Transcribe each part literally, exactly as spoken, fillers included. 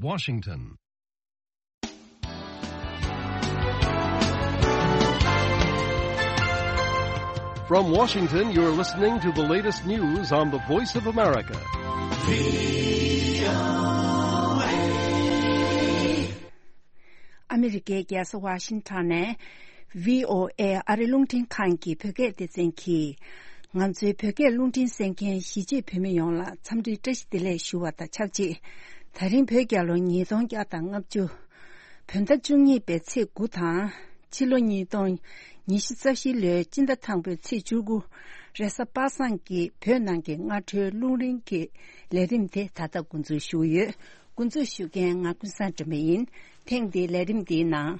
Washington. From Washington, you're listening to the latest news on the Voice of America. ཨ་མི་རི་ཀའི་རྒྱལ་ས་ཝ་ཤིང་ཊོན་ནས་བྷི་ཨོ་ཨེ་ཨ་རི་རླུང་འཕྲིན་ཁང་གི་བོད་སྐད་སྡེ་ཚན་གྱིས། ང་ཚོའི་བོད་སྐད་རླུང་འཕྲིན་གསན་མཁན་གཞིས་བྱེས་བོད་མི་ཡོངས་ལ་འཚམས་འདྲི་བཀྲ་ཤིས་བདེ་ལེགས་ཞུ་བ་དང་ཆབས་ཅིག་ད་རིང་བོད་རྒྱལ་ལོ་ཉིས་སྟོང་བརྒྱ་དང་ལྔ་བཅུ། བོད་ཟླ་བཅུ་གཉིས་པའི་ཚེས་དགུ་དང་། ཕྱི་ལོ་ཉིས་སྟོང་ཉི་ཤུ་རྩ་བཞི་ལོའི་སྤྱི་ཟླ་དང་པོའི་ཚེས་བཅུ་དགུ། རེས་གཟའ་པ་སངས་ཀྱི་བོད་ནང་གི་སྔ་དྲོའི་རླུང་རིམ་གྱི་ལས་རིམ་དེ་ད་ལྟ་འགོ་འཛུགས་ཞུ་གི་ཡོད། འགོ་འཛུགས་ཞུ་མཁན་ང་ཀུན་བཟང་སྒྲོལ་མ་ཡིན། ཐེངས་འདིའི་ལས་རིམ་འདིའི་ནང་།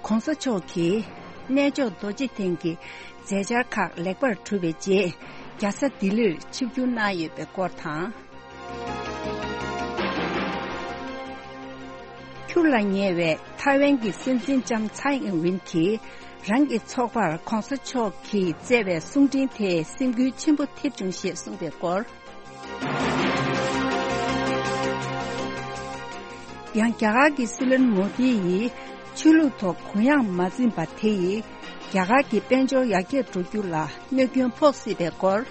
གོང་ས་མཆོག་གིས་གནས་མཆོག་རྡོ་རྗེ་གདན་གྱི་མཛད་འཆར་ཁག་ལེགས་པར་གྲུབ་པའི་རྗེས། རྒྱལ་ས་ལྡི་ལིར་ཆིབས་བསྒྱུར་གནང་ཡོད་པའི་སྐོར་དང་། འཁྱུར་ལ་ཉེ་བའི་ཐའེ་ཝན་གྱི་སྲིད་འཛིན་ལྕམ་ཚའེ་ཨིན་ཝིན་གྱིས་རང་གི་ཚོགས་པར་གོང་ས་མཆོག་གིས་བསྩལ་བའི་གསུང་འཕྲིན་དེས་སེམས་འགུལ་ཆེན་པོ་ཐེབས་བྱུང་ཞེས་གསུངས་པའི་སྐོར། ཡང་རྒྱ་གར་གྱི་སྲིད་བློན་མོ་དི་ཡིས་ཆོས་ལུགས་ཐོག་གུ་ཡངས་མ་འཛིན་པ་དེ་ཡིས་རྒྱ་གར་གྱི་དཔལ་འབྱོར་ཡར་རྒྱས་འགྲོ་རྒྱུ་ལ་གནོད་སྐྱོན་ཕོག་སྲིད་པའི་སྐོར།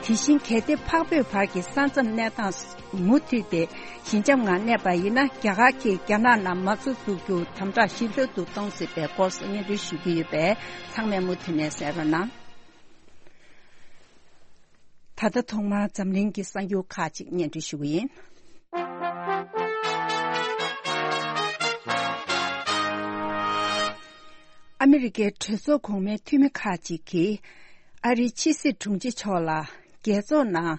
དེ་བཞིན་གལ་ཏེ་འཕགས་བོད་བར་གྱི་ས་མཚམས་གནས་སྟངས་མུ་མཐུད་དེ་ཞི་འཇམ་ངང་གནས་པ་ཡིན་ན། རྒྱ་གར་གྱིས་རྒྱ་ནག་ནང་མ་རྩ་འཛུགས་རྒྱུ་དམ་དྲག་ཞིབ་ལྷོད་དུ་གཏོང་སྲིད་པའི་སྐོར་སོགས་སྙན་སྒྲོན་ཞུ་གི་ཡོད་པས། ཚང་མས་མུ་མཐུད་ནས་གསན་རོགས་གནང་། ད་ལྟ་ཐོག་མར་འཛམ་གླིང་གི་གསར་འགྱུར་ཁག་ཅིག་སྙན་སྒྲོན་ཞུ་གི་ཡིན། ཨ་མི་རི་ཀའི་གྲོས་ཚོགས་གོང་མའི་འཐུས་མི་ཁག་ཅིག་གིས་ཨ་རིའི་ཕྱི་སྲིད་དྲུང་ཆེ་མཆོག་ལ་རྒྱལ་ཚོགས་ནང་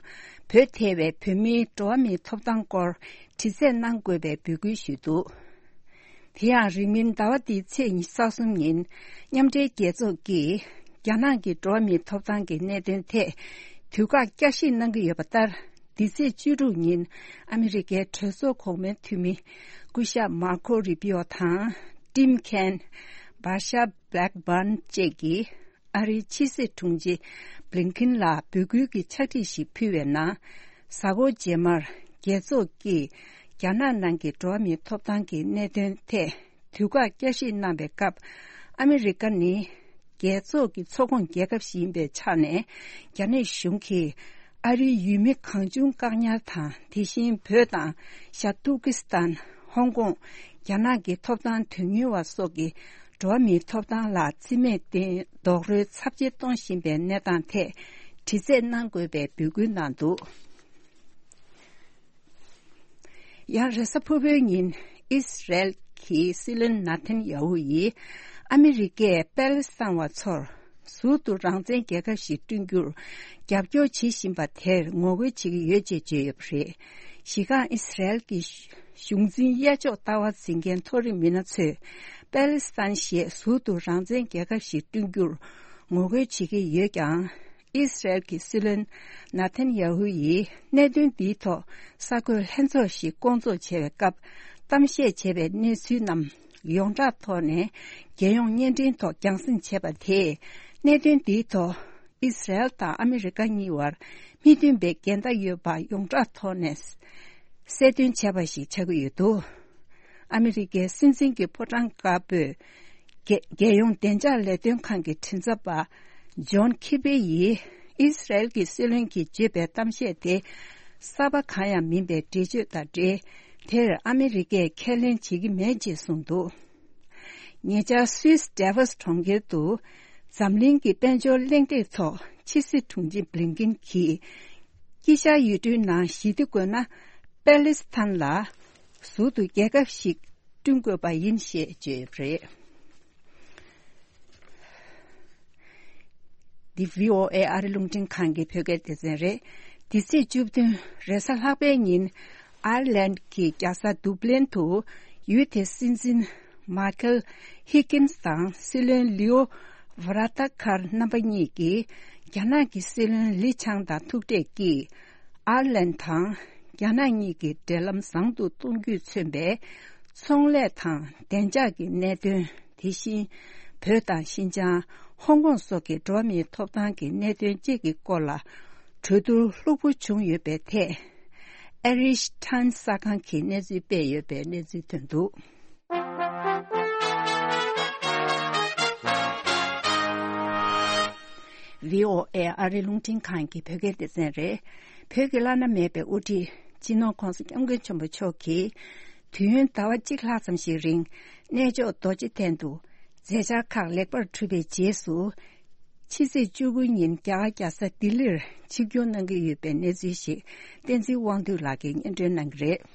བོད་ཐེ་བའི་བོད་མིའི་འགྲོ་བ་མིའི་ཐོབ་ཐང་སྐོར་དྲི་རྩད་གནང་དགོས་པའི་འབོད་སྐུལ་ཞུས་འདུག་དེ་ཡང་རིང་མིན་ཟླ་བ་འདིའི་ཚེས་ཉི་ཤུ་རྩ་གསུམ་ཉིན་མཉམ་འབྲེལ་རྒྱལ་ཚོགས་ཀྱིས་རྒྱ་ནག་གི་འགྲོ་བ་མིའི་ཐོབ་ཐང་གི་གནད་དོན་ཐད་དུས་བཀག་བསྐྱར་ཞིབ་གནང་གི་ཡོད་པ་ལྟར། འདི་ཚེས་བཅུ་དྲུག་ཉིན་ཨ་མི་རི་ཀའི་གྲོས་ཚོགས་གོང་མའི་འཐུས་མི་སྐུ་ཞབས་མར་ཁོ་རུ་པི་ཨོ་དང་། ཊིམ་ཁེན། བྷར་ཤ་བྷེ་ལེག་བྷརན་བཅས་ཀྱིས་ཨ་རིའི་ཕྱི་སྲིད་དྲུང་ཆེ་བྷི་ལིན་ཁིན་ལ་འབོད་སྐུལ་གྱི་ཕྱག་བྲིས་ཤིག་ཕུལ་བའི་ནང་། གཟའ་འཁོར་རྗེས་མར་རྒྱལ་ཚོགས་ཀྱིས་རྒྱ་ནག་ནང་གི་འགྲོ་བ་མིའི་ཐོབ་ཐང་གི་གནད་དོན་ཐད་དུས་བཀག་བསྐྱར་ཞིབ་གནང་བའི་སྐབས། ཨ་མི་རི་ཀ་ནི་རྒྱལ་ཚོགས་ཀྱི་ཚོགས་ཁོངས་རྒྱལ་ཁབ་ཞིག་ཡིན་པའི་ཆ་ནས། རྒྱ་ནག་གཞུང་གིས་ཨ་རིའི་ཡུལ་མི་གང་བྱུང་བཀག་ཉར་དང་། དེ་བཞིན་བོད་དང་ཤར་ཏུར་ཀི་སི་ཐན། ཧོང་ཀོང་། རྒྱ་ནག་གི་ཐོབ་ཐང་དོན་གཉེར་བ་སོགས་ཀྱི་འགྲོ་བ་མིའི་ཐོབ་ཐང་ལ་རྩིས་མེད་བརྟེན་རྡོག་རོལ་ཚབས་ཆེ་གཏོང་བཞིན་པའི་གནས་སྟངས་ཐད་དྲི་རྩད་གནང་དགོས་པའི་འབོད་སྐུལ་གནང་འདུག་ཡང་རེས་གཟའ་ཕུར་བུའི་ཉིན་ཨིས་རལ་གྱི་སྲིད་བློན་ནཱ་ཐན་ཡ་ཧུ་ཡིས་ཨ་མི་རི་ཀས་པེ་ལེ་སི་ཐན་བ་ཚོར་ཟུར་དུ་རང་བཙན་རྒྱལ་ཁབ་ཞིག་བསྐྲུན་རྒྱུར་རྒྱབ་སྐྱོར་བྱེད་བཞིན་པ་དེར་ངོ་རྒོལ་བྱེད་ཀྱི་ཡོད་ཅེས་བརྗོད་ཡོད་པ་རེད། གཞི་རྐང་ཨིས་རལ་གྱི་གཞུང་འཛིན་གཡས་ཕྱོགས་ལྟ་བ་འཛིན་མཁན་མཐོ་རིམ་མི་སྣ་ཚོས་པེ་ལེ་སི་ཐན་ཞེས་ཟུར་དུ་རང་བཙན་རྒྱལ་ཁབ་ཞིག་བསྐྲུན་རྒྱུར་ངོ་རྒོལ་བྱེད་ཀྱི་ཡོད་ཀྱང་། ཨིས་རལ་གྱི་སྲིད་བློན་ནཱ་ཐན་ཡ་ཧུ་ཡིས་གནད་དོན་འདིའི་ཐོག་གསར་འགོད་ལྷན་ཚོགས་ཤིག་བསྐོང་ཚོགས་བྱས་པའི་སྐབས། གཏམ་བཤད་བྱས་པའི་གནས་ཚུལ་རྣམས་ཡོངས་གྲགས་ཐོག་ནས་རྒྱལ་ཡོངས་བརྙན་འཕྲིན་ཐོག་རྒྱང་སྲིང་བྱས་པ་དེས། གནད་དོན་འདིའི་ཐོག་ཨིས་རལ་དང་ཨ་མི་རི་ཀ་གཉིས་བར་མི་མཐུན་པའི་འགལ་ཟླ་ཡོད་པ་ཡོངས་གྲགས་ཐོག་ནས་གསལ་སྟོན་བྱས་པ་ཞིག་ཆགས་ཀྱི་ཡོད་འདུག་ཨ་མི་རི་ཀའི་སྲིད་འཛིན་གྱི་ཕོ་བྲང་དཀར་པོས། རྒྱལ་རྒྱལ་ཡོངས་བདེ་འཇགས་ལས་དོན་ཁང་གི་མགྲིན་ཚབ་པ་ཇོན་ཁི་པེ་ཡིས་ཨིས་རལ་གྱི་སྲིད་བློན་གྱིས་བརྗོད་པའི་གཏམ་བཤད་དེ་གསར་པ་གང་ཡང་མིན་པའི་འགྲེལ་བརྗོད་དང་འབྲེལ། དེར་ཨ་མི་རི་ཀས་ཁས་ལེན་བྱེད་ཀྱི་མེད་ཅེས་གསུངས་འདུག་ཉེ་ཆར་སུད་སི་ཌེ་ཝོ་སི་གྲོང་ཁྱེར་དུ་འཛམ་གླིང་གི་དཔལ་འབྱོར་གླེང་སྟེགས་ཐོག་ཕྱི་སྲིད་དྲུང་ཆེ་བྷི་ལིན་ཀིན་གྱིས། དཀྱིལ་ཤར་ཡུལ་གྲུའི་ནང་ཞི་བདེ་དགོས་ན། པེ་ལེ་སི་ཐན་ལ་ཟུར་དུ་རྒྱལ་ཁབ་ཞིག་བསྐྲུན་དགོས་པ་ཡིན་ཞེས་བརྗོད་ཡོད་པ་རེད། འདི་བྷི་ཨོ་ཨེ་ཨ་རི་རླུང་འཕྲིན་ཁང་གི་བོད་སྐད་སྡེ་ཚན་རེད། འདི་ཚེས་བཅུ་བདུན་རེས་གཟའ་ལྷག་པའི་ཉིན་ཨའེར་ལན་གྱི་རྒྱལ་ས་དུབ་ལིན་དུ་ཡུལ་དེའི་སྲིད་འཛིན་མཱ་ཁེལ་ཧི་ཀིན་སི་དང་སྲིད་བློན་ལིའོ་ཝ་ར་ཏ་ཁར་རྣམ་པ་གཉིས་ཀྱིས་རྒྱ་ནག་གི་སྲིད་བློན་ལི་ཆང་དང་ཐུག་འཕྲད་ཀྱིས། ཨའེར་ལན་དང་རྒྱ་ནག་གཉིས་ཀྱི་འབྲེལ་ལམ་བཟང་དུ་གཏོང་རྒྱུས་མཚོན་པའི་ཚོང་ལས་དང་བདེ་འཇགས་ཀྱི་གནད་དོན། དེ་བཞིན་ བོད་དང་ཤིན་ཅང་། ཧོང་ཀོང་སོགས་ཀྱི་འགྲོ་བ་མིའི་ཐོབ་ཐང་གི་གནད་དོན་བཅས་ཀྱི་སྐོར་ལ་གྲོས་བསྡུར་ལྷུག་པོ་བྱུང་ཡོད་པའི་ཐད། ཨེ་རིཤ་ཊན་གསར་ཁང་གིས་གནས་ཚུལ་སྤེལ་ཡོད་པའི་གནས་ཚུལ་ཐོན་འདུག། བྷི་ཨོ་ཨེ་ཨ་རི་རླུང་འཕྲིན་ཁང་གི་བོད་སྐད་སྡེ་ཚན་རེད། བོད་ཀྱི་བླ་ན་མེད་པའི་དབུ་ཁྲིད་སྤྱི་ནོར་༧གོང་ས་༧སྐྱབས་མགོན་ཆེན་པོ་མཆོག་གིས། དུས་ཡུན་ཟླ་བ་གཅིག་ལྷག་ཙམ་ཞིག་རིང་གནས་མཆོག་རྡོ་རྗེ་གདན་དུ་མཛད་འཆར་ཁག་ལེགས་པར་གྲུབ་པའི་རྗེས་སུ། ཕྱི་ཚེས་བཅུ་དགུ་ཉིན་རྒྱ་གར་རྒྱལ་ས་ལྡི་ལིར་ཆིབས་བསྒྱུར་གནང་གི་ཡོད་པའི་གནས་ཚུལ་ཞིག་བསྟན་འཛིན་དབང་འདུས་ལགས་ཀྱིས་སྙན་སྒྲོན་གནང་གི་རེད།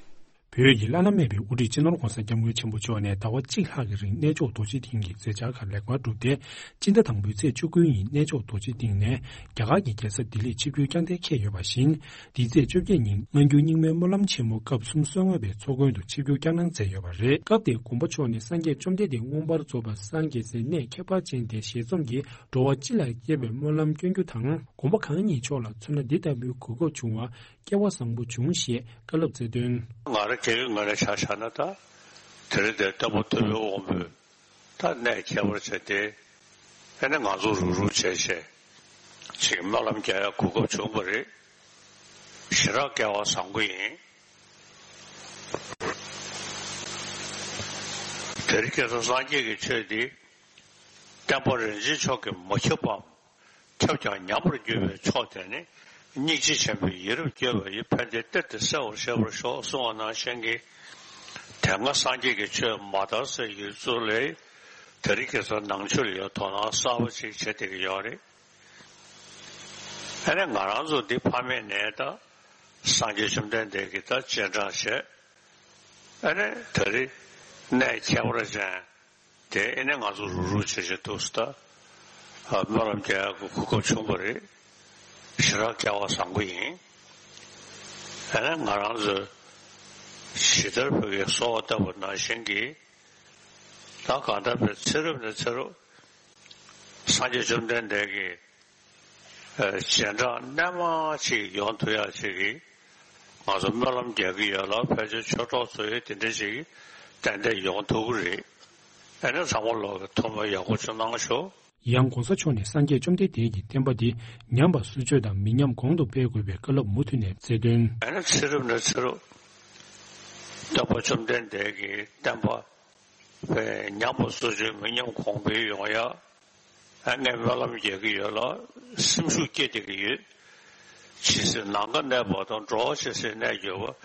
བོད་ཀྱི་བླ་ན་མེད་པའི་དབུ་ཁྲིད་སྤྱི་ནོར་༧གོང་ས་༧སྐྱབས་མགོན་ཆེན་པོ་མཆོག་ནས་ཟླ་བ་གཅིག་ལྷག་གི་རིང་གནས་མཆོག་རྡོ་རྗེ་གདན་གྱི་མཛད་འཆར་ཁག་ལེགས་པར་གྲུབ་སྟེ། སྤྱི་ཟླ་དང་པོའི་ཚེས་བཅུ་དགུ་ཉིན་གནས་མཆོག་རྡོ་རྗེ་གདན་ནས་རྒྱ་གར་གྱི་རྒྱལ་ས་ལྡི་ལིར་ཆིབས་བསྒྱུར་བསྐྱངས་གཏན་འཁེལ་ཡོད་པ་བཞིན། འདིའི་ཚེས་བཅོ་བརྒྱད་ཉིན་སྔ་འགྱུར་རྙིང་མའི་སྨོན་ལམ་ཆེན་མོ་སྐབས་སུམ་ཅུ་སོ་ལྔ་པའི་ཚོགས་མགོན་དུ་ཆིབས་བསྒྱུར་བསྐྱངས་གནང་མཛད་ཡོད་པ་རེད། སྐབས་དེར་དགོངས་པ་མཆོག་ནས་སངས་རྒྱས་བཅོམ་ལྡན་འདས་མངོན་པར་རྫོགས་པར་སངས་རྒྱས་སའི་གནས་ཁྱད་པར་ཅན་དེ་ཞལ་འཛོམས་ཀྱིས་འགྲོ་བ་སྤྱི་ལ་ཁྱབ་པའི་སྨོན་ལམ་སྐྱོན་རྒྱུ་དང་། དགོངས་པ་གང་ཉིད་མཆོག་ལ་མཚོན་ན་འདི་ལྟ་བུའི་གོ་སྐབས་བྱུང་བ། སྐལ་བ་བཟང་པོ་བྱུང་ཞེས་བཀའ་སློབ་སྩལ་དོན། ང་རང་སྒེར་གྱི་ངོས་ནས་ཆ་བཞག་ན། ད་དེ་རིང་འདིར་སྟོན་པ་ཐུབ་པའི་དབང་པོས་ད་གནས་ཁྱད་པར་ཅན་དེ་ཨ་ནི་ང་ཚོ་རུག་རུག་བྱས་བྱས་ཅིག་སྨོན་ལམ་རྒྱག་ཡག་གོ་སྐབས་བྱུང་བ་རེད། ཞེ་དྲག་སྐལ་བ་བཟང་པོ་ཡིན། དེ་རིང་ཁ་སང་སངས་རྒྱས་ཀྱི་ཆོས་འདི་བསྟན་པ་རིན་ཆེན་མཆོག་གིས་མ་ཁྱབ་པའམ། ཁྱབ་ཀྱང་ཉམས་པར་འགྱུར་བའི་ཕྱོགས་དེ་ནི། སྙིང་རྗེ་ཆེན་པོས་ཡིད་རབ་བསྐྱོད་པ་ཡིས། ཕན་བདེའི་གཏེར་དེ་གསལ་བར་ཤེས་པར་ཤོག་གསུངས་པ་ནང་བཞིན་གྱི། དེ་སྔ་སངས་རྒྱས་ཀྱི་ཆོས་མ་དར་སའི་ཡུལ་ཚོ་ལས། དེ་རིང་ཁ་སང་ནང་ཆོས་ལ་ཡང་དོ་སྣང་གསར་པ་ཅིག་བྱེད་བསྡད་ཀྱི་ཡོད་རེད། ཨ་ནི་ང་རང་ཚོ་འདི་ཕ་མེས་ནས་ད་སངས་རྒྱས་བཅོམ་ལྡན་འདས་ཀྱི་ད་སྤྱན་དྲངས་བྱས། ཨ་ནི་ད་རེས་གནས་ཁྱད་པར་ཅན་དེ་ཨ་ནི་ང་ཚོ་རུག་རུག་བྱེད་བྱེད་འདུག་སེ་ད་སྨོན་ལམ་རྒྱག་ཡག་གི་གོ་སྐབས་བྱུང་བ་རེད། ཞེ་དྲག་སྐལ་བ་བཟང་པོ་ཡིན། ཨ་ནི་ང་རང་ཚོས་ཇི་ལྟར་བོད་ཀྱི་གསོལ་བ་བཏབ་པ་ནང་བཞིན་གྱི། ད་གང་ལྟར་བའི་ཚེ་རབས་ནས་ཚེ་རབས་སངས་རྒྱས་བཅོམ་ལྡན་འདས་ཀྱི་ཨ་སྤྱན་དྲངས་རྣལ་མ་ཅིག་ཡོང་ཐུབ་ཡག་ཅིག་གི་ང་ཚོ་སྨོན་ལམ་རྒྱག་གི་ཡོད་ལ། ཕལ་ཆེར་ཆོས་གྲོགས་ཚོ་ཡིས་དེ་འདྲ་ཅིག་ཏན་ཏན་ཡོང་ཐུབ་ཀྱི་རེད། ཨ་ནི་ཚང་མ་ལོག་གི་ཐུགས་སྨོན་ཡག་པོ་ཅིག་གནང་ཤོག། ཡང་༧གོང་ས་མཆོག་ནས་སངས་རྒྱས་བཅོམ་ལྡན་འདས་ཀྱི་བསྟན་པ་འདི་ཉམས་པ་སྲུང་སྐྱོབ་དང་མི་ཉམས་གོང་དུ་སྤེལ་དགོས་པའི་བཀའ་སློབ་མུ་མཐུད་ནས་སྩལ་དོན། ཨ་ནི་ཚེ་རབས་ནས་ཚེ་རབས་སྟོན་པ་བཅོམ་ལྡན་འདས་ཀྱི་བསྟན་པ་ཉམས་པ་སྲུང་སྐྱོབ་མི་ཉམས་གོང་འཕེལ་ཡོང་ཡག་ཨ་ངས་སྨོན་ལམ་རྒྱག་གི་ཡོད་ལ། སེམས་ཤུགས་སྐྱེད་བསྡད་ཀྱི་ཡོད། ཇི་སྲིད་ནམ་མཁའ་གནས་པ་དང་། འགྲོ་བ་ཇི་སྲིད་གནས་གྱུར་པ།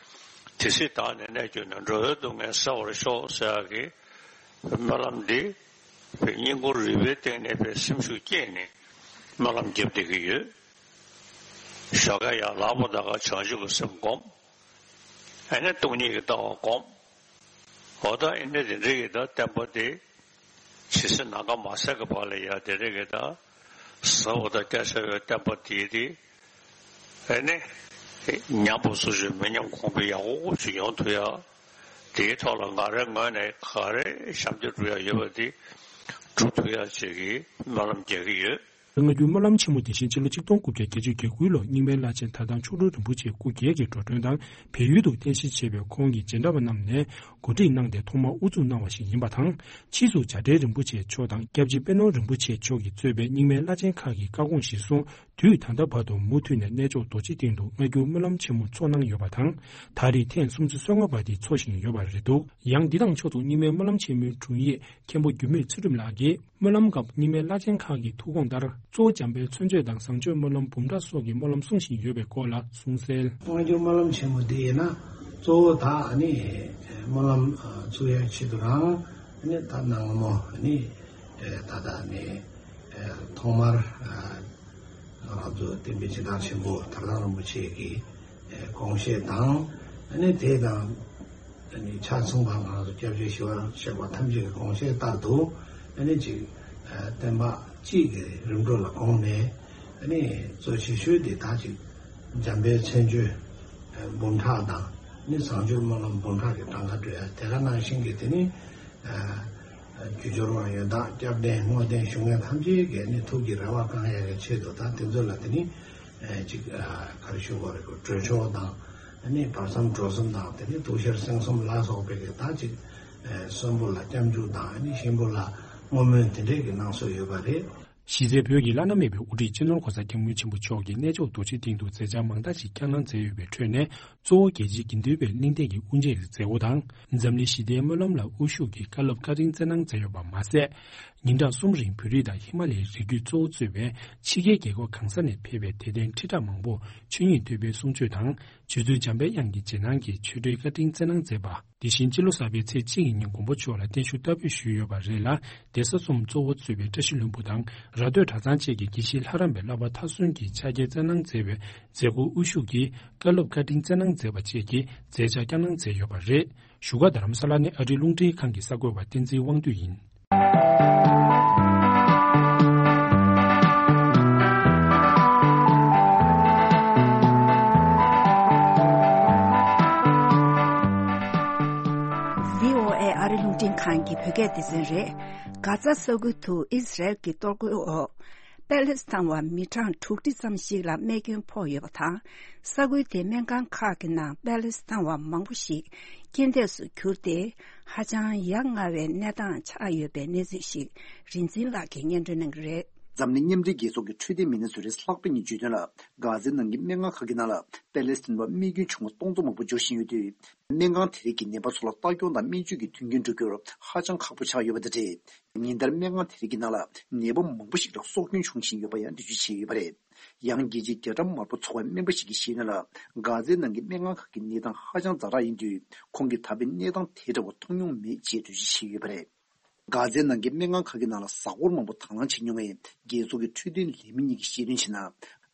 དེ་སྲིད་བདག་ནི་གནས་གྱུར་ནས། འགྲོ་བའི་སྡུག་བསྔལ་སེལ་བར་ཤོག་ཟེར་ཡག་གི་སྨོན་ལམ་འདི་བའི་སྙིང་ཁུང་རུས་པའི་གཏིང་ནས་བའི་སེམས་ཤུགས་སྐྱེད་ནས་སྨོན་ལམ་རྒྱབ་བསྡད་ཀྱི་ཡོད། ཞོགས་ཀས་ཡར་ལངས་པ་དང་ག་བྱང་ཆུབ་ཀྱི་སེམས་བསྒོམ། ཨ་ནི་སྟོང་ཉིད་ཀྱི་ལྟ་བ་བསྒོམ། འོ་ད་ཨ་ནི་དེ་འདྲ་གི་ད་བསྟན་པ་དེ་ཇི་སྲིད་ནམ་མཁའ་མ་ཟད་ཀྱི་བར་ལ་ཡ་དེ་འདྲ་གི་ད་ཟབ་པོ་དང་སྐད་ཆ་བའི་བསྟན་པ་དེ་དེ་ཨ་ནི་ཉམས་པ་སྲུང་སྐྱོབ་མི་ཉམས་གོང་འཕེལ་ཡག་པོ་ཅིག་ཡོང་ཐུབ་ཡག། དེའི་ཐོག་ལ་ང་རའི་ངོས་ནས་ག་རེ་ཞབས་འདེགས་སྒྲུབ་ཡག་ཡོད་པ་དེ་སྒྲུབ་ཐུབ་ཡག་ཅིག་གི་སྨོན་ལམ་རྒྱག་གི་ཡོད། སྔ་འགྱུར་སྨོན་ལམ་ཆེན་མོ་དེ་བཞིན་ཕྱི་ལོ་ཆིག་སྟོང་དགུ་བརྒྱ་བརྒྱད་ཅུ་གྱ་དགུ་ལོར་རྙིང་མའི་བླ་ཆེན་དར་ཐང་མཆོག་སྤྲུལ་རིན་པོ་ཆེ་སྐུ་སྒེར་གྱི་འགྲོ་གྲོན་དང་བལ་ཡུལ་དུ་རྟེན་གཞི་བྱས་པའི་ཁོང་གི་མཇལ་འཕྲད་པ་རྣམས་ནས་གོ་སྒྲིག་གནང་སྟེ་ཐོག་མར་དབུ་འཛུགས་གནང་བ་ཞིག་ཡིན་པ་དང་། ཕྱིས་སུ་བྱ་བྲལ་རིན་པོ་ཆེ་མཆོག་དང་སྐྱབས་རྗེ་པད་ནོར་རིན་པོ་ཆེ་མཆོག་གིས་གཙོས་པའི་རྙིང་མའི་བླ་ཆེན་ཁག་གིས་བཀའ་དགོངས་གཞིར་བཟུང་དུས་ད་ལྟ་བར་དུ་མུ་མཐུད་ནས་གནས་མཆོག་རྡོ་རྗེ་གདན་དུ་སྔ་འགྱུར་སྨོན་ལམ་ཆེན་མོ་འཚོགས་གནང་ཡོད་པ་དང་། ད་རེས་ཐེངས་སུམ་ཅུ་སོ་ལྔ་པ་དེ་འཚོགས་བཞིན་ཡོད་པ་རེད་འདུག། ཡང་འདི་དང་ཕྱོགས་སུ་རྙིང་མའི་སྨོན་ལམ་ཆེན་མོའི་དྲུང་ཡིག་མཁན་པོ་འགྱུར་མེད་ཚུལ་ཁྲིམས་ལགས་ཀྱིས། སྨོན་ལམ་སྐབས་རྙིང་མའི་བླ་ཆེན་ཁག་གི་ཐུགས་དགོངས་ལྟར། གཙོ་བོ་འཇམ་དཔལ་མཚན་བརྗོད་དང་བཟང་སྤྱོད་སྨོན་ལམ་འབུམ་ཕྲག་སོགས་ཀྱི་སྨོན་ལམ་གསུང་བཞིན་ཡོད་པའི་སྐོར་ལ་གསུངས་གསལ། སྔ་འགྱུར་སྨོན་ལམ་ཆེན་མོ་འདི་ཡིན་ན་གཙོ་བོ་ད་ཨ་ནི་སྨོན་ལམ་ཚུགས་ཡག་ཆེད་དུ་རང་ཨ་ནི་ད་གནང་མོ་ཨ་ནི་ད་ལྟ་ནི་ཐོག་མར་ང་རང་ཚོ་བསྟན་པའི་སྦྱིན་བདག་ཆེན་པོ་དར་ཐང་རིན་པོ་ཆེ་གི་དགོངས་བཞེད་དང་ཨ་ནི་དེ་དང་། ཨ་ནི་ཆ་ཚང་བ་ང་རང་ཚོ་སྐྱབས་རྗེ་ཞི་བ་ལྷ་གཞན་པ་ཐམས་ཅད་ཀྱི་དགོངས་བཞེད་ལྟར་དུ་ཨ་ནི་ཅིག་བསྟན་པ་སྤྱི་གི་རིམ་གྲོ་ལ་དགོངས་ནས་ཨ་ནི་གཙོ་ཆེ་ཤོས་དེ་ད་ཅིག་འཇམ་དཔལ་མཚན་བརྗོད་འབུམ་ཕྲག་དང་ཨ་ནི་བཟང་སྤྱོད་སྨོན་ལམ་འབུམ་ཕྲག་གི་གྲངས་ཀ་འགྲོ་ཡ་དེ་ག་ནང་བཞིན་གྱི་དེ་ནི་རྒྱུ་སྦྱོར་བ་ཡོན་བདག་སྐྱབས་གདན་བསྔོ་རྟེན་ཞུ་མཁན་ཐམས་ཅད་ཀྱི་ཨ་ནི་ཐུགས་ཀྱི་རེ་བ་བསྐང་ཡ་གི་ཆེད་དུ་ད་དེ་ཚོ་ལ་དེ་ནི་ཅིག་ག་རེ་ཞུ་དགོས་རེད་གོ་གྲོས་ཆོག་དང་། ཨ་ནི་བར་མཚམས་འགྲོ་གསུམ་དང་དེ་ནི་དུག་ཤར་སེང་གསུམ་ལ་སོགས་པའི་གི་ད་ཅིག་ཨ་གསོན་པོ་ལ་སྐྱབས་འཇུག་དང་ཨ་ནི་གཤིན་པོ་ལ་ བསྔོ་སྨོན་དེ་འདྲས་ཀྱི་གནང་སྲོལ་ཡོད་པ་རེད། གཞི་རྩའི་བོད་ཀྱི་བླ་ན་མེད་པའི་དབུ་ཁྲིད་སྤྱི་ནོར་༸གོང་ས་༸སྐྱབས་མགོན་ཆེན་པོ་མཆོག་གིས་གནས་མཆོག་རྡོ་རྗེ་གདན་དུ་མཛད་འཆར་མང་དག་ཅིག་བསྐྱངས་གནང་མཛད་ཡོད་པའི་ཁྲོད་ནས། གཙོ་བོ་རྒྱལ་སྤྱིའི་དགེ་འདུན་པའི་གླེང་སྟེགས་ཀྱི་དབུ་འབྱེད་ཀྱི་མཛད་སྒོ་དང་། འཛམ་གླིང་ཞི་བདེའི་སྨོན་ལམ་ལ་དབུ་བཞུགས་ཀྱིས་བཀའ་སློབ་བཀའ་དྲིན་སྩལ་གནང་མཛད་ཡོད་པ་མ་ཟད། ཉིན་གྲངས་གསུམ་རིང་བོད་རིགས་དང་ཧི་མ་ལ་ཡའི་རི་རྒྱུད་གཙོ་བོ་གཙོས་པའི་ཕྱི་རྒྱལ་རྒྱལ་ཁབ་གང་ས་ནས་ཕེབས་པའི་དད་ལྡན་ཁྲི་ཕྲག་མང་པོར་ཆོས་ཉིད་ཐོས་པའི་གསུང་ཆོས་དང་། རྗེ་བཙུན་འཇམ་པའི་དབྱངས་ཀྱི་རྗེས་གནང་གི་ཆོས་འབྲེལ་བཀའ་དྲིན་སྩལ་གནང་མཛད་པ། དེ་བཞིན་སྤྱི་ལོ་གསར་པའི་ཚེས་གཅིག་གི་ཉིན་མགོན་པོ་མཆོག་ལ་བརྟན་བཞུགས་བསྟར་འབུལ་ཞུས་ཡོད་པ་རེད་ལ། གདན་ས་གསུམ་གཙོ་བོ་གཙོས་པའི་བཀྲ་ཤིས་ལྷུན་པོ་དང་། ར་སྟོད་གྲྭ་ཚང་བཅས་ཀྱི་དགེ་བཤེས་ལྷ་རམས་པའི་བསླབ་པ་མཐར་སོན་གྱིས་ཕྱག་འཁྱེར་སྩལ་གནང་མཛད་པའི་མཛད་སྒོར་དབུ་བཞུགས་ཀྱིས་བཀའ་སློབ་བཀའ་དྲིན་སྩལ་གནང་མཛད་པ་བཅས་ཀྱི་མཛད་འཆར་བསྐྱངས་གནང་མཛད་ཡོད་པ་རེད། བཞུགས་སྒར་རྡ་རམ་ས་ལ་ནས་ཨ་རིའི་རླུང་འཕྲིན་ཁང་གི་གསར་འགོད་པ་བསྟན་འཛིན་དབང་འདུས་ཡིན། བྷི་ཨོ་ཨེ་ཨ་རི་རླུང་འཕྲིན་ཁང་གི་བོད་སྐད་སྡེ་ཚན་རེད། གྷ་ཛ་ས་ཁུལ་དུ་ཨི་ཟི་རལ་གྱི་གཏོར་རྒོལ་འོག་པེ་ལེ་སི་ཐན་བ་མི་གྲངས་དྲུག་ཁྲི་ཙམ་ཞིག་ལ་རྨས་སྐྱོན་ཕོག་ཡོད་པ་དང་། ས་ཁུལ་དེའི་སྨན་ཁང་ཁག་གི་ནང་པེ་ལེ་སི་ཐན་བ་མང་པོ་ཞིག་རྐྱེན་འདས་སུ་གྱུར་ཏེ། ཧ་ཅང་ཡ་ང་བའི་གནས་སྟངས་ཆགས་ཡོད་པའི་གནས་ཚུལ་ཞིག་རིག་འཛིན་ལགས་ཀྱིས་སྙན་སྒྲོན་གནང་གི་རེད། འཛམ་གླིང་མཉམ་འབྲེལ་རྒྱལ་ཚོགས་ཀྱི་འཕྲོད་བསྟེན་མི་སྣ་ཚོས་རེས་གཟའ་ལྷག་པའི་ཉིན་བརྗོད་དོན་ལ། གྷ་ཛའི་ནང་གི་སྨན་ཁང་ཁག་གི་ནང་ལ་པེ་ལེ་སི་ཐན་པ་རྨས་སྐྱོན་བྱུང་བ་སྟོང་ཚོ་མང་པོ་འབྱོར་བཞིན་ཡོད་དུས། སྨན་ཁང་དེ་རིགས་ཀྱིས་ནད་པ་ཚོ་ལ་ལྟ་སྐྱོང་དང་སྨན་བཅོས་ཀྱི་མཐུན་རྐྱེན་སྒྲུབ་རྒྱུར་ཧ་ཅང་ཁག་པོ་ཆགས་ཡོད་པ་དང་འབྲེལ། ཉིན་ལྟར་སྨན་ཁང་དེ་རིགས་ཀྱི་ནང་ལ་ནད་པ་མང་པོ་ཞིག་ལ་སྲོག་སྐྱོན་བྱུང་བཞིན་ཡོད་པ་ཡང་འགྲེལ་བརྗོད་བྱས་ཡོད་པ་རེད། ཡང་རྒྱལ་སྤྱིའི་རྒྱ་གྲམ་དམར་པོ་ཚོགས་པའི་སྨན་པ་ཞིག་གིས་བཤད་དོན་ལ། གྷ་ཛའི་ནང་གི་སྨན་ཁང་ཁག་གི་གནས་སྟངས་ཧ་ཅང་ཛ་དྲག་ཡིན་དུས། ཁོང་གིས་ད་ཕན་གནས་སྟངས་དེ་འདྲ་བ་མཐོང་མྱོང་མེད་ཅེས་འགྲེལ་བརྗོད་བྱས་ཡོད་པ་རེད། གྷ་ཛའི་ནང་གི་སྨན་ཁང་ཁག་གི་ནང་ལ་གཟའ་འཁོར་མང་པོ་དང་བླངས་བྱེད་མྱོང་བའི་རྒྱལ་ཚོགས་ཀྱི་འཕྲོད་བསྟེན་ལས་མི་གཉིས་ཀྱིས་བཤད་དོན་བྱས་ན།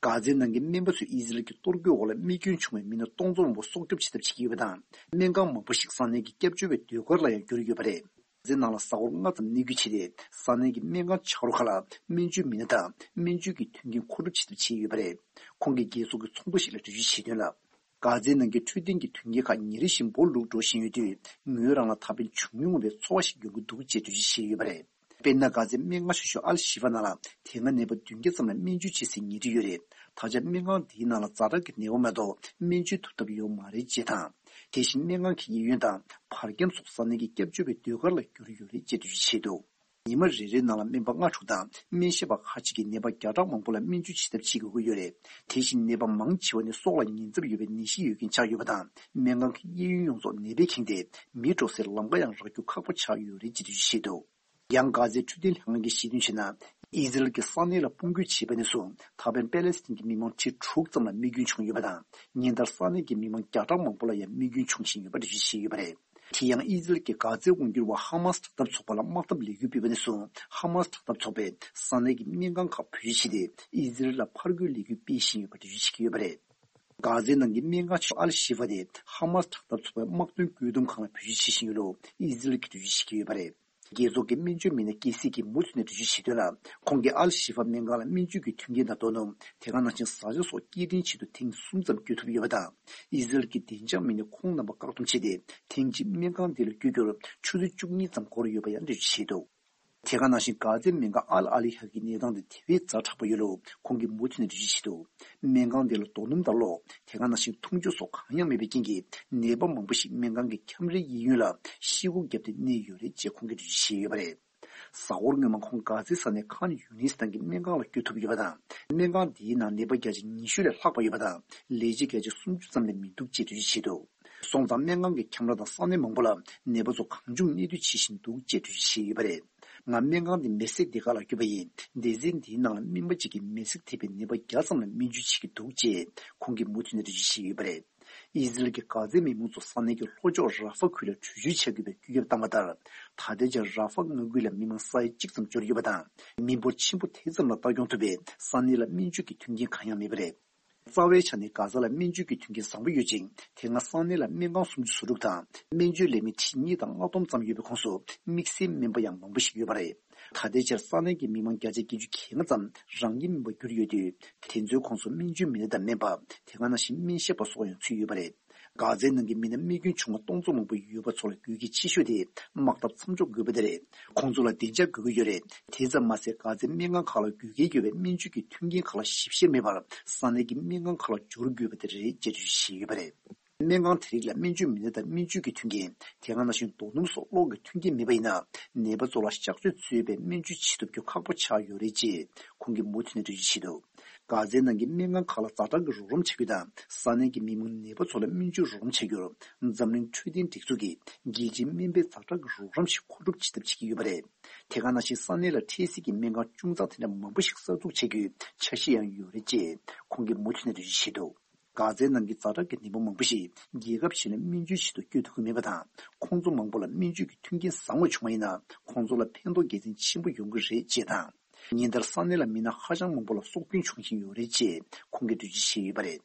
གྷ་ཛའི་ནང་གི་སྨན་པ་ཚོས་ཨི་ཟི་རལ་གྱི་གཏོར་རྒོལ་འོག་ལ་རྨས་སྐྱོན་བྱུང་བའི་མི་སྣ་སྟོང་ཚོ་མང་པོ་སྲོག་སྐྱོབ་བྱེད་ཐབས་བྱེད་ཀྱི་ཡོད་པ་དང་། སྨན་ཁང་མང་པོ་ཞིག་ས་གནས་ཀྱི་སྐྱབས་བཅོལ་བའི་སྡོད་སྒར་ལ་ཡང་བསྒྱུར་ཡོད་པ་རེད། གྷ་ཛའི་ནང་ལ་གཟའ་འཁོར་ལྔ་ཙམ་གནས་སྐྱོད་བྱས་ཏེ། ས་གནས་ཀྱི་སྨན་ཁང་ཆགས་རོགས་ཁག་ལ་སྨན་བཅོས་མི་སྣ་དང་སྨན་བཅོས་ཀྱི་མཐུན་རྐྱེན་མཁོ་སྒྲུབ་བྱེད་ཐབས་བྱས་ཡོད་པ་རེད། ཁོང་གིས་རྒྱལ་ཚོགས་ཀྱི་ཚོགས་འདུ་ཞིག་ལ་འགྲེལ་བརྗོད་བྱས་དོན་ལ། གྷ་ཛའི་ནང་གི་འཕྲོད་བསྟེན་གྱི་མཐུན་རྐྱེན་ཁག་ཉིན་རེ་བཞིན་འབོར་ལུག་འགྲོ་བཞིན་ཡོད་དུས། ངོས་རང་ལ་ད་ཕན་བྱུང་མྱོང་བའི་ཚོར་བ་ཞིག་ཡོང་གི་འདུག་ཅེས་འགྲེལ་བརྗོད་བྱས་ཡོད་པ་རེད། དཔེར་ན། གྷ་ཛའི་སྨན་ཁང་ཆེ་ཤོས་ཨལ་ཤི་ཧྥ་ནང་ལ་དེ་སྔ་ནད་པ་བདུན་བརྒྱ་ཙམ་ལ་སྨན་བཅོས་བྱེད་སའི་ཉལ་ཁྲི་ཡོད་རེད། ད་ཆ་སྨན་ཁང་འདིའི་ནང་ལ་ཛ་དྲག་གི་ནད་པ་མ་གཏོགས་སྨན་བཅོས་ཐུབ་ཐབས་ཡོད་མ་རེད་ཅེས་དང་། དེ་བཞིན་སྨན་ཁང་གི་གཡས་གཡོན་དང་བར་ཁྱམས་སོགས་ས་གནས་ཀྱི་སྐྱབས་བཅོལ་བའི་སྡོད་སྒར་ལ་བསྒྱུར་ཡོད་རེད་ཅེས་འགྲེལ་བརྗོད་བྱས་འདུག་ཉི་མ་རེ་རེའི་ནང་ལ་སྨན་པ་ལྔ་དྲུག་དང་སྨན་ཞབས་པ་ཁག་ཅིག་གིས་ནད་པ་བརྒྱ་ཕྲག་མང་པོ་ལ་སྨན་བཅོས་བྱེད་ཐབས་བྱེད་དགོས་ཀྱི་ཡོད་རེད། དེ་བཞིན་ནད་པ་མང་ཆེ་བ་ནི་སྲོག་ལ་ཉེན་ཚབས་ཡོད་པའི་ནད་གཞི་ཡོད་མཁན་ཆགས་ཡོད་པ་དང་། སྨན་ཁང་གི་གཡས་གཡོན་ཡོངས་རྫོགས་ནད་པས་ཁེངས་ཏེ། མི་འགྲོ་སའི་ལམ་ཁ་ཡང་རག་རྒྱུ་ཁག་པོ་ཆགས་ཡོད་རེད་ཅེས་འགྲེལ་བརྗོད་བྱས་འདུག་ཡང་། གྷ་ཛའི་འཕྲོད་བསྟེན་ལྷན་ཁང་གིས་བཤད་དོན་བྱས་ན། ཨི་ཟི་རལ་གྱིས་ས་གནས་ལ་དཔུང་སྐྱོད་བྱས་པ་ནས་བཟུང་། ད་ཕན་པེ་ལེ་སི་ཐན་གྱི་མི་མང་ཁྲི་དྲུག་ཙམ་ལ་རྨས་སྐྱོན་བྱུང་ཡོད་པ་དང་། ཉིན་ལྟར་ས་གནས་ཀྱི་མི་མང་བརྒྱ་ཕྲག་མང་པོ་ལ་ཡང་རྨས་སྐྱོན་བྱུང་བཞིན་ཡོད་པ་འགྲེལ་བརྗོད་བྱས་ཡོད་པ་རེད། དེ་ཡང་། ཨི་ཟི་རལ་གྱིས་གྷ་ཛའི་དབང་སྒྱུར་བ་ཧ་མཱ་སི་དྲག་འཐབ་ཚོགས་པ་ལ་དམག་འཐབ་ལས་འགུལ་སྤེལ་བ་ནས་བཟུང་། ཧ་མཱ་སི་དྲག་འཐབ་ཚོགས་པས་ས་གནས་ཀྱི་སྨན་ཁང་ཁག་བེད་སྤྱོད་བྱས་ཏེ། ཨི་ཟི་རལ་ལ་ཕར་རྒོལ་ལས་འགུལ་སྤེལ་བཞིན་ཡོད་པ་འགྲེལ་བརྗོད་བྱེད་ཀྱི་ཡོད་པ་རེད། གྷ་ཛའི་ནང་གི་སྨན་ཁང་ཆེ་ཤོས་ཨལ་ཤི་ཧྥ་དེ་ཧ་མཱ་སི་དྲག་འཐབ་ཚོགས་པའི་དམག་དོན་བཀོད་འདོམས་ཁང་ལ་བེད་སྤྱོད་བྱེད་བཞིན་ཡོད་ལུགས་ཨི་ཟི་རལ་གྱིས་འགྲེལ་བརྗོད་བྱེད་ཀྱི་ཡོད་པ་རེད། རྒྱལ་ཚོགས་ཀྱི་སྨན་བཅོས་མི་སྣ་སྐྱེད་སྲིང་གིས་མུ་མཐུད་ནས་འགྲེལ་བརྗོད་བྱས་དོན་ལ། ཁོང་གིས་ཨལ་ཤི་ཧྥ་སྨན་ཁང་ལ་སྨན་བཅོས་ཀྱི་མཐུན་རྐྱེན་དང་། རྡོ་སྣུམ། དེ་ག་ནང་བཞིན་བཟའ་བཅའ་སོགས་སྐྱེལ་འདྲེན་ཆེད་དུ་ཐེངས་གསུམ་ཙམ་བསྐྱོད་ཐུབ་ཡོད་པ་དང་། ཨི་ཟི་རལ་གྱི་བདེ་འཇགས་མི་སྣས་ཁོང་རྣམ་པ་བཀག་སྡོམ་བྱས་ཏེ། ཐེངས་གཅིག་སྨན་ཁང་འདི་ལ་བསྐྱོད་རྒྱུར་ཆུ་ཚོད་བཅུ་གཉིས་ཙམ་འགོར་ཡོད་པ་ཡང་འགྲེལ་བརྗོད་བྱས་འདུག་དེ་ག་ནང་བཞིན་གྷ་ཛའི་སྨན་ཁང་ཨལ་ཨ་ལི་ཧ་གི་གནས་སྟངས་དེ་དེ་བས་ཛ་དྲག་པ་ཡོད་ལུགས་ཁོང་གིས་མུ་མཐུད་ནས་འགྲེལ་བརྗོད་བྱས་འདུག་སྨན་ཁང་དེ་ལ་རྡོ་སྣུམ་དང་གློག་དེ་ག་ནང་བཞིན་འཐུང་ཆུ་སོགས་གང་ཡང་མེད་པའི་རྐྱེན་གྱིས། ནད་པ་མང་པོ་ཞིག་སྨན་ཁང་གི་ཁྱམས་རའི་གཡས་གཡོན་ལ་ཤི་སྒོ་བརྒྱབ་སྟེ་གནས་ཡོད་རེད་ཅེས་ཁོང་གིས་འགྲེལ་བརྗོད་བྱས་ཡོད་པ་རེད། གཟའ་འཁོར་སྔོན་མ་ཁོང་གྷ་ཛའི་ས་གནས་ཁཱན་ཡུ་ནིས་ནང་གི་སྨན་ཁང་ལ་བསྐྱོད་ཐུབ་ཡོད་པ་དང་། སྨན་ཁང་འདིའི་ནང་ནད་པ་བརྒྱ་ཆ་ཉི་ཤུ་ལས་ལྷག་པ་ཡོད་པ་དང་། ལས་བྱེད་བརྒྱ་ཆ་སུམ་ཅུ་ཙམ་ལས་མི་འདུག་ཅེས་འགྲེལ་བརྗོད་བྱས་འདུག་སོང་ཙང་སྨན་ཁང་གི་ཁྱམས་ར་དང་ས་གནས་མང་པོ་ལ་ནད་པ་ཚོ་གང་བྱུང་གནས་སྡོད་བྱེད་བཞིན་འདུག་ཅེས་འགྲེལ་བརྗོད་བྱས་ཡོད་པ་རེད། ང་སྨན་ཁང་འདི་མེ་སེར་སྡེ་ཁག་ལ་བསྐྱོད་པ་ཡིན། སྡེ་ཚན་འདིའི་ནང་ལ་སྨན་པ་གཅིག་གིས་མེ་སེར་ཐེབས་པའི་ནད་པ་བརྒྱ་ཙམ་ལ་སྨན་བཅོས་བྱེད་ཀྱི་འདུག་ཅེས་ཁོང་གིས་མུ་མཐུད་ནས་འགྲེལ་བརྗོད་བྱས་ཡོད་པ་རེད། ཨི་ཟི་རལ་གྱིས་གྷ་ཛའི་མི་མང་ཚོ་ས་གནས་ཀྱི་ལྷོ་ཕྱོགས་ར་ཧྥ་ཁུལ་ལ་བྲོས་བྱོལ་བྱ་དགོས་པའི་བཀོད་ཁྱབ་བཏང་བ་ལྟར། ད་ལྟའི་ཆར་ར་ཧྥ་མངའ་ཁུལ་ལ་མི་མང་ས་ཡ་གཅིག་ཙམ་འབྱོར་ཡོད་པ་དང་། མི་འབོར་ཆེན་པོ་དེ་ཙམ་ལ་ལྟ་སྐྱོང་ཐུབ་པའི་ས་གནས་ལ་སྨན་བཅོས་ཀྱི་མཐུན་རྐྱེན་གང་ཡང་མེད་པ་རེད། རྩ་བའི་ཆ་ནས་གྷ་ཛ་ལ་སྨན་བཅོས་ཀྱི་མཐུན་རྐྱེན་བཟང་པོ་ཡོད་ཅིང་། དེ་སྔ་ས་གནས་ལ་སྨན་ཁང་སུམ་ཅུ་སོ་དྲུག་དང་། སྨན་བཅོས་ལས་མི་ཁྲི་གཉིས་དང་ལྔ་སྟོང་ཙམ་ཡོད་པའི་ཁོངས་སུ། དམིགས་བསལ་སྨན་པ་ཡང་མང་པོ་ཞིག་ཡོད་པ་རེད། ད་ལྟའི་ཆར་ས་གནས་ཀྱི་མི་མང་བརྒྱ་ཆ་བརྒྱད་ཅུ་གྱ་ལྔ་ཙམ་རང་སྐྱིད་སྨན་པར་གྱུར་ཡོད་དུས། དེ་ཚོའི་ཁོངས་སུ་སྨན་བཅོས་མི་སྣ་དང་སྨན་པ། དེ་ག་ནང་བཞིན་སྨན་ཞབས་པ་སོགས་ཡང་ཚུད་ཡོད་པ་རེད། གྷ་ཛའི་ནང་གི་མི་སྣ་རྨས་སྐྱོན་བྱུང་བ་སྟོང་ཚོ་མང་པོ་ཡོད་པ་ཚོ་ལ་དགོས་གལ་ཆེ་ཤོས་དེ་དམག་འཐབ་མཚམས་འཇོག་དགོས་པ་དེ་རེད། ཁོང་ཚོ་ལ་བདེ་འཇགས་དགོས་ཀྱི་ཡོད་རེད། དེ་ཙམ་མ་ཟད། གྷ་ཛའི་སྨན་ཁང་ཁག་ལ་དགོས་གལ་ཡོད་པའི་སྨན་བཅོས་ཀྱི་མཐུན་རྐྱེན་ཁག་ལ་ཞིབ་བཤེར་མེད་པར། ས་གནས་ཀྱི་སྨན་ཁང་ཁག་ལ་འབྱོར་དགོས་པ་དེ་རེད་ཅེས་འགྲེལ་བརྗོད་བྱས་ཡོད་པ་རེད། སྨན་ཁང་དེ་རིགས་ལ་སྨན་བཅོས་མི་སྣ་དང་སྨན་བཅོས་ཀྱི་མཐུན་རྐྱེན། དེ་ག་ནང་བཞིན་རྡོ་སྣུམ་སོགས་གློག་གི་མཐུན་རྐྱེན་མེད་པ་ཡིན་ན། ནད་པ་ཚོ་ལ་གཤགས་བཅོས་གཙོས་པའི་སྨན་བཅོས་བྱེད་ཐུབ་རྒྱུ་ཁག་པོ་ཆགས་ཡོད་རེད་ཅེས་ཁོང་གིས་མུ་མཐུད་ནས་འགྲེལ་བརྗོད་བྱས་འདུག། དཀར་མཛེས་ནང་གི་སྨན་ཁང་ཁག་ལ་ཛ་དྲག་གི་རོགས་རམ་བྱ་རྒྱུ་དང་། ས་གནས་ཀྱི་མི་མང་ནད་པ་ཚོ་ལ་སྨན་བཅོས་རོགས་རམ་བྱ་རྒྱུར། འཛམ་གླིང་འཕྲོད་བསྟེན་སྒྲིག་འཛུགས་ཀྱིས་རྒྱལ་སྤྱིའི་སྨན་པའི་ཛ་དྲག་གི་རོགས་རམ་ཞིག་མཁོ་སྒྲུབ་བྱེད་ཐབས་བྱེད་ཀྱི་ཡོད་པ་རེད། དེ་ག་ནང་བཞིན་ས་གནས་ལ་འཕྲལ་སེལ་གྱི་སྨན་ཁང་ཅུང་ཙག་དེ་འདྲ་མང་པོ་ཞིག་གསར་འཛུགས་བྱ་རྒྱུའི་འཆར་གཞི་ཡང་ཡོད་རེད་ཅེས་ཁོང་གིས་མུ་མཐུད་ནས་འགྲེལ་བརྗོད་བྱས་འདུག། དཀར་མཛེས་ནང་གི་ཛ་དྲག་གི་ནད་པ་མང་པོ་ཞིག་རྒྱལ་ཁབ་གཞན་ལ་སྨན་བཅོས་བྱེད་དུ་བསྐྱོད་ཐུབ་ཀྱི་མེད་པ་དང་། ཁོང་ཚོ་མང་པོ་ལ་སྨན་བཅོས་ཀྱི་མཐུན་རྐྱེན་བཟང་བ་བྱུང་བ་ཡིན་ན། ཁོང་ཚོ་ལ་ཕན་ཐོགས་དགེ་མཚན་ཆེན་པོ་ཡོང་གི་རེད་ཅེས་དང་། ཉིན་ལྟར་ས་གནས་ལ་མི་སྣ་ཧ་ཅང་མང་པོ་ལ་སྲོག་སྐྱོན་བྱུང་བཞིན་ཡོད་རེད་ཅེས་ཁོང་གིས་འགྲེལ་བརྗོད་བྱས་ཡོད་པ་རེད།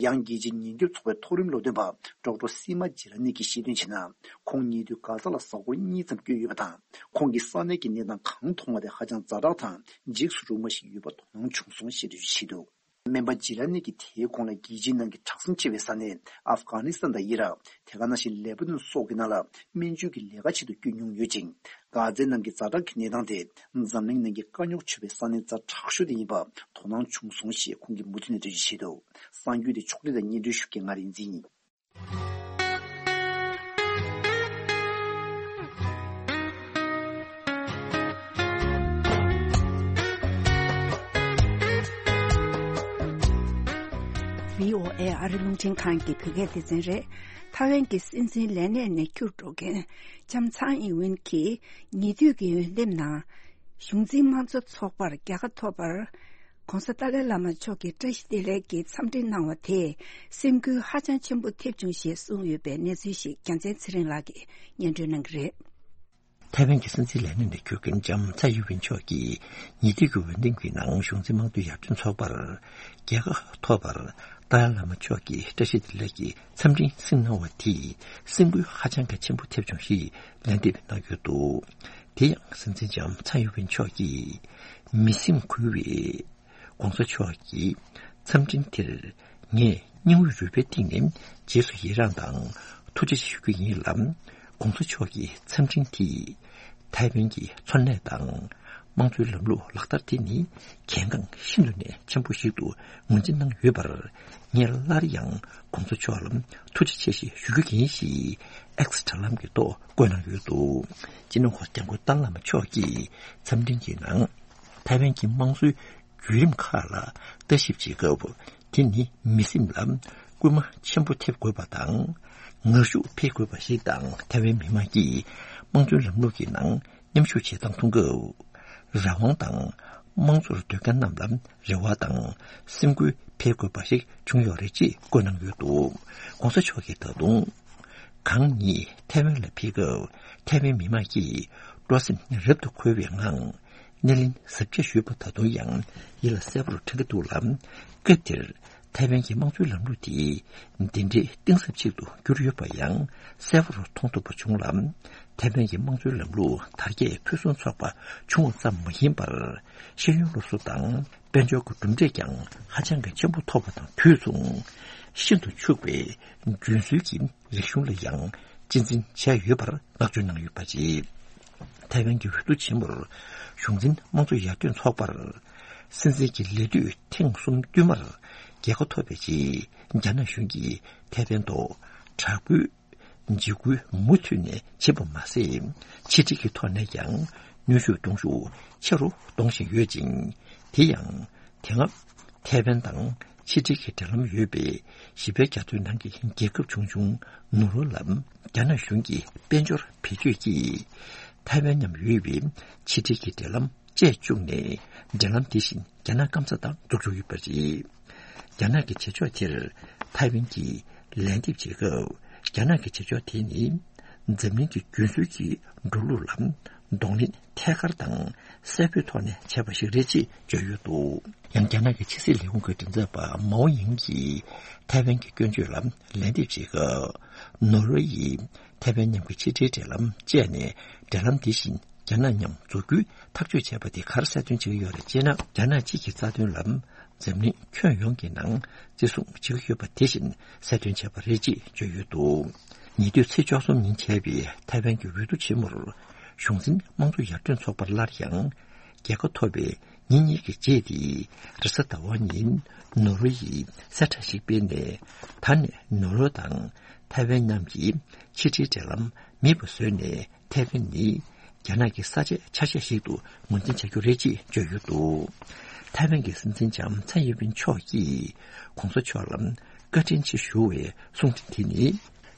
ཡང་རྒྱལ་སྤྱིའི་ཉེན་སྐྱོབ་ཚོགས་པའི་མཐོ་རིམ་སློབ་སྟོན་པ་ཌོག་ཊར་སི་མ་ཇི་ར་ནི་གིས་བཤད་དོན་བྱས་ན། ཁོང་ཉེ་དུས་གྷ་ཛ་ལ་གཟའ་འཁོར་གཉིས་ཙམ་བསྐྱོད་ཡོད་པ་དང་། ཁོང་གིས་ས་གནས་ཀྱི་གནས་སྟངས་གང་མཐོང་བ་དེ་ཧ་ཅང་ཛ་དྲག་དང་འཇིགས་སུ་རུང་བ་ཞིག་ཡོད་པ་དོ་སྣང་བྱུང་སོང་ཞེས་འགྲེལ་བརྗོད་བྱས་འདུག། སྨན་པ་ཇི་ལ་ནི་གིས་དེའི་གོང་ལ་རྒྱལ་སྤྱིའི་ནང་གི་གྲགས་འཛིན་ཆེ་བའི་ས་གནས་ཨབ་གྷ་ནི་སི་ཐན་དང་ཨི་རག། དེ་ག་ནང་བཞིན་ལེ་པ་ནོན་སོགས་ཀྱི་ནང་ལ་སྨན་བཅོས་ཀྱི་ལས་ཀ་ཆེད་དུ་བསྐྱོད་མྱོང་ཡོད་ཅིང་། གྷ་ཛའི་ནང་གི་ཛ་དྲག་གི་གནས་སྟངས་དེ་འཛམ་གླིང་ནང་གི་དཀའ་རྙོག་ཆེ་བའི་ས་གནས་ཛ་དྲག་ཤོས་དེ་ཡིན་པ་དོ་སྣང་བྱུང་སོང་ཞེས་ཁོང་གིས་མུ་མཐུད་ནས་འགྲེལ་བརྗོད་བྱས་འདུག། གསར་འགྱུར་དེ་ཕྱོགས་སྒྲིག་དང་སྙན་སྒྲོན་ཞུ་མཁན་ང་རིག་འཛིན་ཡིན། བྷི་ཨོ་ཨེ་ཨ་རི་རླུང་འཕྲིན་ཁང་གི་བོད་སྐད་སྡེ་ཚན་རེད། ཐའེ་ཝན་གྱི་སྲིད་འཛིན་ལས་གནས་ནས་བསྐྱུར་འགྲོ་མཁན་ལྕམ་ཚའེ་ཨིན་ཝིན་གྱིས་ཉེ་དུས་ཀྱི་འོས་འདེམས་ནང་གཞུང་འཛིན་དམངས་གཙོ་ཚོགས་པར་རྒྱལ་ཁ་ཐོབ་པར། ྋགོང་ས་ཏཱ་ལའི་བླ་མ་མཆོག་གིས་བཀྲ་ཤིས་བདེ་ལེགས་ཀྱི་འཚམས་འདྲི་གནང་བ་དེས་སེམས་འགུལ་ཧ་ཅང་ཆེན་པོ་ཐེབས་བྱུང་ཞེས་གསུངས་ཡོད་པའི་གནས་ཚུལ་ཞིག་རྒྱལ་མཚན་ཚེ་རིང་ལགས་ཀྱིས་སྙན་སྒྲོན་གནང་གི་རེད། ཐའེ་ཝན་གྱི་སྲིད་འཛིན་ལས་གནས་ནས་བསྐྱུར་མཁན་ལྕམ་ཚའེ་ཡིན་ཝིན་མཆོག་གིས་ཉེ་དུས་ཀྱི་འོས་འདེམས་ཀྱི་ནང་གཞུང་འཛིན་དམངས་གཙོ་ཡར་ཐོན་ཚོགས་པར་རྒྱལ་ཁ་ཐོབ་པར་ཏཱ་ལའི་བླ་མ་མཆོག་གིས་བཀྲ་ཤིས་བདེ་ལེགས་ཀྱི་འཚམས་འདྲི་གཟིགས་གནང་བ་དེས་སེམས་འགུལ་ཧ་ཅང་གི་ཆེན་པོ་ཐེབས་བྱུང་ཞེས་ལན་འདེབས་གནང་ཡོད་འདུག། དེ་ཡང་སྲིད་འཛིན་ལྕམ་ཚའེ་ཡིན་ཝིན་མཆོག་གིས་མི་སེམས་འགུལ་བའི་ྋགོང་ས་མཆོག་གི་འཚམས་འཕྲིན་དེར་ངས་སྙིང་དབུས་རུས་པའི་གཏིང་ནས་རྗེས་སུ་ཡི་རངས་དང་ཐུགས་རྗེ་ཆེ་ཞུ་རྒྱུ་ཡིན་ལ། ྋགོང་ས་མཆོག་གི་འཚམས་འཕྲིན་དེས་ཐའེ་ཝན་གྱི་འཚོ་གནས་དང་དམངས་གཙོའི་ལམ་ལུགས་ལག་བསྟར་དེ་ནི་གལ་འགངས་ཤིན་ཏུ་ནས་ཆེན་པོ་ཞིག་ཏུ་ངོས་འཛིན་གནང་ཡོད་པར། ངས་སླར་ཡང་ྋགོང་ས་མཆོག་ལ་ཐུགས་རྗེ་ཆེ་ཞེས་ཞུ་རྒྱུ་ཡིན་ཞེས་ཨེགས་དྲ་ལམ་གྱི་ཐོག་བཀོད་གནང་ཡོད་འདུག། སྤྱི་ནོར་༧གོང་ས་༧སྐྱབས་མགོན་ཏཱ་ལའི་བླ་མ་མཆོག་གིས་འཚམས་འཕྲིན་གྱི་ནང་ཐའེ་ཝན་གྱི་དམངས་གཙོའི་བརྒྱུད་རིམ་ཁག་ལ་ལྟ་ཞིབ་བྱེད་སྐབས། དེ་ནི་མི་སེམས་ལ་སྐུལ་མ་ཆེན་པོ་ཐེབས་དགོས་པ་དང་། ངར་ཤུགས་འཕེལ་དགོས་པ་ཞིག་དང་། ཐའེ་ཝན་མི་དམངས་ཀྱིས་དམངས་གཙོའི་ལམ་ལུགས་ཀྱི་ནང་མཉམ་ཞུགས་བྱེད་སྟངས་མཐོང་སྐབས། རང་དབང་དང་དམངས་གཙོར་སྡོད་མཁན་རྣམས་ལ་རེ་བ་དང་སེམས་འགུལ་འཕེལ་དགོས་པ་ཞིག་བྱུང་ཡོད་རེད་ཅེས་བཀོད་གནང་ཡོད་འདུག། ྋགོང་ས་མཆོག་གིས་ད་དུང་། གང་ཉིད་ཐའེ་ཝན་ལ་ཕེབས་སྐབས་ཐའེ་ཝན་མི་དམངས་ཀྱིས་སྤྲོ་སེམས་རབ་ཏུ་འཁོལ་བའི་ངང་སྣེ་ལེན་གཟབ་རྒྱས་ཞུས་པ་ད་དུང་ཡང་ཡིད་ལ་གསལ་པོར་དྲན་གྱི་འདུག་ལ། སྐབས་དེར་ཐའེ་ཝན་གྱི་དམངས་གཙོའི་ལམ་ལུགས་དེ་འདི་འདྲའི་གཏིང་ཟབ་ཅིག་ཏུ་གྱུར་ཡོད་པ་ཡང་གསལ་པོར་མཐོང་ཐུབ་པ་བྱུང་ལ། ཐའེ་ཝན་གྱི་དམངས་གཙོའི་ལམ་ལུགས་དར་རྒྱས་ཕུན་སུམ་ཚོགས་པ་བྱུང་བ་ཙམ་མ་ཡིན་པར། ཤེས་ཡོན་སློབ་གསོ་དང་དཔལ་འབྱོར་གྱི་གྲུབ་འབྲས་ཀྱང་ཧ་ཅང་གི་ཆེན་པོ་ཐོབ་པ་དང་དུས་མཚུངས། ཤིན་ཏུ་ཕྱུག་པའི་རྒྱུན་སྲོལ་གྱི་རིག་གཞུང་ལ་ཡང་གཅེས་འཛིན་བྱས་ཡོད་པར་བསྔགས་བརྗོད་གནང་ཡོད་པ་རེད། ཐའེ་ཝན་གྱི་འོས་བསྡུ་ཆེན་མོར་གཞུང་འཛིན་དམངས་གཙོ་ཡར་ཐོན་ཚོགས་པར་སྲིད་འཛིན་གྱི་ལས་དུས་ཐེངས་གསུམ་བསྟུད་མར་རྒྱལ་ཁ་ཐོབ་པའི་རྗེས། རྒྱ་ནག་གཞུང་གིས་ཐའེ་ཝན་ཐོག་དྲག་པོའི་འཇིགས་སྐུལ་མུ་མཐུད་ནས་བྱེད་པ་མ་ཟད། ཕྱི་འབྲེལ་གྱི་ཐོག་ནས་ཀྱང་གནོན་ཤུགས་གཏོང་ཤུགས་ཆེ་རུ་གཏོང་བཞིན་ཡོད་ཅིང་། དེ་ཡང་དེ་སྔ་ཐའེ་ཝན་དང་ཕྱི་འབྲེལ་གྱི་འབྲེལ་ལམ་ཡོད་པའི་བཞི་པའི་རྒྱ་མཚོའི་ནང་གི་རྒྱལ་ཁབ་ཆུང་ཆུང་ནོར་ཝེ་ལ་རྒྱ་ནག་གཞུང་གིས་དཔལ་འབྱོར་བེད་སྤྱོད་ཀྱིས་ཐའེ་ཝན་མཉམ་ཡོད་པའི་ཕྱི་འབྲེལ་གྱི་འབྲེལ་ལམ་བཅད་བཅུག་ནས། འབྲེལ་ལམ་དེ་བཞིན་རྒྱ་ནག་སྐམ་ས་དང་འཛུགས་བཅུག་ཡོད་པ་རེད། རྒྱ་ནག་གི་བྱེད་ཕྱོགས་དེར་ཐའེ་ཝན་གྱིས་ལན་འདེབས་བྱེད་སྐབས། རྒྱ་ནག་གི་བྱེད་ཕྱོགས་དེ་ནི་འཛམ་གླིང་གི་རྒྱུན་སྲོལ་གྱི་འགྲོ་ལུགས་ལ་གདོང་ལེན་ཐད་ཀར་དང་གསལ་པོའི་ཐོག་ནས་བྱས་པ་ཞིག་རེད་ཅེས་བརྗོད་ཡོད་འདུག། ཡང་རྒྱ་ནག་གི་ཕྱི་སྲིད་ལས་ཁུངས་ཀྱི་མགྲིན་ཚབ་པ་མའོ་ཡིང་གིས་ཐའེ་ཝན་གྱི་སྐྱོན་བརྗོད་ལ་ལན་འདེབས་བྱེད་སྐབས། ནོར་ཝེ་ཡིས་ཐའེ་ཝན་མཉམ་གྱི་ཕྱི་འབྲེལ་འབྲེལ་ལམ་བཅད་ནས། འབྲེལ་ལམ་དེ་བཞིན་རྒྱ་ནག་མཉམ་འཛུགས་རྒྱུའི་ཐག་གཅོད་བྱས་པ་དེ་ག་རེ་གསལ་སྟོན་བྱེད་ཀྱི་ཡོད་རེད་ཅེ་ན། རྒྱ་ནག་གཅིག་གི་རྩ་དོན་ལ་འཛམ་གླིང་ཁྱོན་ཡོངས་ཀྱི་ནང་བརྩི་སྲུང་བྱེད་ཀྱི་ཡོད་པ་དེ་བཞིན་གསལ་སྟོན་བྱས་པ་རེད་ཅེས་བརྗོད་ཡོད་འདུག། ཉེ་དུས་ཚེས་བཅུ་གསུམ་ཉིན་བྱས་པའི་ཐའེ་ཝན་གྱི་འོས་བསྡུ་ཆེན་མོར་གཞུང་འཛིན་དམངས་གཙོ་ཡར་ཐོན་ཚོགས་པར་སླར་ཡང་རྒྱལ་ཁ་ཐོབ་པའི་ ཉིན་གཉིས་ཀྱི་རྗེས་དེ་རེས་གཟའ་ཟླ་བ་ཉིན་ནོར་ཝེ་ཡིས་གསལ་བསྒྲགས་ཤིག་སྤེལ་ནས། ད་ནས་ནོར་ཝེ་དང་ཐའེ་ཝན་གཉིས་ཀྱི་ཕྱི་འབྲེལ་འབྲེལ་ལམ་མེད་པ་བཟོས་ནས། ཐའེ་ཝན་ནི་རྒྱ་ནག་གི་ས་ཆའི་ཆ་ཤས་ཤིག་ཏུ་ངོས་འཛིན་བྱ་རྒྱུ་རེད་ཅེས་བརྗོད་ཡོད་འདུག་ཐའེ་ཝན་གྱི་སྲིད་འཛིན་ལྕམ་ཚའེ་ཡིན་ཝིན་མཆོག་གིས་གོང་ས་མཆོག་ལ་བཀའ་དྲིན་ཆེ་ཞུ་བའི་གསུང་འཕྲིན་དེ་ནི།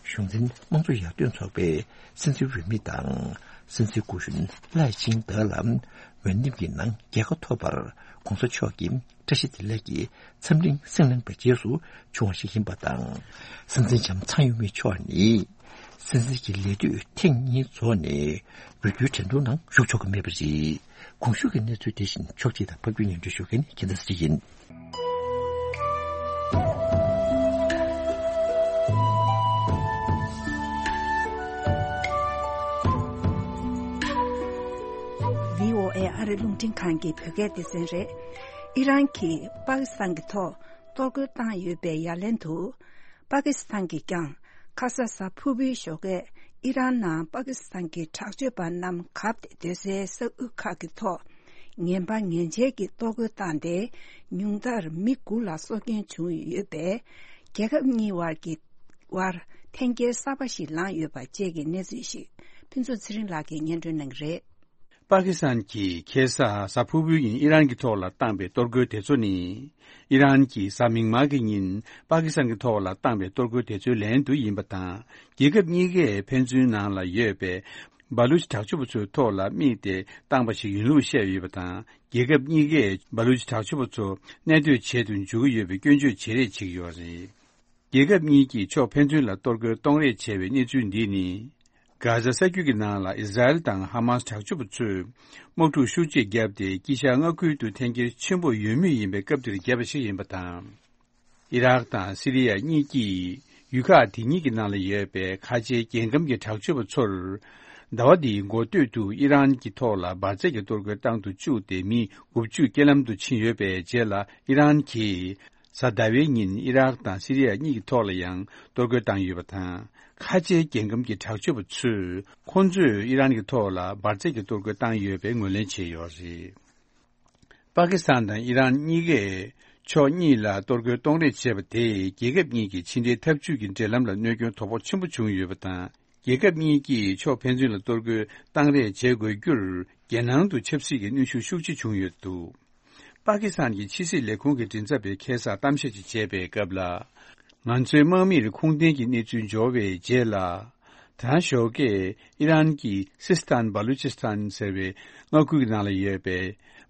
གཞུང་འཛིན་དམངས་གཙོ་ཡར་ཐོན་ཚོགས་པའི་སྲིད་འཛིན་འོས་མི་དང་། སྲིད་འཛིན་སྐུ་གཞོན་ལའེ་ཆིང་ཏེ་ལ་འོས་འདེམས་ཀྱི་ནང་རྒྱལ་ཁ་ཐོབ་པར་གོང་ས་མཆོག་གི་བཀྲ་ཤིས་བདེ་ལེགས་ཀྱི་འཚམས་གླེང་གསན་གནང་བའི་རྗེས་སུ་བྱུང་བ་ཞིག་ཡིན་པ་དང་། སྲིད་འཛིན་ལྕམ་ཚའེ་ཡིན་ཝིན་མཆོག་ནི་སྲིད་འཛིན་གྱི་ལས་དུས་ཐེངས་གཉིས་རྫོགས་ནས་འོས་བསྡུའི་འགྲན་བསྡུར་ནང་ཞུགས་ཆོག་གི་མེད་པ་རེད། གོང་ཞུས་ཀྱི་གནས་ཚུལ་དེ་བཞིན་ཕྱོགས་སྒྲིག་དང་ཕབ་སྒྱུར་སྙན་སྒྲོན་ཞུ་མཁན་ནི་རྒྱལ་མཚན་ཚེ་རིང་ཡིན། བྷི་ཨོ་ཨེ་ཨ་རི་རླུང་འཕྲིན་ཁང་གི་བོད་སྐད་སྡེ་ཚན་རེད། ཨི་རན་གྱིས་པ་ཀི་སི་ཐན་གྱི་ཐོག་གཏོར་རྒོལ་བཏང་ཡོད་པའི་ཡ་ལན་དུ། པ་ཀི་སི་ཐན་གྱིས་ཀྱང་ཁ་ས་གཟའ་ཕུར་བུའི་ཞོགས་ཀས་ཨི་རན་ནང་པ་ཀི་སི་ཐན་གྱི་དྲག་སྤྱོད་པ་རྣམས་གབ་སྟེ་སྡོད་སའི་ས་ཁུལ་ཁག་གི་ཐོག་ངན་པ་ངན་འཇལ་གྱི་གཏོར་རྒོལ་བཏང་སྟེ། ཉུང་མཐར་མི་དགུ་ལ་སྲོག་སྐྱོན་བྱུང་ཡོད་པས། རྒྱལ་ཁབ་གཉིས་བར་གྱི་བར་འཐེན་འཁྱེར་གསར་པ་ཞིག་ལངས་ཡོད་པ་བཅས་ཀྱི་གནས་ཚུལ་ཞིག་ཕུན་ཚོགས་ཚེ་རིང་ལགས་ཀྱིས་སྙན་སྒྲོན་གནང་གི་རེད། པ་ཀི་སི་ཐན་གྱིས་ཁ་སང་གཟའ་ཕུར་བུའི་ཉིན་ཨི་རན་གྱི་ཐོག་ལ་བཏང་པའི་གཏོར་རྒོལ་དེ་ཚོ་ནི། ཨི་རན་གྱིས་གཟའ་མིག་དམར་གྱི་ཉིན་པ་ཀི་སི་ཐན་གྱི་ཐོག་ལ་བཏང་པའི་གཏོར་རྒོལ་དེ་ཚོའི་ལན་དུ་ཡིན་པ་དང་། རྒྱལ་ཁབ་གཉིས་ཀས་ཕན་ཚུན་ནང་ལ་ཡོད་པའི་བ་ལུ་ཅི་དྲག་སྤྱོད་པ་ཚོའི་ཐོག་ལ་དམིགས་ཏེ་བཏང་པ་ཞིག་ཡིན་ལུགས་བཤད་ཡོད་པ་དང་། རྒྱལ་ཁབ་གཉིས་ཀས་བ་ལུ་ཅི་དྲག་སྤྱོད་པ་ཚོ་གནས་སྡོད་བྱེད་དུ་འཇུག་གི་ཡོད་པའི་སྐྱོན་བརྗོད་བྱེད་རེས་བྱེད་ཀྱི་ཡོད་རེད། རྒྱལ་ཁབ་གཉིས་ཀྱིས་ཕྱོགས་ཕན་ཚུན་ལ་གཏོར་རྒོལ་གཏོང་རེས་བྱས་པའི་གནས་ཚུལ་འདི་ནི། གྷ་ཛ་ས་རྒྱུད་ཀྱི་ནང་ལ་ཨི་ཟ་རེལ་དང་ཧ་མཱས་དྲག་སྤྱོད་པ་ཚོས་དམག་འཁྲུག་ཤུགས་ཆེ་བརྒྱབ་སྟེ། དཀྱིལ་ཤར་མངའ་ཁུལ་དུ་འཐེན་འཁྱེར་ཆེན་པོ་ཡོད་མུས་ཡིན་པའི་སྐབས་འདིར་བརྒྱབ་པ་ཞིག་ཡིན་པ་དང་། ཨི་རག་དང་སི་རི་ཡ་གཉིས་ཀྱིས་ཡུལ་ཁག་དེ་གཉིས་ཀྱི་ནང་ལ་ཡོད་པའི་ཁ་ཆེའི་རྒྱལ་ཁམས་ཀྱི་དྲག་སྤྱོད་པ་ཚོར། ཟླ་བ་འདིའི་འགོ་སྟོད་དུ་ཨི་རན་གྱི་ཐོག་ལ་འབར་རྫས་ཀྱི་གཏོར་རྒོལ་བཏང་དུ་བཅུག་སྟེ། མི་དགུ་བཅུ་རྐྱེན་ལམ་དུ་ཕྱིན་ཡོད་པའི་རྗེས་ལ། ཨི་རན་གྱིས་གཟའ་ཟླ་བའི་ཉིན་ཨི་རག་དང་སི་རི་ཡ་གཉིས་ཀྱི་ཐོག་ལ་ཡང་གཏོར་རྒོལ་བཏང་ཡོད་པ་དང་། ཁ་ཆེའི་རྒྱལ་ཁམས་ཀྱི་དྲག་སྤྱོད་པ་ཚོས་ཁོང་ཚོས་ཨི་རན་གྱི་ཐོག་ལ་འབར་རྫས་ཀྱི་གཏོར་རྒོལ་བཏང་ཡོད་པའི་ངོས་ལེན་བྱས་ཡོད་རེད། པ་ཀི་སི་ཐན་དང་ཨི་རན་གཉིས་ཀས་ཕྱོགས་གཉིས་ལ་གཏོར་རྒོལ་གཏོང་རེས་བྱས་པ་དེས་རྒྱལ་ཁབ་གཉིས་ཀྱི་ཕྱི་འབྲེལ་འཐབ་ཇུས་ཀྱི་འབྲེལ་ལམ་ལ་གནོད་སྐྱོན་དོ་ཕོག་ཆེན་པོ་བྱུང་ཡོད་པ་དང་། རྒྱལ་ཁབ་གཉིས་ཀྱིས་ཕྱོགས་ཕན་ཚུན་ལ་གཏོར་རྒོལ་བཏང་རེས་བྱེད་དགོས་རྒྱུར། རྒྱལ་ནང་དུ་ཆབ་སྲིད་ཀྱི་གནོན་ཤུགས་ཤུགས་ཆེ་བྱུང་ཡོད་འདུག་པ་ཀི་སི་ཐན་གྱི་ཕྱི་སྲིད་ལས་ཁུངས་ཀྱི་མགྲིན་ཚབ་པས་ཁ་སང་གཏམ་བཤད་ཅིག་བྱས་པའི་སྐབས་ལ། ང་ཚོའི་དམག་མིར་ཁུངས་ལྡན་གྱི་གནས་ཚུལ་འབྱོར་བའི་རྗེས་ལ། ད་ཞོགས་ཀས་ཨི་རན་གྱི་སིས་ཐན་བ་ལུ་ཅིས་ཐན་ཟེར་བའི་མངའ་ཁུལ་གྱི་ནང་ལ་ཡོད་པའི་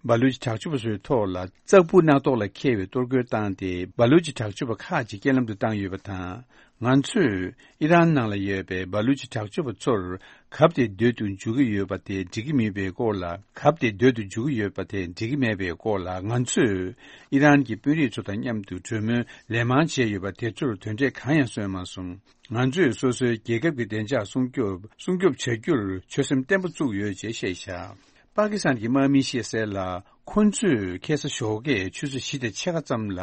བ་ལུ་ཅི་དྲག་སྤྱོད་པ་ཚོའི་ཐོག་ལ་ཙག་ཕུ་སྣ་ཐོག་ལ་འཁེལ་བའི་གཏོར་རྒོལ་བཏང་སྟེ། བ་ལུ་ཅི་དྲག་སྤྱོད་པ་ཁག་ཅིག་རྐྱེན་ལམ་དུ་བཏང་ཡོད་པ་དང་། ང་ཚོས་ཨི་རན་ནང་ལ་ཡོད་པའི་བ་ལུ་ཅི་དྲག་སྤྱོད་པ་ཚོར་གབ་སྟེ་སྡོད་དུ་འཇུག་གི་ཡོད་པ་དེ་འགྲིག་གི་མེད་པའི་སྐོར་ལ། གབ་སྟེ་སྡོད་དུ་འཇུག་གི་ཡོད་པ་དེ་འགྲིག་གི་མེད་པའི་སྐོར་ལ། ང་ཚོས་ཨི་རན་གྱི་དཔོན་རིགས་ཚོ་དང་མཉམ་དུ་གྲོས་མོལ་ལན་མང་བྱས་ཡོད་པ་དེ་ཚོར་དོན་འབྲས་གང་ཡང་སོན་མ་སོང་། ང་ཚོས་སོ་སོའི་རྒྱལ་ཁབ་ཀྱི་བདེ་འཇགས་སྲུང་སྐྱོབ་སྲུང་སྐྱོབ་བྱ་རྒྱུར་ཆོད་སེམས་བརྟན་པོ་བཙུགས་ཡོད་ཅེས་བཤད་བཞག་པ་ཀི་སི་ཐན་གྱི་དམག་མིས་བཤད་གསལ་ལ། ཁོ་ཚོས་ཁ་སང་ཞོགས་ཀས་ཆུ་ཚོད་བཞི་དང་ཕྱེད་ཀ་ཙམ་ལ།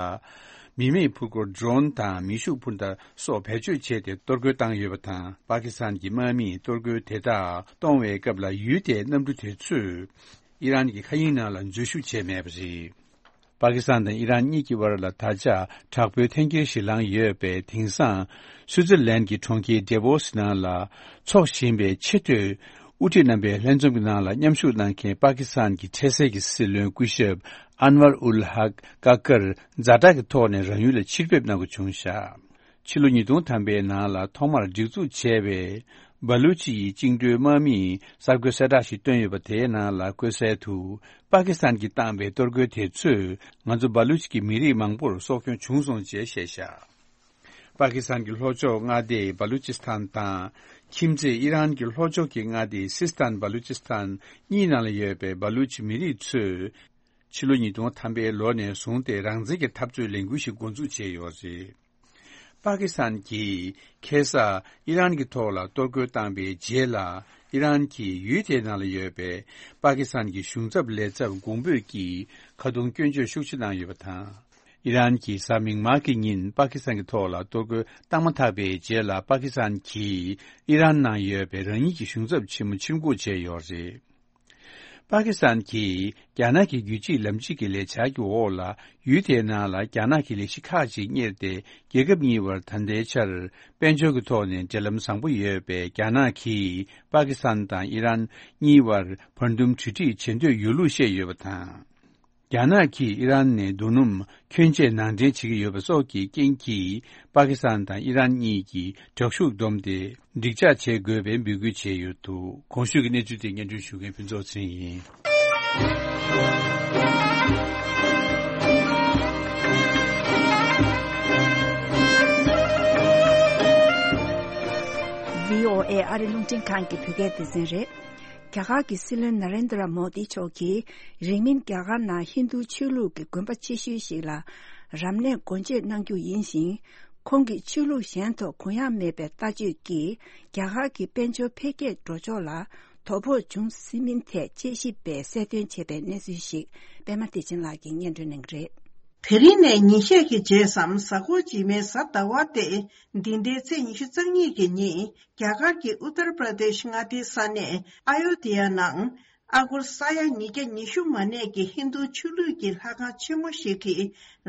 མི་མེད་འཕུར་འཁོར་ཌོ་རོན་དང་མེ་ཤུགས་འཕུར་མདའ་སོགས་བེད་སྤྱོད་བྱས་ཏེ་གཏོར་རྒོལ་བཏང་ཡོད་པ་དང་། པ་ཀི་སི་ཐན་གྱི་དམག་མིས་གཏོར་རྒོལ་དེ་དག་གཏོང་བའི་སྐབས་ལ། ཡུལ་དེའི་གནམ་གྲུ་དེ་ཚོས་ཨི་རན་གྱི་མཁའ་དབྱིངས་ནང་ལ་འཛུལ་ཞུགས་བྱས་མེད་པ་རེད། པ་ཀི་སི་ཐན་དང་ཨི་རན་གཉིས་ཀྱི་བར་ལ་ད་ཆ་དྲག་པོའི་འཐེན་འཁྱེར་ཞིག་ལངས་ཡོད་པས། དེང་སང་སུའུ་ཙེར་ལན་གྱི་གྲོང་ཁྱེར་ཌེ་བོ་སི་ནང་ལ་འཚོགས་བཞིན་པའི་ཆེས་མཐོའི་དབུ་ཁྲིད་རྣམ་པའི་ལྷན་འཛོམས་ཀྱི་ནང་ལ་མཉམ་ཞུགས་གནང་མཁན་པ་ཀི་སི་ཐན་གྱི་འཕྲལ་སེལ་གྱི་སྲིད་བློན་སྐུ་ཞབས་ཨན་ཝར་ཨུལ་ཧག་ཀ་ཀར་ཛ་དྲག་གི་ཐོག་ནས་རང་ཡུལ་ལ་ཕྱིར་ཕེབས་གནང་དགོས་བྱུང་བཞག་ཕྱི་ལོ་ཉིས་སྟོང་ཐམ་པའི་ནང་ལ་ཐོག་མར་སྒྲིག་འཛུགས་བྱས་པའི་བ་ལུ་ཅི་ཡི་བཅིངས་འགྲོལ་དམག་མིས་གསར་འགོད་གསལ་བསྒྲགས་ཤིག་བཏོན་ཡོད་པ། དེའི་ནང་ལ་བཀོད་གསལ་དུ། པ་ཀི་སི་ཐན་གྱིས་བཏང་པའི་གཏོར་རྒོལ་དེ་ཚོས་ང་ཚོ་བ་ལུ་ཅི་གི་མི་རིགས་མང་པོར་སྲོག་སྐྱོན་བྱུང་སོང་ཅེས་བཤད་བཞག་པ་ཀི་སི་ཐན་གྱི་ལྷོ་ཕྱོགས་མངའ་སྡེ་བ་ལུ་ཅི་སི་ཐན་དང་། ཁྱིམ་མཚེས་ཨི་རན་གྱི་ལྷོ་ཕྱོགས་ཀྱི་མངའ་སྡེ་སིས་ཐན་བ་ལུ་ཅི་སི་ཐན་གཉིས་ནང་ལ་ཡོད་པའི་བ་ལུ་ཅི་མི་རིགས་ཚོས། ཕྱི་ལོ་ཉིས་སྟོང་ཐམ་པའི་ལོ་ནས་བཟུང་སྟེ་རང་བཙན་གྱི་འཐབ་རྩོད་ལས་འགུལ་ཞིག་འགོ་འཛུགས་བྱས་ཡོད་རེད། པ་ཀི་སི་ཐན་གྱིས་ཁ་སང་ཨི་རན་གྱི་ཐོག་ལ་གཏོར་རྒོལ་བཏང་པའི་རྗེས་ལ། ཨི་རན་གྱིས་ཡུལ་དེའི་ནང་ལ་ཡོད་པའི་པ་ཀི་སི་ཐན་གྱི་གཞུང་ཚབ་ལས་ཚབ་གོང་འབོད་ཀྱིས་ཁ་རྡུང་སྐྱོན་བརྗོད་ཤུགས་ཆེ་གནང་ཡོད་པ་དང་། ཨི་རན་གྱིས་གཟའ་མིག་དམར་གྱི་ཉིན་པ་ཀི་སི་ཐན་གྱི་ཐོག་ལ་གཏོར་རྒོལ་བཏང་མ་ཐག་པའི་རྗེས་ལ། པ་ཀི་སི་ཐན་གྱིས་ཨི་རན་ནང་ཡོད་པའི་རང་ཉིད་ཀྱི་གཞུང་ཚབ་ཆེན་མོ་ཕྱིར་འགོག་བྱས་ཡོད་རེད། པ་ཀི་སི་ཐན་གྱིས་རྒྱ་ནག་གི་རྒྱུད་གཅིག་ལམ་གཅིག་གི་ལས་འཆར་གྱི་འོག་ལ། ཡུལ་དེའི་ནང་ལ་རྒྱ་ནག་གི་ལས་གཞི་ཁག་ཅིག་གཉེར་ཏེ། རྒྱལ་ཁབ་གཉིས་བར་ད་ལྟའི་ཆར་དཔལ་འབྱོར་གྱི་ཐོག་ནས་འབྲེལ་ལམ་བཟང་པོ་ཡོད་པས། རྒྱ་ནག་གིས་པ་ཀི་སི་ཐན་དང་ཨི་རན་གཉིས་བར་བར་འདུམ་གྲོས་འགྲིག་བྱེད་འདོད་ཡོད་ལུགས་བཤད་ཡོད་པ་དང་། རྒྱ་ནག་གིས་ཨི་རན་ནས་རྡོ་སྣུམ་ཁྱོན་ཆེ་ནང་འདྲེན་བྱེད་ཀྱི་ཡོད་པ་སོགས་ཀྱི་རྐྱེན་གྱིས། པ་ཀི་སི་ཐན་དང་ཨི་རན་གཉིས་ཀྱིས་དྲག་ཤུགས་བསྡོམས་ཏེ། འགྲིག་འཇགས་བྱེད་དགོས་པའི་འབོད་སྐུལ་བྱས་ཡོད་འདུག། གོང་ཞུས་ཀྱི་གནས་ཚུལ་དེ་སྙན་སྒྲོན་ཞུ་མཁན་ཕུན་ཚོགས་ཚེ་རིང་ཡིན། བྷི་ཨོ་ཨེ་ཨ་རི་རླུང་འཕྲིན་ཁང་གི་བོད་སྐད་སྡེ་ཚན་རེད། རྒྱ་གར་གྱི་སྲིད་བློན་ན་རེན་དྲ་མོ་དི་མཆོག་གིས། རིང་མིན་རྒྱ་གར་ནང་ཧིན་རྡུ་ཆོས་ལུགས་ཀྱི་དགོན་པ་ཆེ་ཤོས་ཤིག་ལ། རབ་གནས་སྒོ་འབྱེད་གནང་རྒྱུ་ཡིན་ཞིང་། ཁོང་གིས་ཆོས་ལུགས་གཞན་ཐོག་གུ་ཡངས་མེད་པའི་ལྟ་སྤྱོད་ཀྱིས། རྒྱ་གར་གྱི་དཔལ་འབྱོར་འཕེལ་རྒྱས་འགྲོ་ཕྱོགས་ལ་དོ་ཕོག་འབྱུང་སྲིད་མིན་ཐད་དཔྱད་ཞིབ་པས་གསལ་སྟོན་བྱས་པའི་གནས་ཚུལ་ཞིག། པད་མ་བདེ་ཆེན་ལགས་ཀྱིས་སྙན་སྒྲོན་གནང་གི་རེད། དེ་རིང་ནས་ཉིན་ཤས་ཀྱི་རྗེས་སམ། གཟའ་འཁོར་རྗེས་མའི་གཟའ་ཟླ་བ་སྟེ། འདི་ཟླའི་ཚེས་ཉི་ཤུ་རྩ་གཉིས་ཀྱི་ཉིན། རྒྱ་གར་གྱི་ཨུ་ཏར་པྲ་དེཤ་མངའ་སྡེའི་ས་གནས་ཨ་ཡོ་དྷི་ཡ་ནང་། ཨ་སྒོར་ས་ཡ་ཉིས་བརྒྱ་ཉི་ཤུ་མ་གནས་ཀྱི་ཧིན་རྡུ་ཆོས་ལུགས་ཀྱི་ལྷ་ཁང་ཆེན་མོ་ཞིག་གི་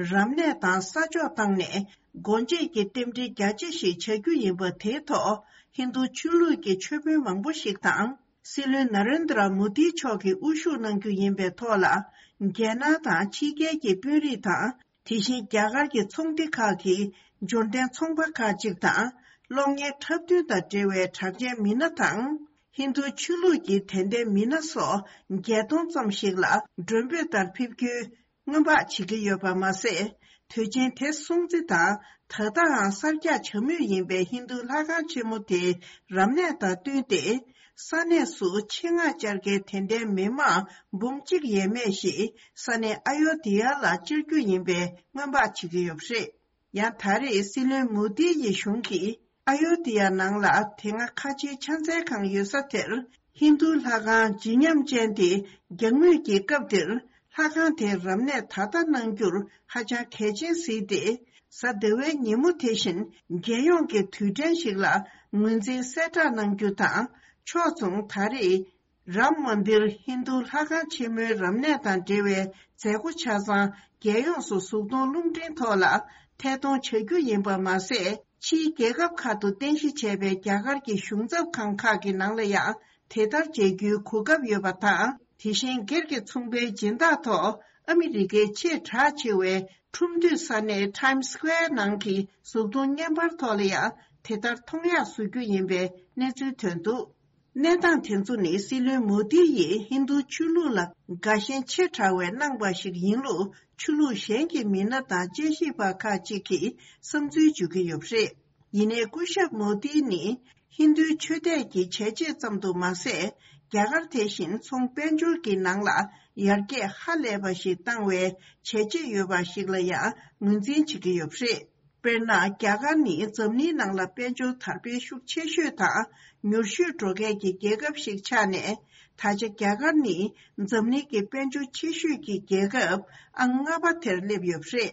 རབ་གནས་དང་ས་ཕྱོགས་བཏང་ནས། སྒོ་འབྱེད་ཀྱི་རྟེན་འབྲེལ་རྒྱ་ཆེ་ཞིག་བྱ་རྒྱུ་ཡིན་པ་དེའི་ཐོག་ཧིན་རྡུ་ཆོས་ལུགས་ཀྱི་ཆོས་དཔོན་མང་པོ་ཞིག་དང་། སྲིད་བློན་ན་རེན་དྲ་མོ་དི་མཆོག་གིས་དབུ་བཞུགས་གནང་རྒྱུ་ཡིན་པའི་ཐོག་ལ། རྒྱལ་ནང་དང་ཕྱི་རྒྱལ་གྱི་དཔོན་རིགས་དང་། དེ་བཞིན་རྒྱ་གར་གྱི་ཚོང་སྡེ་ཁག་གི་འབྱོར་ལྡན་ཚོང་པ་ཁག་ཅིག་དང་། གློག་བརྙན་འཁྲབ་སྟོན་དང་འབྲེལ་བའི་གྲགས་ཅན་མི་སྣ་དང་། ཧིན་རྡུ་ཆོས་ལུགས་ཀྱི་དད་ལྡན་མི་སྣ་སོགས་བརྒྱད་སྟོང་ཙམ་ཞིག་ལ་མགྲོན་འབོད་ལྟར་ཕེབས་རྒྱུའི་སྔོན་དཔག་བྱེད་ཀྱི་ཡོད་པ་མ་ཟད། དུས་ཆེན་དེ་སྲུང་བརྩི་དང་། ད་ལྟའང་གསར་རྒྱག་བྱ་མུས་ཡིན་པའི་ཧིན་རྡུ་ལྷ་ཁང་ཆེན་མོ་དེའི་རབ་གནས་དང་བསྟུན་ཏེ། ས་གནས་སུ་ཆེད་མངགས་བཅར་མཁན་དད་ལྡན་མི་མང་འབུམ་གཅིག་ཡས་མས་ཤིག་ས་གནས་ཨ་ཡོ་དྷི་ཡ་ལ་བཅར་རྒྱུ་ཡིན་པའི་སྔོན་དཔག་བྱེད་ཀྱི་ཡོད་པ་རེད། ཡང་ད་རེས་སྲིད་བློན་མོ་དི་ཡི་གཞུང་གིས་ཨ་ཡོ་དྷི་ཡ་ནང་ལ་དེ་སྔ་ཁ་ཆེའི་ཕྱག་འཚལ་ཁང་ཡོད་ས་དེར་ཧིན་རྡུ་ལྷ་ཁང་བརྗིད་ཉམས་ཅན་དེ་རྒྱག་མུས་ཀྱི་སྐབས་དེར། ལྷ་ཁང་དེའི་རབ་གནས་ད་ལྟ་གནང་རྒྱུར་ཧ་ཅང་གལ་ཆེན་གཟིགས་ཏེ། གཟའ་ཟླ་བའི་ཉིན་མོ་དེ་བཞིན་རྒྱལ་ཡོངས་ཀྱི་དུས་དྲན་ཞིག་ལ་ངོས་འཛིན་གསལ་བསྒྲགས་གནང་རྒྱུ་དང་། ཕྱོགས་མཚུངས་ད་རེས་རམ་མན་དིར་ཧིན་རྡུ་ལྷ་ཁང་ཆེན་མོའི་རབ་གནས་དང་འབྲེལ་བའི་མཛད་སྒོ་ཆ་ཚང་རྒྱལ་ཡོངས་སུ་གཟུགས་མཐོང་རླུང་འཕྲིན་ཐོག་ལ་ཐད་གཏོང་བྱ་རྒྱུ་ཡིན་པ་མ་ཟད། ཕྱིའི་རྒྱལ་ཁབ་ཁག་ཏུ་རྟེན་གཞི་བྱས་པའི་རྒྱ་གར་གྱི་གཞུང་ཚབ་ཁང་ཁག་གི་ནང་ལ་ཡང་དེ་ལྟར་མཇལ་རྒྱུའི་གོ་སྐབས་ཡོད་པ་དང་། དེ་བཞིན་སྒེར་གྱི་ཚོང་པའི་སྦྱིན་བདག་ཐོག་ཨ་མི་རི་ཀའི་ཆེས་གྲགས་ཆེ་བའི་ཁྲོམ་སྡོད་ས་གནས་Times Square་ནང་གི་གཟུགས་མཐོང་བརྙན་པར་ཐོག་ལ་ཡང་དེ་ལྟར་མཐོང་ཡག་བཟོ་རྒྱུ་ཡིན་པའི་གནས་ཚུལ་ཐོན་འདུག། གནས་སྟངས་དེ་ཚོ་ནི་སྲིད་བློན་མོ་དི་ཡིས་ཧིན་རྡུ་ཆོས་ལུགས་ལ་དགའ་ཞེན་ཆེ་དྲགས་པའི་གནང་བ་ཞིག་ཡིན་ལུགས་ཆོས་ལུགས་གཞན་གྱི་མི་སྣ་དང་དཔྱད་ཞིབ་པ་ཁག་ཅིག་གིས་བསམ་ཚུལ་བརྗོད་ཀྱི་ཡོད་པ་རེད། ཡིན་ནའི་སྐུ་ཞབས་མོ་དི་ནི་ཧིན་རྡུའི་ཆོས་དད་ཀྱི་བྱས་རྗེས་ཙམ་དུ་མ་ཟད། རྒྱ་གར་དེ་བཞིན་ཚོང་དཔལ་འབྱོར་གྱི་ནང་ལ་ཡར་རྒྱས་ཧ་ལས་པ་ཞིག་བཏང་བའི་བྱས་རྗེས་ཡོད་པ་ཞིག་ལ་ཡང་ངོས་འཛིན་བྱེད་ཀྱི་ཡོད་པ་རེད། དཔེར་ན། རྒྱ་གར་ནི་འཛམ་གླིང་ནང་ལ་དཔལ་འབྱོར་དར་སྤེལ་ཤུགས་ཆེ་ཤོས་དང་མྱུར་ཤོས་འགྲོ་མཁན་གྱི་རྒྱལ་ཁབ་ཞིག་ཆགས་ནས། ད་ཆ་རྒྱ་གར་ནི་འཛམ་གླིང་གི་དཔལ་འབྱོར་ཆེ་ཤོས་ཀྱི་རྒྱལ་ཁབ་ཨང་ལྔ་པ་དེར་སླེབས་ཡོད་པ་རེད།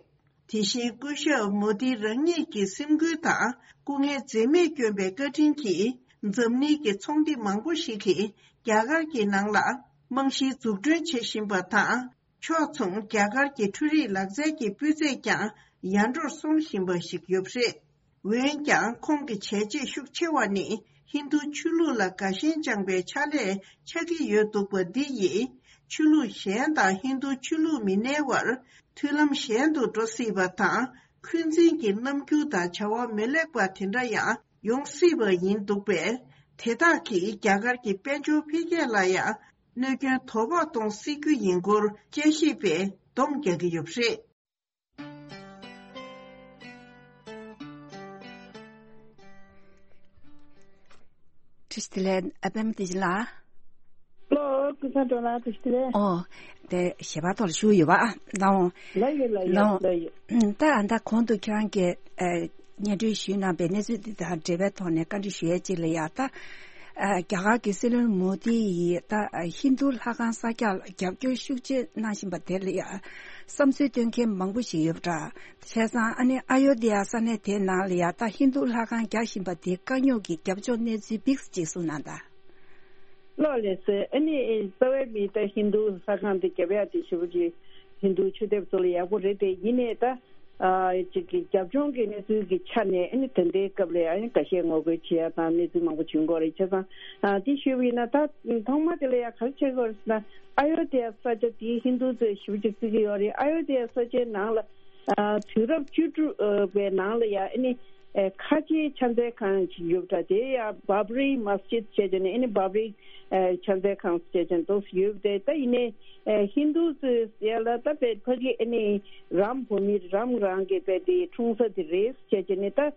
དེ་བཞིན་སྐུ་ཞབས་མོ་དི་རང་ཉིད་ཀྱི་སེམས་འགུལ་དང་སྐུ་ངལ་འཛེམས་མེད་བསྐྱོན་པའི་བཀའ་དྲིན་གྱིས། འཛམ་གླིང་གི་ཚོང་སྡེ་མང་པོ་ཞིག་གིས་རྒྱ་གར་གྱི་ནང་ལ་རྨང་གཞིའི་འཛུགས་སྐྲུན་བྱེད་བཞིན་པ་དང་། ཕྱོགས་མཚུངས་རྒྱ་གར་གྱི་འཕྲུལ་རིག་ལག་རྩལ་གྱི་སྤུས་ཚད་ཀྱང་ཡར་འགྲོར་སོང་བཞིན་པ་ཞིག་ཡོད་པ་རེད། འོན་ཀྱང་ཁོང་གི་བྱས་རྗེས་ཤུགས་ཆེ་བ་ནི་ཧིན་རྡུ་ཆོས་ལུགས་ལ་དགའ་ཞེན་བཅངས་པའི་ཕྱག་ལས་ཆགས་ཀྱི་ཡོད་འདུག་པ་འདི་ཡིས་ཆོས་ལུགས་གཞན་དང་ཧིན་རྡུ་ཆོས་ལུགས་མི་སྣའི་བར་མཐུན་ལམ་ཞན་དུ་འགྲོ་སྲིད་པ་དང་། འཁོན་འཛིན་གྱི་རྣམ་འགྱུར་དང་བྱ་བ་མི་ལེགས་པ་དེ་འདྲ་ཡང་ཡོང་སྲིད་པ་ཡིན་འདུག་པས། དེ་དག་གིས་རྒྱ་གར་གྱི་དཔལ་འབྱོར་འཕེལ་རྒྱས་ལ་ཡང་གནོད་སྐྱོན་དོ་ཕོག་གཏོང་སྲིད་རྒྱུ་ཡིན་སྐོར་དཔྱད་ཞིབ་པས་སྡོམ་རྒྱག་གི་ཡོད་པ་རེད། བཀྲ་ཤིས་བདེ་ལེགས། ཨ་པད་མ་བདེ་ཆེན་ལགས། ལོ། ཀུན་བཟང་སྒྲོལ་ལགས། བཀྲ་ཤིས་བདེ་ལེགས། ཨོ། དེ་ཞལ་པར་ཐོག་ལ་ཞུ་ཡོད་པ། ལའོ། ལ་ཡོད། ལ་ཡོད། ལའོ། ལ་ཡོད། ད་ཨ་ད་གོང་དུ་ཁྱེད་རང་གིས་ཨ་སྙན་སྒྲོན་ཞུས་གནང་པའི་གནས་ཚུལ་འདི་དང་འབྲེལ་བའི་ཐོག་ནས་བཀའ་འདྲི་ཞུ་ཡས་ཅིག་ལ་ཡ། ད་ཨ་རྒྱ་གར་གྱི་སྲིད་བློན་མོ་དི་ཡིས་ད་ཨ་ཧིན་རྡུ་ལྷ་ཁང་གསར་རྒྱག་ལ་རྒྱབ་སྐྱོར་ཤུགས་ཆེ་གནང་བཞིན་པ་དེ་ལ་ཡ་བསམ་ཚུལ་སྟོན་མཁན་མང་པོ་ཞིག་ཡོད་པ་འདྲ། བྱས་ཙང་ཨ་ནི་ཨ་ཡོ་དྷི་ཡ་ས་གནས་དེའི་ནང་ལ་ཡ་ད་ཧིན་རྡུ་ལྷ་ཁང་རྒྱག་བཞིན་པ་དེའི་དཀའ་རྙོག་གི་རྒྱབ་ཕྱོགས་གནས་ཚུལ་ཕྱོགས་གཅིག་གསུངས་གནང་དང་། ལགས་ལགས་སེ། ཨ་ནི་རྩ་བའི་མི་ད་ཧིན་རྡུ་ལྷ་ཁང་དེ་རྒྱབ་ཡག་དེ་ཞེ་པོ་ཅིག་ཧིན་རྡུ་ཆོས་དད་པ་ཚོ་ལ་ཡག་པོ་རེད་དེ། ཡིན་ནའི་ད་ཨ་ཅིག་གི་རྒྱབ་ལྗོངས་ཀྱི་གནས་ཚུལ་གྱི་ཆ་ནས་ཨ་ནི་ད་ལྟའི་སྐབས་ལ་ཡང་ཨ་ནི་འགའ་ཤས་ངོ་རྒོལ་བྱེད་ཡག་དང་གནས་ཚུལ་མང་པོ་བྱུང་གི་ཡོད་རེད། བྱས་ཙང་ཨ་དེ་ཞུས་པ་ཡིན་ན་ད་ཐོག་མ་དེ་ལ་ཡང་ག་རེ་བྱེད་དགོས་རེད་ཟེར་ན། ཨ་ཡོ་དྷ་ཡ་ས་ཆ་དེ་ཧིན་རྡུ་ཚོས་ཞེ་པོ་ཅིག་བརྩི་གི་ཡོད་རེད། ཨ་ཡོ་དྷ་ཡ་ས་ཆའི་ནང་ལ་ཨ་དུས་རབས་བཅུ་དྲུག་པའི་ནང་ལ་ཡང་ཨ་ནི་ཨེ་ཁ་ཆེའི་ཕྱག་འཚལ་ཁང་ཞིག་ཡོད་པ་འདྲ། དེ་ཡང་བྷབ་རི་མ་སི་ཇིད་བྱས་བྱས་ནས་ཨ་ནི་བྷབ་རི་ཨེ་ཕྱག་འཚལ་ཁང་བྱས་བྱས་འདུག་ཡོད་པ་དེ། ད་ཡིན་ནའི་ཨེ་ཧིན་རྡུ་ཚོས་ཡ་ལ་ད་དཔེ་ཕ་གི་ཨ་ནི་རམ་བོ་མི་རམ་རང་གི་དཔེ་དེ་འཁྲུངས་ས་དེ་རེད་བྱས་བྱས་ནས། ད་ཨ་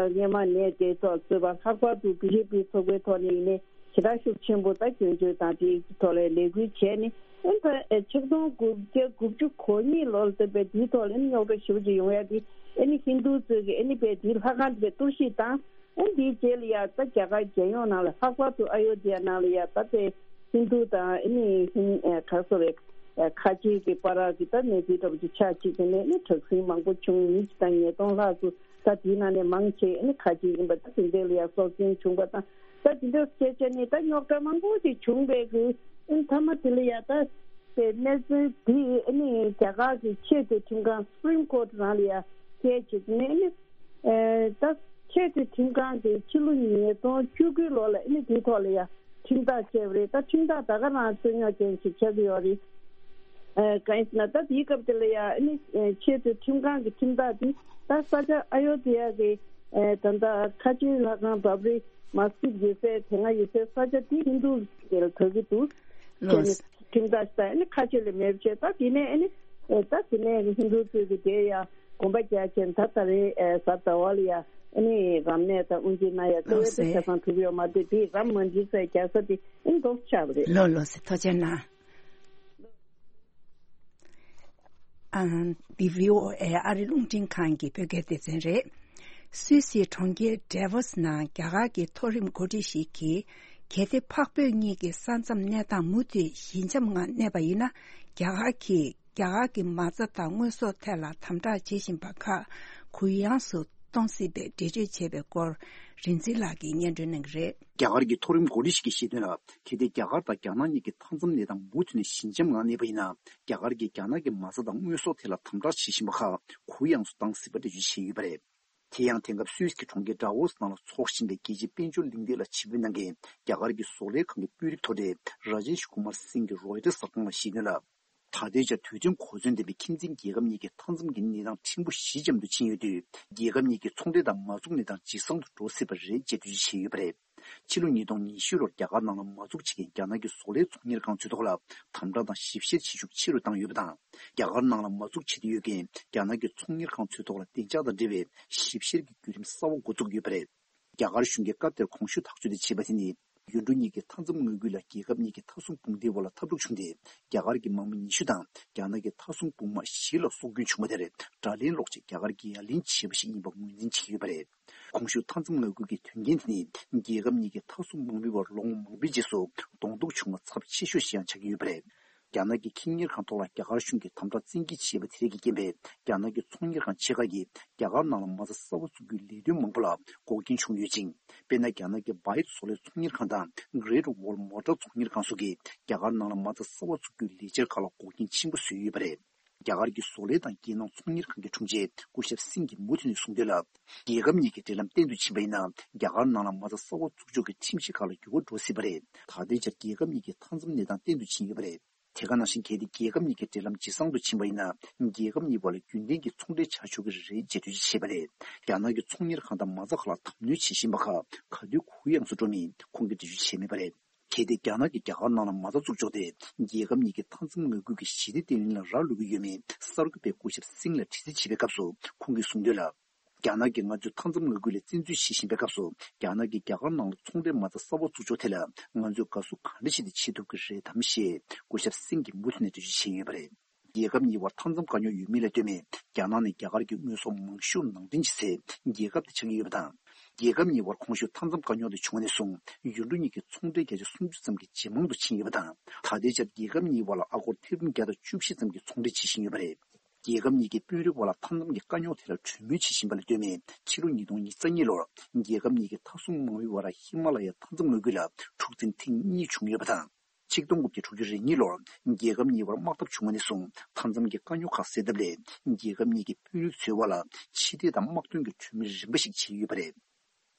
སྔོན་མ་ནས་དེ་ཐོག་གཙོས་པ་ལྷག་པར་དུ་བི་ཇེ་པི་ཚོགས་པའི་ཐོག་ནས་ཡིན་ནའི་ཞེ་དྲག་ཤུགས་ཆེན་པོ་ད་སྐྱོན་བརྗོད་དང་དེའི་ཐོག་ལ་ལས་འགུལ་བྱས་ནས། ཨ་ནི་ད་ཆིག་སྟོང་དགུ་བརྒྱ་དགུ་བཅུ་གོ་གཉིས་ལོར་ད་དཔེ་དེའི་ཐོག་ལ་ཨ་ནི་རྙོག་དྲ་ཞེ་པོ་ཅིག་ཡོང་ཡ་དེ། ཨ་ནི་ཧིན་རྡུ་ཚོས་ཀྱི་ཨ་ནི་དཔེ་དེའི་ལྷ་ཁང་དེ་དཔེ་གཏོར་བཤིག་བཏང་། ཨ་ནི་དེའི་རྗེས་ལ་ཡ་ད་རྒྱ་གར་རྒྱལ་ཡོངས་ནང་ལ་ལྷག་པར་དུ་ཨ་ཡོ་དྷ་ཡ་ནང་ལ་ཡ་ད་དཔེ་ཧིན་རྡུ་དང་ཨ་ནི་ཧིན་ཨ་ག་རེ་ཟེར་རེད། ཨ་ཁ་ཆེ་གི་བར་གྱི་ད་གནས་ཚུལ་འདྲ་པོ་ཅིག་ཆགས་བྱས་བྱས་ནས་ཨ་ནི་དྲག་ཟིང་མང་པོ་བྱུང་། མི་གཅིག་དང་ཉིས་སྟོང་ལྷག་ཙམ་ད་དེའི་ནང་ནས་མང་ཆེ་ཨ་ནི་ཁ་ཆེ་ཡིན་པ། ད་དེ་འདྲ་ལ་ཡ་སྲོག་སྐྱོན་བྱུང་པ་དང་། ད་དེ་འདྲ་བྱས་བྱས་ནས་ད་རྙོག་དྲ་མང་པོ་ཅིག་བྱུང་བའི་གི་ཨ་ནི་མཐའ་མ་དེ་ལ་ཡ་ད་དེ་གནས་ཚུལ་དེ་ཨ་ནི་རྒྱ་གར་གྱི་ཆེས་མཐོའི་ཁྲིམས་ཁང་Supreme Court ནང་ལ་ཡ་བསྐྱལ་བྱས་ནས་ཨ་ནི་ཨེ་ད་ཆེས་མཐོའི་ཁྲིམས་ཁང་གིས་ཕྱི་ལོ་ཉིས་སྟོང་བཅུ་དགུ་ལོ་ལ་ཨ་ནི་དེའི་ཐོག་ལ་ཡ་ཁྲིམས་ཐག་བཅད་པ་རེད། ད་ཁྲིམས་ཐག་ད་ག་རང་རྩོད་རྙོག་ཅན་ཞིག་ཆགས་ཀྱི་ཡོད་རེད། ཨེ་གང་ཡིན་ཟེར་ན་ད་དེའི་སྐབས་དེ་ལ་ཡ་ཨ་ནི་ཨེ་ཆེས་མཐོའི་ཁྲིམས་ཁང་གི་ཁྲིམས་ཐག་དེ་ད་ས་ཆ་ཨ་ཡོ་དྷ་ཡ་གི་ཨེ་ད་ལྟ་ཁ་ཆེའི་ལྷ་ཁང་བྷབ་རི་མ་སི་ཇིད་ཡོད་སའི་དེ་སྔ་ཡོད་སའི་ས་ཆ་དེ་ཧིན་རྡུ་ལ་ད་གི་འདུག་ལགས། བྱས་ནས་ཁྲིམས་ཐག་ད་ཨ་ནི་ཁ་ཆེ་ལ་མེད་པ་བྱས། ད་དེ་ནས་ཨ་ནི་ཨེ་ད་དེ་ནས་ཧིན་རྡུ་ཚོས་ཀྱི་དེ་ཡ་གོམ་པ་རྒྱག་བྱས། ད་ད་རེས་ཨེ་གཟའ་ཟླ་བ་ལ་ཡ་ཨ་ནི་རམ་གནས་དང་དབུ་འབྱེད་གནང་ཡ་རྩ་བའི་ད་ཆ་ཚང་གྲུབ་ཡོད་མ་རེད། དེ་རམ་མ་འདྲི་ས་རྒྱག་ས་དེ་ཨ་ནི་འདུག་ཆགས་པ་རེད། ལགས་ལགས་སེ། ཐུགས་རྗེ་གནང་། ཨ། འདི་བྷི་ཨོ་ཨེ་ཨ་རི་རླུང་འཕྲིན་ཁང་གི་བོད་སྐད་སྡེ་ཚན་རེད། སུད་སིའི་གྲོང་ཁྱེར་ཌེ་ཝོ་སི་ནང་རྒྱ་གར་གྱི་མཐོ་རིམ་འགོ་ཁྲིད་ཞིག་གིས། གལ་ཏེ་འཕགས་བོད་གཉིས་ཀྱི་ས་མཚམས་གནས་སྟངས་མུ་མཐུད་ཞི་འཇམ་ངང་གནས་པ་ཡིན་ན། རྒྱ་གར་གྱིས་རྒྱ་གར་གྱི་མ་རྩ་དང་དངོས་ཟོག་ཐད་ལ་དམ་དྲག་བྱེད་བཞིན་པ་ཁག་གུ་ཡངས་སུ་གཏོང་སྲིད་པའི་འགྲེལ་བརྗོད་བྱས་པའི་སྐོར། རིག་འཛིན་ལགས་ཀྱིས་སྙན་སྒྲོན་གནང་གི་རེད། རྒྱ་གར་གྱི་མཐོ་རིམ་འགོ་ཁྲིད་ཞིག་གིས་བཤད་དོན་ལ། གལ་ཏེ་རྒྱ་གར་དང་རྒྱ་ནག་གཉིས་ཀྱི་མཐའ་མཚམས་གནས་སྟངས་མུ་མཐུད་ནས་ཞི་འཇམ་ངང་གནས་པ་ཡིན་ན། རྒྱ་གར་གྱིས་རྒྱ་ནག་གི་མ་རྩ་དང་དངོས་ཟོག་ཐད་ལ་དམ་དྲག་བྱེད་བཞིན་པ་ཁག་གུ་ཡངས་སུ་བཏང་སྲིད་པ་འགྲེལ་བརྗོད་བྱས་ཡོད་པ་རེད། དེ་ཡང་། དེང་སྐབས་སུད་སི་གྲོང་ཁྱེར་ཌ་ཝོ་སི་ནང་ལ་འཚོགས་བཞིན་པའི་རྒྱལ་སྤྱིའི་དཔལ་འབྱོར་གླེང་སྟེགས་ལ་ཆིབས་བསྒྱུར་གནང་མཁན་རྒྱ་གར་གྱི་བཟོ་ལས་ཁང་གི་དཔོན་རིགས་མཐོ་གྲས་ར་ཇེཤ་ཀུ་མར་སིང་གིས་རོའི་ཊར་གསར་ཁང་ལ་བཤད་དོན་ལ། ད་ལྟའི་ཆར་དུས་མཐུན་གོ་མཚོན་ལྡན་པའི་ཁྱིམ་མཚེས་རྒྱལ་ཁབ་གཉིས་ཀྱི་མཐའ་མཚམས་ཀྱི་གནས་སྟངས་ཕྲན་བུ་ཞི་འཇམ་དུ་ཕྱིན་ཡོད་དུས། རྒྱལ་ཁབ་གཉིས་ཀྱི་ཚོང་འབྲེལ་དང་མ་འཛུགས་གནས་སྟངས་ཇེ་བཟང་དུ་འགྲོ་སྲིད་པ་རེད་ཅེས་འགྲེལ་བརྗོད་བྱས་ཡོད་པ་རེད། ཕྱི་ལོ་ཉིས་སྟོང་ཉི་ཤུ་ལོར་རྒྱ་གར་ནང་ལ་མ་འཛུགས་བྱེད་མཁན་རྒྱ་ནག་གི་བཟོ་ལས་ཚོང་གཉེར་ཁང་ཚོའི་ཐོག་ལ་དམ་དྲག་དང་ཞིབ་བཤེར་བྱེད་ཤུགས་ཆེ་རུ་བཏང་ཡོད་པ་དང་། རྒྱ་གར་ནང་ལ་མ་འཛུགས་བྱེད་འདོད་ཡོད་མཁན་རྒྱ་ནག་གི་ཚོང་གཉེར་ཁང་ཚོའི་ཐོག་ལ་བདེ་འཇགས་དང་འབྲེལ་བའི་ཞིབ་བཤེར་གྱི་བརྒྱུད་རིམ་གསར་བ་འགོ་བཙུགས་ཡོད་པ་རེད། རྒྱ་གར་གཞུང་གིས་སྐབས་དེར་གོང་ཞུས་ཐག་གཅོད་དེ་བྱས་པ་དེ་ནི། ཡུལ་གྲུ་གཉིས་ཀྱི་མཐའ་མཚམས་མངའ་ཁུལ་ལ་རྒྱལ་ཁབ་གཉིས་ཀྱི་མཐའ་སྲུང་དཔུང་སྡེའི་དབར་ལ་འཐབ་འཁྲུག་བྱུང་སྟེ། རྒྱ་གར་གྱི་དམག་མི་ཉི་ཤུ་དང་རྒྱ་ནག་གི་མཐའ་སྲུང་དཔུང་དམག་བཞི་ལ་སྲོག་སྐྱོན་བྱུང་བ་དེར་དགྲ་ལན་སློག་ཆེད་རྒྱ་གར་གྱིས་ཡ་ལན་བྱས་པ་ཞིག་ཡིན་པ་ངོས་འཛིན་བྱས་ཡོད་པ་རེད། གོང་ཞུས་མཐའ་མཚམས་མངའ་ཁུལ་གྱི་དོན་རྐྱེན་དེ་ནི། རྒྱལ་ཁབ་གཉིས་ཀྱི་མཐའ་སྲུང་དམག་མིའི་བར་ལོ་ངོ་མང་པོའི་རྗེས་སུ་གདོང་ཐུག་བྱུང་བ་ཚབས་ཆེ་ཤོས་ཤིག་ཡང་ཆགས་ཀྱི་ཡོད་པ་རེད། རྒྱ་ནག་གི་ཁེ་གཉེར་ཁང་ཐོག་ལ་རྒྱ་གར་གཞུང་གིས་དམ་དྲག་བཙན་འགེལ་བྱས་པ་དེ་རིགས་ཀྱི་རྐྱེན་པས། རྒྱ་ནག་གི་ཚོང་གཉེར་ཁང་ཆེ་ཁག་གིས་རྒྱ་གར་ནང་ལ་མ་རྩ་གསར་པ་བཙུགས་རྒྱུའི་ལས་དོན་མང་པོ་ལ་འགོག་རྐྱེན་བྱུང་ཡོད་ཅིང་། དཔེར་ན། རྒྱ་ནག་གི་བཱའིཊ་བཟོ་ལས་ཚོང་གཉེར་ཁང་དང་Great Wall Motor ཚོང་གཉེར་ཁང་སོགས་ཀྱིས་རྒྱ་གར་ནང་ལ་མ་རྩ་གསར་པ་བཙུགས་རྒྱུའི་ལས་འཆར་ཁག་ལ་འགོག་རྐྱེན་ཆེན་པོ་བཟོས་ཡོད་པ་རེད། རྒྱ་གར་གྱི་བཟོ་ལས་དང་རྒྱལ་ནང་ཚོང་གཉེར་ཁང་གི་དྲུང་ཆེ་སྐུ་ཞབས་སིང་གིས་མུ་མཐུད་ནས་གསུངས་དོན་ལ། རྒྱལ་ཁབ་གཉིས་ཀྱི་འབྲེལ་ལམ་བརྟན་དུ་ཕྱིན་པ་ཡིན་ན། རྒྱ་གར་ནང་ལ་མ་རྩ་གསར་པ་བཙུགས་ཕྱོགས་ཀྱི་ཁྲིམས་གཞི་ཁག་ལ་འགྱུར་བ་འགྲོ་སྲིད་པ་རེད། ད་ལྟའི་ཆར་རྒྱལ་ཁབ་གཉིས་ཀྱི་མཐའ་མཚམས་གནས་སྟངས་བརྟན་དུ་ཕྱིན་ཡོད་པ་རེད། དེ་ག་ནང་བཞིན། གལ་ཏེ་རྒྱལ་ཁབ་གཉིས་ཀྱི་འབྲེལ་ལམ་ཇེ་བཟང་དུ་ཕྱིན་པ་ཡིན་ན། རྒྱལ་ཁབ་གཉིས་བར་ལ་རྒྱུན་ལྡན་གྱི་ཚོང་འབྲེལ་བྱ་ཆོག་གི་རེད་ཅེས་འགྲེལ་བརྗོད་བྱས་པ་རེད། རྒྱ་ནག་གི་ཚོང་གཉེར་ཁང་དང་མ་རྩ་ཁག་ལ་དམ་གནོན་བྱེད་བཞིན་པ་ཁག་ག་དུས་གུ་ཡངས་སུ་འགྲོ་མིན་ཁོང་གིས་འགྲེལ་བརྗོད་བྱས་མེད་པ་རེད། གལ་ཏེ་རྒྱ་ནག་གིས་རྒྱ་གར་ནང་ལ་མ་རྩ་བཙུགས་ཆོག་སྟེ། རྒྱལ་ཁབ་གཉིས་ཀྱི་མཐའ་མཚམས་མངའ་ཁུལ་གྱི་ཞི་བདེ་བརྟན་ལྷིང་ལ་རག་ལུས་ཀྱི་ཡོད་མེད་གསར་འགོད་པས་སྐུ་ཞབས་སིང་ལ་དྲི་རྩད་བྱས་པའི་སྐབས་སུ། ཁོང་གིས་གསུངས་དོན་ལ། རྒྱ་ནག་གིས་ང་ཚོའི་མཐའ་མཚམས་མངའ་ཁུལ་ལ་བཙན་འཛུལ་བྱེད་བཞིན་པའི་སྐབས་སུ། རྒྱ་ནག་གིས་རྒྱ་གར་ནང་ལ་ཚོང་འབྲེལ་མ་རྩ་གསར་པ་བཙུགས་ཕྱོགས་ཐད་ལ་ང་ཚོས་དགའ་བསུ་གང་འདྲ་ཞིག་དེ་བྱེད་ཐུབ་ཀྱི་རེད་དམ་ཞེས་སྐུ་ཞབས་སིང་གིས་མུ་མཐུད་ནས་འགྲེལ་བརྗོད་བྱས་ཡོད་པ་རེད། རྒྱལ་ཁབ་གཉིས་བར་མཐའ་མཚམས་དཀའ་རྙོག་ཡོད་མེད་ལ་ལྟོས་མེད། རྒྱ་ནག་ནི་རྒྱ་གར་གྱི་དངོས་ཟོག་མང་ཤོས་ནང་འདྲེན་བྱེད་སའི་རྒྱལ་ཁབ་དེ་ཆགས་ཀྱི་ཡོད་པ་དང་། རྒྱལ་ཁབ་གཉིས་བར་གོང་ཞུས་མཐའ་མཚམས་དཀའ་རྙོག་དེ་བྱུང་བ་ནས་བཟུང་། ཡུལ་གྲུ་གཉིས་ཀྱི་ཚོང་འབྲེལ་བརྒྱ་ཆ་སུམ་ཅུ་ཙམ་གྱིས་ཇེ་མང་དུ་ཕྱིན་ཡོད་པ་དང་། ད་ལྟའི་ཆར་རྒྱལ་ཁབ་གཉིས་བར་ལ་ཨ་སྒོར་ཐེར་འབུམ་བརྒྱ་དང་བཅུ་བཞི་ཙམ་གྱི་ཚོང་འབྲེལ་བྱེད་བཞིན་ཡོད་པ་རེད། རྒྱལ་ཁབ་གཉིས་ཀྱི་དཔོན་རིགས་དབར་ལ་མཐའ་མཚམས་ཀྱི་དཀའ་རྙོག་དེ་ལ་གྲོས་མོལ་བྱེད་བཞིན་པ་ལ་ལྟོས་ནས། ཕྱི་ལོ་ཉིས་སྟོང་ཉེར་གཉིས་ལོར་རྒྱལ་ཁབ་གཉིས་ཀྱི་མཐའ་སྲུང་དམག་མིའི་དབར་ཧི་མ་ལ་ཡའི་མཐའ་མཚམས་མངའ་ཁུལ་ལ་འཁྲུག་འཛིང་ཐེངས་གཉིས་བྱུང་ཡོད་པ་དང་། ཆིག་སྟོང་དགུ་བརྒྱ་དྲུག་ཅུ་རེ་གཉིས་ལོར་རྒྱལ་ཁབ་གཉིས་བར་དམག་འཐབ་བྱུང་བ་ནས་བཟུང་། མཐའ་མཚམས་ཀྱི་དཀའ་རྙོག་ཁག་སེལ་ཐབས་སླད། རྒྱལ་ཁབ་གཉིས་ཀྱི་དཔོན་རིགས་ཚོའི་དབར་ལ་ཕྱི་འབྲེལ་དང་དམག་དོན་གྱི་གྲོས་མོལ་རིམ་པ་ཞིག་བྱས་ཡོད་པ་རེད།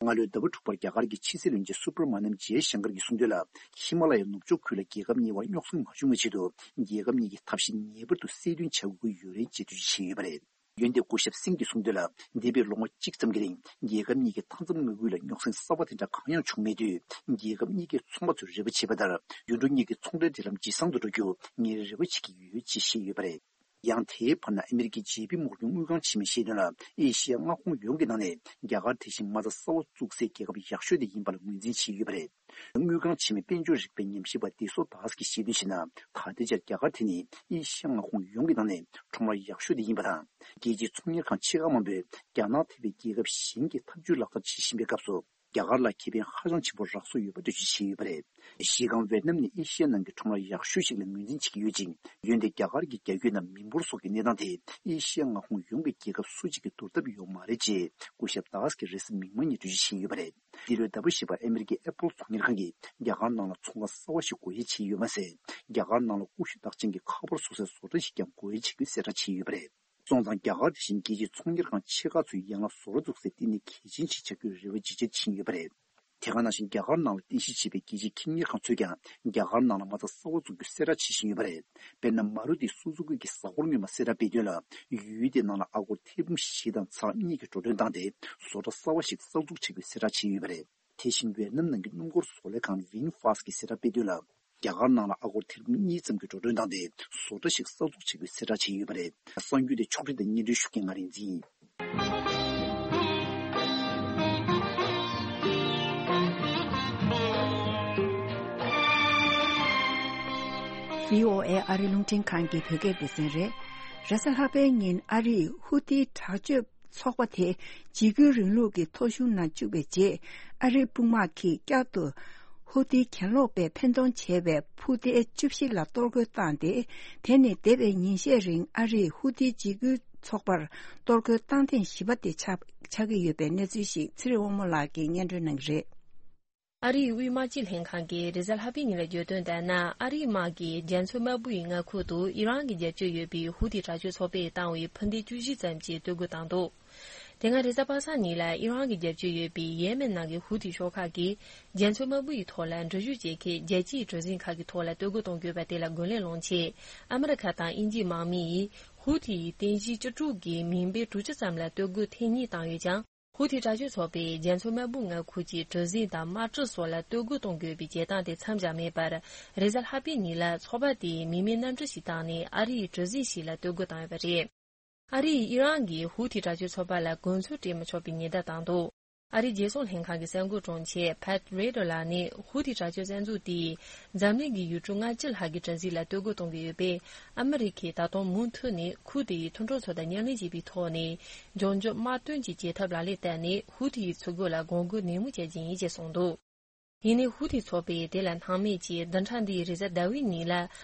སྔ་ལོའི་ཟླ་བ་དྲུག་པར་རྒྱ་གར་གྱི་ཕྱི་སྲིད་བློན་ཆེན་སུ་བྷྲ་མ་ནམ་ཇེ་ཤང་ཀར་གྱིས་གསུངས་དོན་ལ། ཧི་མ་ལ་ཡའི་ནུབ་ཕྱོགས་ཁུལ་ལ་རྒྱལ་ཁབ་གཉིས་བར་རྙོག་ཟིང་མ་བྱུང་བའི་ཆེད་དུ། རྒྱལ་ཁབ་གཉིས་ཀྱིས་ཐབས་ཤེས་ངེས་པར་དུ་གསལ་སྟོན་བྱ་དགོས་ཀྱི་ཡོད་རེད་ཅེས་འགྲེལ་བརྗོད་བྱས་ཡོད་པ་རེད། འོན་ཏེ་སྐུ་ཞབས་སིང་གིས་གསུངས་དོན་ལ། འདས་པའི་ལོ་ངོ་གཅིག་ཙམ་གྱི་རིང་རྒྱལ་ཁབ་གཉིས་ཀྱི་མཐའ་མཚམས་མངའ་ཁུལ་ལ་རྙོག་ཟིང་གསར་པ་དེ་འདྲ་གང་ཡང་བྱུང་མེད་དུས། རྒྱལ་ཁབ་གཉིས་ཀའི་ཚོང་པ་ཚོས་རེ་བ་བྱས་པ་ལྟར། ཡུལ་གྲུ་གཉིས་ཀྱི་ཚོང་འབྲེལ་འབྲེལ་ལམ་ཇེ་བཟང་དུ་འགྲོ་རྒྱུ་ངས་རེ་བ་བྱེད་ཀྱི་ཡོད་ཅེས་བཤད་ཡོད་པ་རེད། ཡང་དེའི་བར་ན། ཨ་མེ་རི་ཀའི་ཇེ་པི་མོར་གན་དངུལ་ཁང་ཆེན་མོས་བཤད་དོན་ལ། ཨེ་ཤི་ཡ་མངའ་ཁོངས་ཡོངས་ཀྱི་ནང་ནས་རྒྱ་གར་དེ་བཞིན་མ་རྩ་གསར་པ་བཙུགས་སའི་རྒྱལ་ཁབ་ཡག་ཤོས་དེ་ཡིན་པ་ལ་ངོས་འཛིན་བྱས་ཡོད་པ་རེད། དངུལ་ཁང་ཆེན་མོའི་དཔལ་འབྱོར་རིག་པའི་ཉམས་ཞིབ་པ་ཏེ་སོ་དཱས་ཀྱིས་བཤད་དོན་བྱས་ན། ད་ལྟའི་ཆར་རྒྱ་གར་དེ་ནི་ཨེ་ཤི་ཡ་མངའ་ཁོངས་ཡོངས་ཀྱི་ནང་ནས་ཁྲོམ་ར་ཡག་ཤོས་དེ་ཡིན་པ་དང་། རྒྱལ་སྤྱིའི་ཚོང་གཉེར་ཁང་ཆེ་ཁག་མང་པོས་རྒྱ་ནག་ཐེ་བའི་རྒྱལ་ཁབ་གཞན་གྱིས་འཐབ་ཇུས་ལག་བསྟར་བྱེད་བཞིན་པའི་སྐབས་སུ། རྒྱ་གར་ལ་ཁེ་ཕན་ཧ་ཅང་ཆེན་པོ་རག་སོགས་ཡོད་པ་འགྲེལ་བརྗོད་བྱས་ཡོད་པ་རེད། གཞི་རྐང་ཝེད་ནམ་ནི་ཨེ་ཤི་ཡ་ནང་གི་ཁྲོམ་ར་ཡག་ཤོས་ཤིག་ལ་ངོས་འཛིན་བྱེད་ཀྱི་ཡོད་ཅིང་། འོན་ཏེ་རྒྱ་གར་གྱི་རྒྱ་སྐྱེད་ནམ་མི་འབོར་སོགས་ཀྱི་གནས་སྟངས་དེ་ཨེ་ཤི་ཡ་མངའ་ཁོངས་ཡོངས་ཀྱི་རྒྱལ་ཁབ་སུ་གཅིག་གིས་བསྡུར་ཐབས་ཡོད་མ་རེད་ཅེས་སྐུ་ཞབས་དཱས་ཀྱིས་རེས་གཟའ་མིག་དམར་ཉིན་འགྲེལ་བརྗོད་བྱས་ཡོད་པ་རེད། འདི་ལོའི་ཟླ་བ་བཞི་པར་ཨ་མེ་རི་ཀའི་ཨེ་པལ་ཚོང་གཉེར་ཁང་གིས་རྒྱ་གར་ནང་ལ་ཚོང་ཁང་གསར་བ་ཞིག་སྒོ་དབྱེ་བྱས་ཡོད་མ་ཟད། རྒྱ་གར་ནང་ལ་ཀུ་ཤུ་རྟགས་ཅན་གྱི་ཁ་པར་བཟོ་སའི་བཟོ་གྲྭ་ཞིག་ཀྱང་སྒོ་དབྱེ་བྱེད་རྒྱུའི་གསལ་བསྒྲགས་བྱས་ཡོད་པ་རེད། སོང་ཙང་། རྒྱ་གར་དེ་བཞིན་རྒྱལ་སྤྱིའི་ཚོང་གཉེར་ཁང་ཆེ་ཁག་ཚོའི་ཡན་ལག་བཟོ་གྲྭ་འཛུགས་སའི་ལྟེ་གནས་གལ་ཆེན་ཞིག་ཆགས་རྒྱུའི་རེ་བ་ཇེ་ཆེར་ཕྱིན་ཡོད་པ་རེད། དེ་ག་ནང་བཞིན། རྒྱ་གར་ནང་ལ་རྟེན་གཞི་བྱས་པའི་རྒྱལ་སྤྱིའི་ཁེ་གཉེར་ཁང་ཚོས་ཀྱང་རྒྱ་གར་ནང་ལ་མ་རྩ་གསར་པ་འཛུགས་རྒྱུ་གསལ་བསྒྲགས་བྱེད་བཞིན་ཡོད་པ་རེད། དཔེར་ན། མ་རུ་ཏི་སུ་ཛུ་ཀི་གི་གཟའ་འཁོར་སྔོན་མ་གསལ་བསྒྲགས་སྤེལ་དོན་ལ། ཡུལ་དེའི་ནང་ལ་ཨ་སྒོར་ཐེར་འབུམ་བཞི་དང་ཚེག་གཉིས་ཀྱི་འགྲོ་གྲོན་བཏང་སྟེ། བཟོ་གྲྭ་གསར་པ་ཞིག་གསར་འཛུགས་བྱེད་རྒྱུ་གསལ་བསྒྲགས་བྱས་ཡོད་པ་རེད། དེ་བཞིན། ཝེད་ནམ་ནང་གི་སྣུམ་འཁོར་བཟོ་ལས་ཁང་ཝིན་ཧྥ་སི་གིས་གསལ་བསྒྲགས་སྤེལ་དོན་ལ། རྒྱ་གར་ནང་ལ་ཨ་སྒོར་ཐེར་འབུམ་གཉིས་ཙམ་གྱི་འགྲོ་གྲོན་བཏང་སྟེ། བཟོ་གྲྭ་ཞིག་གསར་འཛུགས་བྱེད་རྒྱུའི་གསལ་བསྒྲགས་བྱས་ཡོད་པ་རེད། གསར་འགྱུར་དེ་ཕྱོགས་སྒྲིག་དང་སྙན་སྒྲོན་ཞུ་མཁན་ང་རིག་འཛིན་ཡིན། བྷི་ཨོ་ཨེ་ཨ་རི་རླུང་འཕྲིན་ཁང་གི་བོད་སྐད་སྡེ་ཚན་རེད། རེས་གཟའ་ལྷག་པའི་ཉིན་ཨ་རིས་ཧུ་ཐི་དྲག་སྤྱོད་ཚོགས་པ་དེ་འཇིགས་སྐུལ་རིང་ལུགས་ཀྱི་ཐོ་གཞུང་ནང་བཅུག་པའི་རྗེས། ཨ་རིའི་དཔུང་དམག་གིས་བསྐྱར་དུ་ཧུ་ཐི་གྱེན་ལོག་པས་འཕེན་གཏོང་བྱས་པའི་ཕུ་ཏའི་བཅུ་བཞི་ལ་གཏོར་རྒོལ་བཏང་སྟེ། དེ་ནི་འདས་པའི་ཉིན་ཤས་རིང་ཨ་རིས་ཧུ་ཐི་འཇིགས་སྐུལ་ཚོགས་པར་གཏོར་རྒོལ་བཏང་ཐེངས་བཞི་པ་དེ་ཆགས་ཆགས་ཀྱི་ཡོད་པའི་གནས་ཚུལ་ཞིག་ཚེ་རིང་དབང་མོ་ལགས་ཀྱིས་སྙན་སྒྲོན་གནང་གི་རེད། ཨ་རིའི་དབུས་དམག་སྤྱི་ལྷན་ཁང་གིས་རེས་གཟའ་ལྷག་པའི་ཉིན་ལ་བརྗོད་དོན་ལྟར་ན། ཨ་རིའི་དམག་གིས་རྒྱ་མཚོ་དམར་པོ་ཡི་མངའ་ཁུལ་དུ་ཨི་རན་གྱིས་རྒྱབ་སྐྱོར་ཡོད་པའི་ཧུ་ཐི་དྲག་སྤྱོད་ཚོགས་པས་བཏང་བའི་འཕུར་མདེལ་བཅུ་བཞི་ཙམ་གྱིས་གཏོར་རྒོལ་བཏང་འདུག་དེ་སྔ་རེས་གཟའ་པ་སངས་ཉིན་ལ་ཨི་རན་གྱིས་རྒྱབ་སྐྱོར་ཡོད་པའི་ཡེ་མེན་ནང་གི་ཧུ་ཐི་ཤོག་ཁག་གིས་རྒྱ་མཚོ་དམར་པོ་ཡི་ཐོག་ལ་འགྲུལ་བཞུད་བྱེད་མཁན་རྒྱལ་སྤྱིའི་གྲུ་གཟིངས་ཁག་གི་ཐོག་ལ་གཏོར་རྒོལ་གཏོང་དགོས་པ་དེ་ལ་རྒོལ་ལན་སློང་ཆེད། ཨ་མི་རི་ཁ་དང་དབྱིན་ཇིའི་དམག་མི་ཡིས་ཧུ་ཐི་ཡི་རྟེན་གཞི་ཅི་ཀྲུག་གི་མིང་དཔེ་དྲུག་ཅུ་ཙམ་ལ་གཏོར་རྒོལ་ཐེངས་གཉིས་བཏང་ཡོད་ཀྱང་། ཧུ་ཐི་དྲག་སྤྱོད་ཚོགས་པས་རྒྱ་མཚོ་དམར་པོ་མངའ་ཁུལ་གྱི་གྲུ་གཟིངས་དང་དམག་གྲུ་སོགས་ལ་གཏོར་རྒོལ་གཏོང་དགོས་པའི་བྱེད་སྟངས་དེ་མཚམས་བཞག་མེད་པར། རེས་གཟའ་ལྷག་པའི་ཉིན་ལ་ཚོགས་པ་དེས་མི་མེད་གནམ་གྲུ་ཞིག་བཏང་ནས་ཨ་རིའི་གྲུ་གཟིངས་ཤིག་ལ་གཏོར་རྒོལ་བཏང་ཡོད་པ་རེད། ཨ་རིས་ཨི་རན་གྱིས་ཧུ་ཐི་དྲག་སྤྱོད་ཚོགས་པ་ལ་གོ་མཚོན་སྤྲད་མི་ཆོག་པའི་ཉེན་བརྡ་བཏང་འདུག་ཨ་རིའི་རྒྱལ་སྲུང་ལྷན་ཁང་གི་གསར་འགོད་དྲུང་ཆེ་Pat Ryder་ལགས་ནས། ཧུ་ཐི་དྲག་སྤྱོད་བཙན་འཛུལ་དེས་འཛམ་གླིང་གི་ཡུལ་གྲུ་ལྔ་བཅུ་ལྷག་གི་གྲུ་གཟིངས་ལ་གཏོར་རྒོལ་གཏོང་གི་ཡོད་པས། ཨ་མི་རི་ཁས་ད་དུང་མུ་མཐུད་ནས་ཁུལ་དེའི་མཐུན་གྲོགས་ཚོ་དང་མཉམ་ལས་བྱེད་པའི་ཐོག་ནས། འབྱུང་འགྱུར་དམག་དོན་གྱི་བྱེད་ཐབས་ལག་ལེན་བསྟར་ནས། ཧུ་ཐི་ཡི་ཚུར་རྒོལ་ལ་དགོངས་སྐོར་ནན་མོ་བྱ་རྒྱུ་ཡིན་ཅེས་གསུངས་འདུག་ཡིན་ནའི་ཧུ་ཐི་ཚོགས་པས་དེ་ལ་སྣང་མེད་ཀྱིས། བདུན་ཕྲག་འདིའི་རེས་གཟའ་ཟླ་བའི་ཉིན་ལ་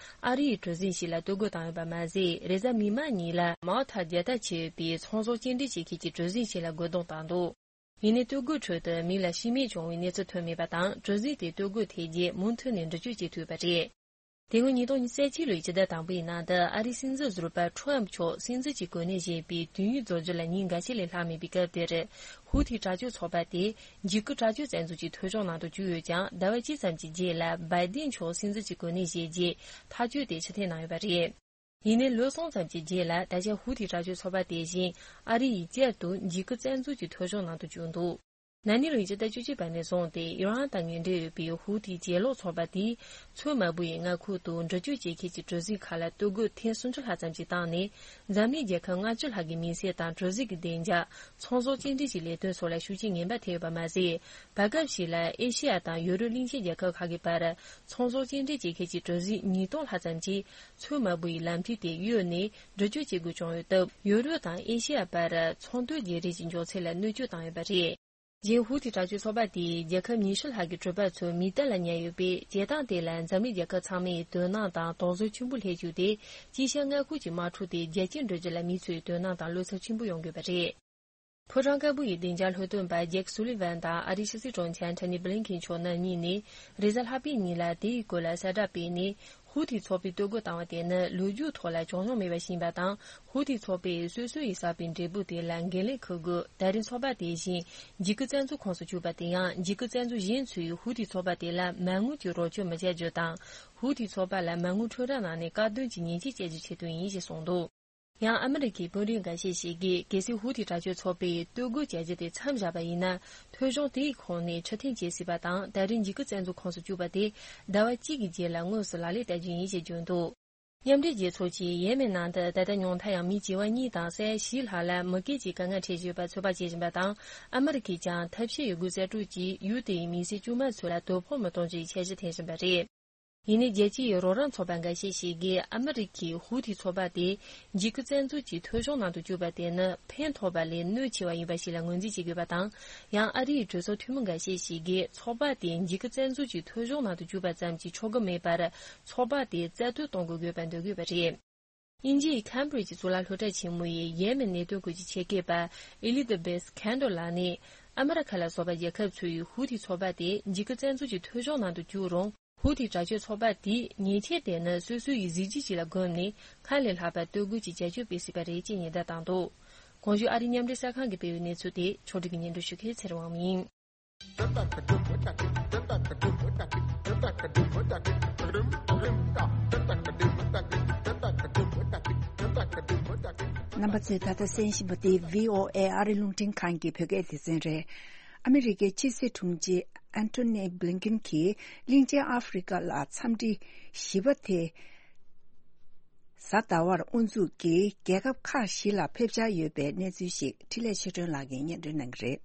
ཨ་རིའི་གྲུ་གཟིངས་ཤིག་ལ་གཏོར་རྒོལ་བཏང་ཡོད་པ་མ་ཟད། རེས་གཟའ་མིག་དམར་ཉིན་ལ་མའོ་ཐར་རྒྱལ་དར་ཕྱེ་ཡོད་པའི་ཚོང་ཟོག་སྐྱེལ་འདྲེན་བྱེད་མཁན་གྱི་གྲུ་གཟིངས་ཤིག་ལ་རྒོལ་རྡུང་བཏང་འདུག་ཡིན་ནའི་གཏོར་རྒོལ་ཁྲོད་དུ་མི་ལ་ཤི་རྨས་བྱུང་བའི་གནས་ཚུལ་ཐོན་མེད་པ་དང་། གྲུ་གཟིངས་དེ་གཏོར་རྒོལ་ཐེབས་རྗེས་མུ་མཐུད་ནས་འགྲུལ་སྐྱོད་བྱེད་ཐུབ་པ་རེད། དེ་སྔོན་ཉིས་སྟོང་ཉི་ཤུ་རྩ་གཅིག་ལོའི་སྤྱི་ཟླ་དང་པོའི་ནང་དུ། ཨ་རིའི་སྲིད་འཛིན་ཟུར་པ་ཁྲོམ་མཆོག་སྲིད་འཛིན་གྱི་གོ་གནས་བཞེས་པའི་དུས་ཡུན་རྫོགས་རྒྱུ་ལ་ཉིན་འགའ་ཤས་ལས་ལྷག་མེད་པའི་སྐབས་དེར། ཧུ་ཐི་དྲག་སྤྱོད་ཚོགས་པ་དེ་འཇིགས་སྐུལ་དྲག་སྤྱོད་བཙན་འཛུལ་གྱི་ཐོ་ཅོག་ནང་དུ་བཅུག་ཡོད་ཀྱང་། ཟླ་བ་གཅིག་ཙམ་གྱི་རྗེས་ལ་བའི་ཏིན་མཆོག་སྲིད་འཛིན་གྱི་གོ་གནས་བཞེས་རྗེས་ཐག་གཅོད་དེ་ཕྱིར་འཐེན་གནང་ཡོད་པ་རེད། ཡིན་ནའི་ལོ་གསུམ་ཙམ་གྱི་རྗེས་ལ། ད་ཆ་ཧུ་ཐི་དྲག་སྤྱོད་ཚོགས་པ་དེ་བཞིན་ཨ་རི་ཡིས་བསྐྱར་དུ་འཇིགས་སྐུལ་བཙན་འཛུལ་གྱི་ཐོ་ཅོག་ནང་དུ་བཅུག་འདུག་ན་ནིང་ལོའི་སྤྱི་ཟླ་བཅུ་གཅིག་པ་ནས་བཟུང་སྟེ། ཨི་རན་དང་ངན་འབྲེལ་ཡོད་པའི་ཧུ་ཐི་གྱེན་ལོག་ཚོགས་པ་དེས་མཚོ་དམར་པོ་ཡི་མངའ་ཁུལ་དུ་འགྲུལ་སྐྱོད་བྱེད་མཁན་གྱི་གྲུ་གཟིངས་ཁག་ལ་གཏོར་རྒོལ་ཐེངས་སུམ་ཅུ་ལྷག་ཙམ་ཞིག་བཏང་ནས། འཛམ་གླིང་རྒྱལ་ཁབ་ལྔ་བཅུ་ལྷག་གི་མི་སེར་དང་གྲུ་གཟིངས་ཀྱི་བདེ་འཇགས། ཚོང་ཟོག་སྐྱེལ་འདྲེན་གྱི་ལས་དོན་སོགས་ལ་ཤུགས་རྐྱེན་ངན་པ་ཐེབས་ཡོད་པ་མ་ཟད། བར་སྐབས་ཤིག་ལ་ཨེ་ཤེ་ཡ་དང་ཡོ་རོབ་གླིང་ཆེན་རྒྱལ་ཁབ་ཁག་གི་བར་ཚོང་ཟོག་སྐྱེལ་འདྲེན་བྱེད་མཁན་གྱི་གྲུ་གཟིངས་ཉིས་སྟོང་ལྷག་ཙམ་གྱིས་མཚོ་དམར་པོ་ཡི་ལམ་ཐིག་དེ་གཡོལ་ནས་འགྲུལ་སྐྱོད་བྱེད་དགོས་བྱུང་ཡོད་སྟབས། ཡོ་རོབ་དང་ཨེ་ཤེ་ཡ་བར་ཚོང་དོན་བརྗེ་རེས་ཀྱི་མགྱོགས་ཚད་ལ་གནོད་སྐྱོན་བཏང་ཡོད་པ་རེད། གཞན་ཧུ་ཐི་དྲག་སྤྱོད་ཚོགས་པ་དེས་རྒྱལ་ཁབ་ཉི་ཤུ་ལྷག་གི་གྲུ་པ་ཚོ་མེ་མདའ་ལ་ཉར་ཡོད་པས། བྱེད་སྟངས་དེ་ལ་འཛམ་གླིང་རྒྱལ་ཁབ་ཚང་མས་དོ་སྣང་དང་དོགས་ཟོན་ཆེན་པོ་སླེབས་བཅུག་སྟེ། དཀྱིལ་ཤར་མངའ་ཁུལ་གྱི་དམག་འཁྲུག་དེ་རྒྱ་སྐྱེད་འགྲོ་རྒྱུ་ལ་མི་ཚོས་དོ་སྣང་དང་བློ་འཚབ་ཆེན་པོ་ཡོང་དགོས་པ་རེད། ཕོ་བྲང་དཀར་པོ་ཡི་བདེ་འཇགས་ལྷོ་སྟོན་པ་ཇེག་སུ་ལི་ཝན་དང་ཨ་རིའི་ཕྱི་སྲིད་དྲུང་ཆེ་ཨན་ཐོ་ནི་བྷི་ལིན་ཁིན་མཆོག་རྣམ་གཉིས་ནས། རེས་གཟའ་ལྷག་པའི་ཉིན་ལ་དེའི་སྐོར་ལ་གསལ་བསྒྲགས་སྤེལ་ནས། ཧུ་ཐི་ཚོགས་པས་གཏོར་རྒོལ་བཏང་བ་དེ་ནི་ལོ་རྒྱུས་ཐོག་ལ་བྱུང་མྱོང་མེད་པ་ཞིག་ཡིན་པ་དང་། ཧུ་ཐི་ཚོགས་པས་སོ་སོ་ཡིས་བསགས་པའི་འབྲས་བུ་དེ་ལ་འགན་ལེན་འཁུར་དགོས། ད་རེས་ཚོགས་པ་དེ་བཞིན་འཇིགས་སྐུལ་བཙན་འཛུལ་ཁོངས་སུ་བཅུག་པ་དེ་ཡང་། འཇིགས་སྐུལ་བཙན་འཛུལ་གཞན་ཚོས་ཧུ་ཐི་ཚོགས་པ་དེ་ལ་མ་དངུལ་གྱི་རོགས་སྐྱོར་མི་བྱ་རྒྱུ་དང་། ཧུ་ཐི་ཚོགས་པ་ལ་མ་དངུལ་ཁྲོམ་ར་ནང་ནས་དཀར་འདོན་གྱི་ཉེས་ཆད་བཅད་རྒྱུའི་ཆེད་དུ་ཡིན་ཞེས་གསུངས་འདུག། ཡང་ཨ་མི་རི་ཀའི་དཔོན་རིགས་འགའ་ཤས་ཤིག་གིས། གལ་སྲིད་ཧུ་ཐི་དྲག་སྤྱོད་ཚོགས་པས་གཏོར་རྒོལ་བྱ་རྒྱུ་དེ་མཚམས་བཞག་པ་ཡིན་ན། ཐོལ་བྱུང་དེའི་ཁོངས་ནས་ཕྱིར་འཐེན་བྱེད་སྲིད་པ་དང་། ད་རེས་འཇིགས་སྐུལ་བཙན་འཛུལ་ཁོངས་སུ་བཅུག་པ་དེ་ཟླ་བ་གཅིག་གི་རྗེས་ལ་དངོས་སུ་ལག་ལེན་བསྟར་རྒྱུ་ཡིན་ཞེས་བརྗོད་འདུག། མཉམ་འབྲེལ་རྒྱལ་ཚོགས་ཀྱིས་ཡེ་མེན་ནང་དུ་ད་ལྟ་ཉུང་མཐའ་ཡང་མི་བྱེ་བ་གཉིས་དང་ས་ཡ་བཞི་ལྷག་ལ་མུ་གེ་གྱི་དཀའ་ངལ་འཕྲད་བཞིན་པ་ཚོད་དཔག་བྱེད་བཞིན་པ་དང་། ཨ་མི་རི་ཀས་ཀྱང་ཐབས་ཤེས་ཡོད་རྒུས་གསལ་སྒྲོག་གིས་ཡུལ་དེའི་མི་སེར་དཀྱུས་མ་ཚོ་ལ་དོ་ཕོག་མི་གཏོང་རྒྱུའི་འཆར་གཞི་འཐེན་བཞིན་པ་རེད། ཡིན་ནའི་རྒྱལ་སྤྱིའི་རོགས་རམ་ཚོགས་པ་འགའ་ཤས་ཤིག་གིས་ཨ་མི་རི་ཀས་ཧུ་ཐི་ཚོགས་པ་དེ་འཇིགས་སྐུལ་བཙན་འཛུལ་གྱི་ཐོལ་བྱུང་ནང་དུ་བཅུག་པ་དེ་ནི་ཕན་ཐོགས་པ་ལས་གནོད་ཆེ་བ་ཡིན་པ་ཞིག་ལ་ངོས་འཛིན་བྱེད་དགོས་པ་དང་། ཡང་ཨ་རིའི་གྲོས་ཚོགས་འཐུས་མི་འགའ་ཤས་ཤིག་གིས་ཚོགས་པ་དེ་འཇིགས་སྐུལ་བཙན་འཛུལ་གྱི་ཐོལ་བྱུང་ནང་དུ་བཅུག་པ་ཙམ་གྱིས་ཆོག་གི་མེད་པར། ཚོགས་པ་དེ་རྩ་གཏོར་གཏོང་དགོས་དགོས་པ་འདོད་དགོས་པ་རེད། དབྱིན་ཇིའི་ཁེམ་བྷི་རི་ཇི་གཙུག་ལག་སློབ་གྲྭ་ཆེན་མོ་ཡི་ཡེ་མེན་གནད་དོན་སྐོར་གྱི་ཆེད་མཁས་པ་ཨེ་ལི་ཛ་བེས་ཁན་ཏོ་ལགས་ནས། ཨ་མི་རི་ཁ་ལ་སོགས་པ་རྒྱལ་ཁབ་ཚོས་ཧུ་ཐི་ཚོགས་པ་དེ་འཇིགས་སྐུལ་བཙན་འཛུལ་གྱི་ཐོལ་བྱུང་ནང་དུ་བཅུག་རུང་། ཧུ་ཐི་དྲག་སྤྱོད་ཚོགས་པ་དེས་ཉེས་ཆད་དེ་ནི་སོ་སོའི་གཟི་བརྗིད་ཅིག་ལ་བསྒོམས་ནས། སྔར་ལས་ལྷག་པར་གཏོར་རྒོལ་གྱི་བྱ་སྤྱོད་སྤེལ་སྲིད་པ་རེད་ཅེས་ཉེན་བརྡ་བཏང་འདུག། གོང་ཞུས་ཨ་རིའི་མཉམ་འབྲེལ་གསར་ཁང་གིས་སྤེལ་བའི་གནས་ཚུལ་དེ་ཕྱོགས་སྒྲིག་གིས་སྙན་སྒྲོན་ཞུ་མཁན་ཚེ་རིང་དབང་མོ་ཡིན། རྣམ་པ་ཚོས་ད་ལྟ་གསན་བཞིན་པ་དེ་བྷི་ཨོ་ཨེ་ཨ་རི་རླུང་འཕྲིན་ཁང་གི་བོད་སྐད་སྡེ་ཚན་རེད། ཨ་མི་རི་ཀའི་ཕྱི་སྲིད་དྲུང་ཆེ་ཨན་ཐོ་ནི་བྷི་ལིན་ཀིན་གྱིས་གླིང་ཆེན་ཨ་ཧྥེ་རི་ཁ་ལ་འཚམས་འདྲི་བཞི་པ་དེ་གཟའ་ཟླ་བར་དབུ་འཛུགས་ཀྱིས་རྒྱལ་ཁབ་ཁག་བཞི་ལ་ཕེབས་འཆར་ཡོད་པའི་གནས་ཚུལ་ཞིག་འཕྲིན་ལས་ཆོས་སྒྲོན་ལགས་ཀྱིས་སྙན་སྒྲོན་གནང་གི་རེད།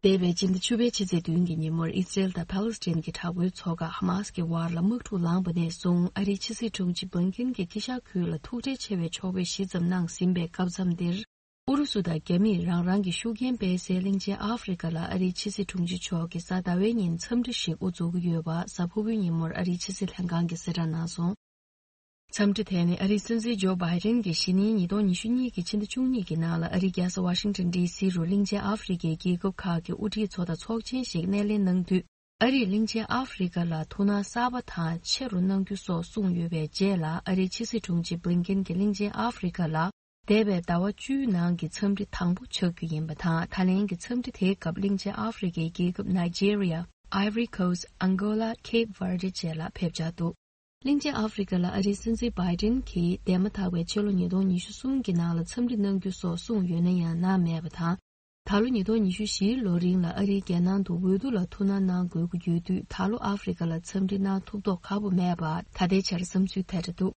འདས་པའི་སྤྱི་ཟླ་བཅུ་པའི་ཕྱི་ཚེས་བདུན་གྱི་ཉིན་མོར་ཨི་སི་རེལ་དང་ཕཱ་ལེ་སི་ཐན་གྱི་དྲག་པོའི་ཚོགས་ཁག་ཧ་མཱ་སི་ཀྱི་བར་ལ་དམག་འཁྲུག་ལངས་པ་ནས་བཟུང་ཨ་རིའི་ཕྱི་སྲིད་དྲུང་ཆེ་བྷི་ལིན་ཀིན་གྱིས་དཀྱིལ་ཤར་ཁུལ་ལ་ཐུག་འཕྲད་ཆེ་བའི་ཕྱོགས་ཕེབས་བཞི་ཙམ་གནང་ཟིན་པའི་སྐབས་མཚམས་འདིར། ཨུ་རུ་སུ་དང་རྒྱ་མིས་རང་རང་གི་ཤུགས་རྐྱེན་སྤེལ་སའི་གླིང་ཆེན་ཨ་ཧྥེ་རི་ཁ་ལ་ཨ་རིའི་ཕྱི་སྲིད་དྲུང་ཆེ་མཆོག་གིས་གཟའ་ཟླ་བའི་ཉིན་འཚམས་འདྲི་ཞིག་དབུ་འཛུགས་ཀྱི་ཡོད་པ་གཟའ་ཕུར་བུའི་ཉིན་མོར་ཨ་རིའི་ཕྱི་སྲིད་ལྷན་ཁང་གིས་གསལ་བསྒྲགས་གནང་སོང་། འཚམས་འདྲི་དེ་ནི་ཨ་རིའི་སྲིད་འཛིན་ཇོ་བྷའི་ཌེན་གྱིས་གཞེས་ནིང་ཉིས་སྟོང་ཉི་ཤུ་གཉིས་ཀྱི་ཕྱི་ཟླ་བཅུ་གཉིས་ཀྱི་ནང་ལ་ཨ་རིའི་རྒྱལ་ས་ཝ་ཤིང་ཊོན་ཌི་སི་རུ་གླིང་ཆེན་ཨ་ཧྥེ་རི་ཁའི་རྒྱལ་ཁབ་ཁག་གི་དབུ་ཁྲིད་ཚོ་དང་ཚོགས་ཆེན་ཞིག་སྣེ་ལེན་གནང་དུས། ཨ་རིས་གླིང་ཆེན་ཨ་ཧྥེ་རི་ཁ་ལ་ཐུགས་སྣང་གསར་པ་དང་ཆེ་རུ་གནང་རྒྱུ་སོགས་གསུངས་ཡོད་པའི་རྗེས་ལ། ཨ་རིའི་ཕྱི་སྲིད་དྲུང་ཆེ་བྷི་ལིན་ཀིན་གྱིས་གླིང་ཆེན་ཨ་ཧྥེ་རི་ཁ་ལ་འདས་པའི་ཟླ་བ་བཅུའི་ནང་གི་འཚམས་འདྲི་དང་པོ་ཆགས་རྒྱུ་ཡིན་པ་དང་། ད་ལན་གྱི་འཚམས་འདྲི་དེའི་སྐབས་གླིང་ཆེན་ཨ་ཧྥེ་རི་ཁའི་རྒྱལ་ཁབ་ནཱི་ཇེ་རི་ཡ། ཨའི་ཝོ་རི་ཁོ་སི། ཨང་གོ་ལ། ཁེབ་ཝར་ཌེ་བཅས་ལ་ཕེབས་འཆར་འདུག། གླིང་ཆེན་ཨ་ཧྥེ་རི་ཁ་ལ་ཨ་རིའི་སྲིད་འཛིན་བྷའི་ཌེན་གྱིས་འདས་མ་ཐག་པའི་ཕྱི་ལོ་ཉིས་སྟོང་ཉི་ཤུ་གསུམ་གྱི་ནང་ལ་འཚམས་འདྲི་གནང་རྒྱུ་སོགས་གསུངས་ཡོད་ན་ཡང་གནང་མེད་པ་དང་། ད་ལོ་ཉིས་སྟོང་ཉི་ཤུ་བཞིའི་ལོ་རིང་ལ་ཨ་རིའི་རྒྱལ་ནང་དུ་འོས་བསྡུ་ལ་ཐུགས་སྣང་གནང་དགོས་ཀྱི་ཡོད་དུས། ད་ལོ་ཨ་ཧྥེ་རི་ཁ་ལ་འཚམས་འདྲི་གནང་ཐུབ་མདོག་ཁ་པོ་མེད་པ་ད་ལྟའི་ཆར་བསམ་ཚུལ་ཐད་ཀར་འདུག།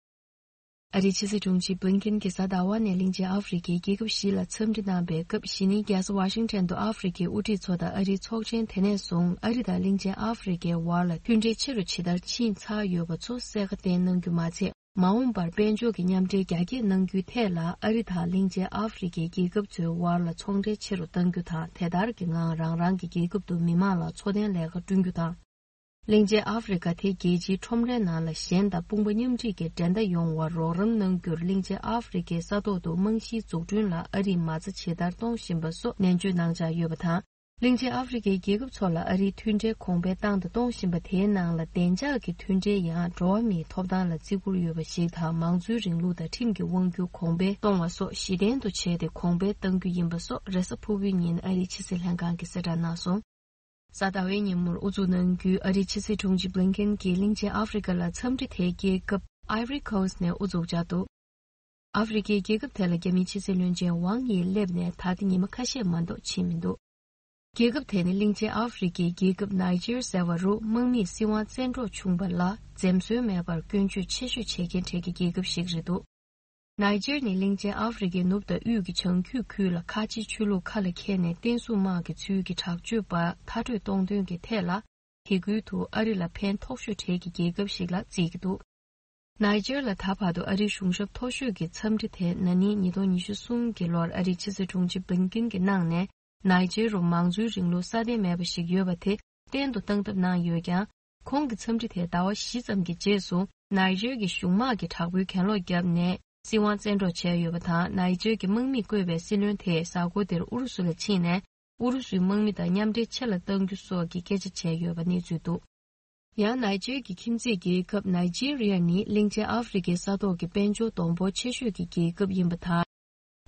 ཨ་རིའི་ཕྱི་སྲིད་དྲུང་ཆེ་བྷི་ལིན་ཀིན་གྱིས་གཟའ་ཟླ་བ་ནས་གླིང་ཆེན་ཨ་ཧྥེ་རི་ཁའི་རྒྱལ་ཁབ་བཞི་ལ་འཚམས་འདྲི་གནང་པའི་སྐབས། གཞེས་ནིང་རྒྱལ་ས་ཝ་ཤིང་ཊོན་དུ་ཨ་ཧྥེ་རི་ཁའི་དབུ་ཁྲིད་ཚོ་དང་ཨ་རིའི་ཚོགས་ཆེན་དེ་ནས་བཟུང་ཨ་རི་དང་གླིང་ཆེན་ཨ་ཧྥེ་རི་ཁའི་བར་ལ་མཐུན་འབྲེལ་ཆེ་རུ་ཇི་ལྟར་ཕྱིན་ཚར་ཡོད་པ་ཚོ་གསལ་ཁ་བསྟན་གནང་རྒྱུ་མ་ཚད། མ་འོངས་པར་དཔལ་འབྱོར་གྱི་མཉམ་འབྲེལ་རྒྱ་སྐྱེད་གནང་རྒྱུའི་ཐད་ལ་ཨ་རི་དང་གླིང་ཆེན་ཨ་ཧྥེ་རི་ཁའི་རྒྱལ་ཁབ་ཚོའི་བར་ལ་ཚོང་འབྲེལ་ཆེ་རུ་གཏང་རྒྱུ་དང་། དེ་ལྟར་གྱི་ངང་རང་རང་གི་རྒྱལ་ཁབ་ཏུ་མི་མང་ལ་འཚོ་རྟེན་ལས་ཀ་བསྐྲུན་རྒྱུ་དང་། གླིང་ཆེན་ཨ་ཧྥེ་རི་ཁ་དེ་རྒྱལ་སྤྱིའི་ཁྲོམ་རའི་ནང་ལ་ཞན་དང་དཔུང་པ་མཉམ་འཁྲིས་ཀྱི་འགྲན་ཟླ་ཡོང་བར་རོགས་རམ་གནང་རྒྱུར་གླིང་ཆེན་ཨ་ཧྥེ་རི་ཁའི་ས་ཐོག་ཏུ་རྨང་གཞིའི་འཛུགས་སྐྲུན་ལ་ཨ་རིས་མ་རྩ་ཇི་ལྟར་གཏོང་བཞིན་པ་སོགས་ནན་བརྗོད་གནང་འཆར་ཡོད་པ་དང་། གླིང་ཆེན་ཨ་ཧྥེ་རི་ཁའི་རྒྱལ་ཁབ་ཚོ་ལ་ཨ་རིའི་མཐུན་འབྲེལ་གོང་འཕེལ་བཏང་དང་གཏོང་བཞིན་པ་དེའི་ནང་ལ་བདེ་འཇགས་ཀྱི་མཐུན་འབྲེལ་ཡང་འགྲོ་བ་མིའི་ཐོབ་ཐང་ལ་བརྩི་བཀུར་ཡོད་པ་ཞིག་དང་། མང་གཙོའི་རིང་ལུགས་དང་ཁྲིམས་ཀྱི་དབང་སྒྱུར་གོང་འཕེལ་གཏོང་བ་སོགས་གཞི་རྟེན་དུ་བྱས་ཏེ་གོང་འཕེལ་གཏང་རྒྱུ་ཡིན་པ་སོགས་རེས་གཟའ་ཕུར་བུའི་ཉིན་ཨ་རིའི་ཕྱི་སྲིད་ལྷན་ཁང་གིས་གསལ་བསྒྲགས་གནང་སོང་། གཟའ་ཟླ་བའི་ཉིན་མོར་དབུ་འཛུགས་གནང་རྒྱུའི་ཨ་རིའི་ཕྱི་སྲིད་དྲུང་ཆེ་བྷི་ལིན་ཀིན་གྱིས་གླིང་ཆེན་ཨ་ཧྥེ་རི་ཁ་ལ་འཚམས་འདྲི་དེ་རྒྱལ་ཁབ་ཨའི་ཝོ་རི་ཁོ་སི་ནས་དབུ་འཛུགས་འཆར་འདུག། ཨ་ཧྥེ་རི་ཁའི་རྒྱལ་ཁབ་དེ་ལ་རྒྱ་མིའི་ཕྱི་སྲིད་བློན་ཆེན་ཝང་ཡི་སླེབས་ནས་ད་ལྟ་ཉི་མ་ཁ་ཤས་མ་གཏོགས་ཕྱིན་མི་འདུག། རྒྱལ་ཁབ་དེ་ནི་གླིང་ཆེན་ཨ་ཧྥེ་རི་ཁའི་རྒྱལ་ཁབ་ནཱི་ཇེར་ཟེར་བ་རུ་དམག་མིས་སྲིད་དབང་བཙན་འཕྲོག་བྱུང་བ་ལ་འཛེམ་ཟོན་མེད་པར་སྐྱོན་བརྗོད་ཆེ་ཤོས་བྱེད་མཁན་གྲས་ཀྱི་རྒྱལ་ཁབ་ཞིག་རེད་འདུག། ནཱི་ཇེར་ནི་གླིང་ཆེན་ཨ་ཧྥེ་རི་ཁའི་ནུབ་དང་དབུས་ཀྱི་བྱང་རྒྱུད་ཁུལ་ལ་ཁ་ཆེའི་ཆོས་ལུགས་ཁ་ལ་འཁྱེར་ནས་བསྟན་སྲུང་དམག་གི་ཚུལ་གྱིས་དྲག་སྤྱོད་པ་མཐར་སྐྲོད་གཏོང་དོན་གྱི་ཐད་ལ། དེ་ཁུལ་དུ་ཨ་རི་ལ་ཕན་ཐོགས་ཤོས་གྲས་ཀྱི་རྒྱལ་ཁབ་ཞིག་ལ་བརྩི་གི་འདུག། ནཱི་ཇེར་ལ་ད་བར་དུ་ཨ་རིའི་གཞུང་ཞབས་མཐོ་ཤོས་ཀྱི་འཚམས་འདྲི་དེ་ན་ནིང་ཉིས་སྟོང་ཉི་ཤུ་གསུམ་གྱི་ལོར་ཨ་རིའི་ཕྱི་སྲིད་དྲུང་ཆེ་བྷི་ལིན་ཀིན་གྱིས་གནང་ནས། ནའི་ཇེ་རུ་མང་གཙོའི་རིང་ལུགས་སྲ་བརྟན་མེད་པ་ཞིག་ཡོད་པ་དེ་གཏན་དུ་བཏང་ཐབས་གནང་ཡོད་ཀྱང་། ཁོང་གི་འཚམས་འདྲི་དེ་ཟླ་བ་བཞི་ཙམ་གྱི་རྗེས་སུ་ནའི་ཇེ་གི་གཞུང་དམག་གིས་དྲག་པོའི་གྱེན་ལོག་བརྒྱབ་ནས་སྲིད་དབང་བཙན་འཕྲོག་བྱས་ཡོད་པ་དང་། ནའི་ཇེ་གི་དམག་མིས་བསྐོས་པའི་སྲིད་བློན་དེས་གཟའ་འཁོར་འདིར་ཨུ་རུ་སུ་ལ་ཕྱིན་ནས་ཨུ་རུ་སུའི་དམག་མི་དང་མཉམ་འབྲེལ་ཆེ་ལ་གཏང་རྒྱུ་སོགས་ཀྱི་སྐད་ཆ་བྱས་ཡོད་པ་གནས་ཚུལ་འདུག་ཡང་ནའི་ཇེ་གི་ཁྱིམ་མཚེས་རྒྱལ་ཁབ་ནའི་ཇེ་རི་ཡ་ནི་གླིང་ཆེན་ཨ་ཧྥེ་རི་ཁའི་ས་ཐོག་གི་དཔལ་འབྱོར་སྡོང་པོ་ཆེ་ཤོས་ཀྱི་རྒྱལ་ཁབ་ཡིན་པ་དང་།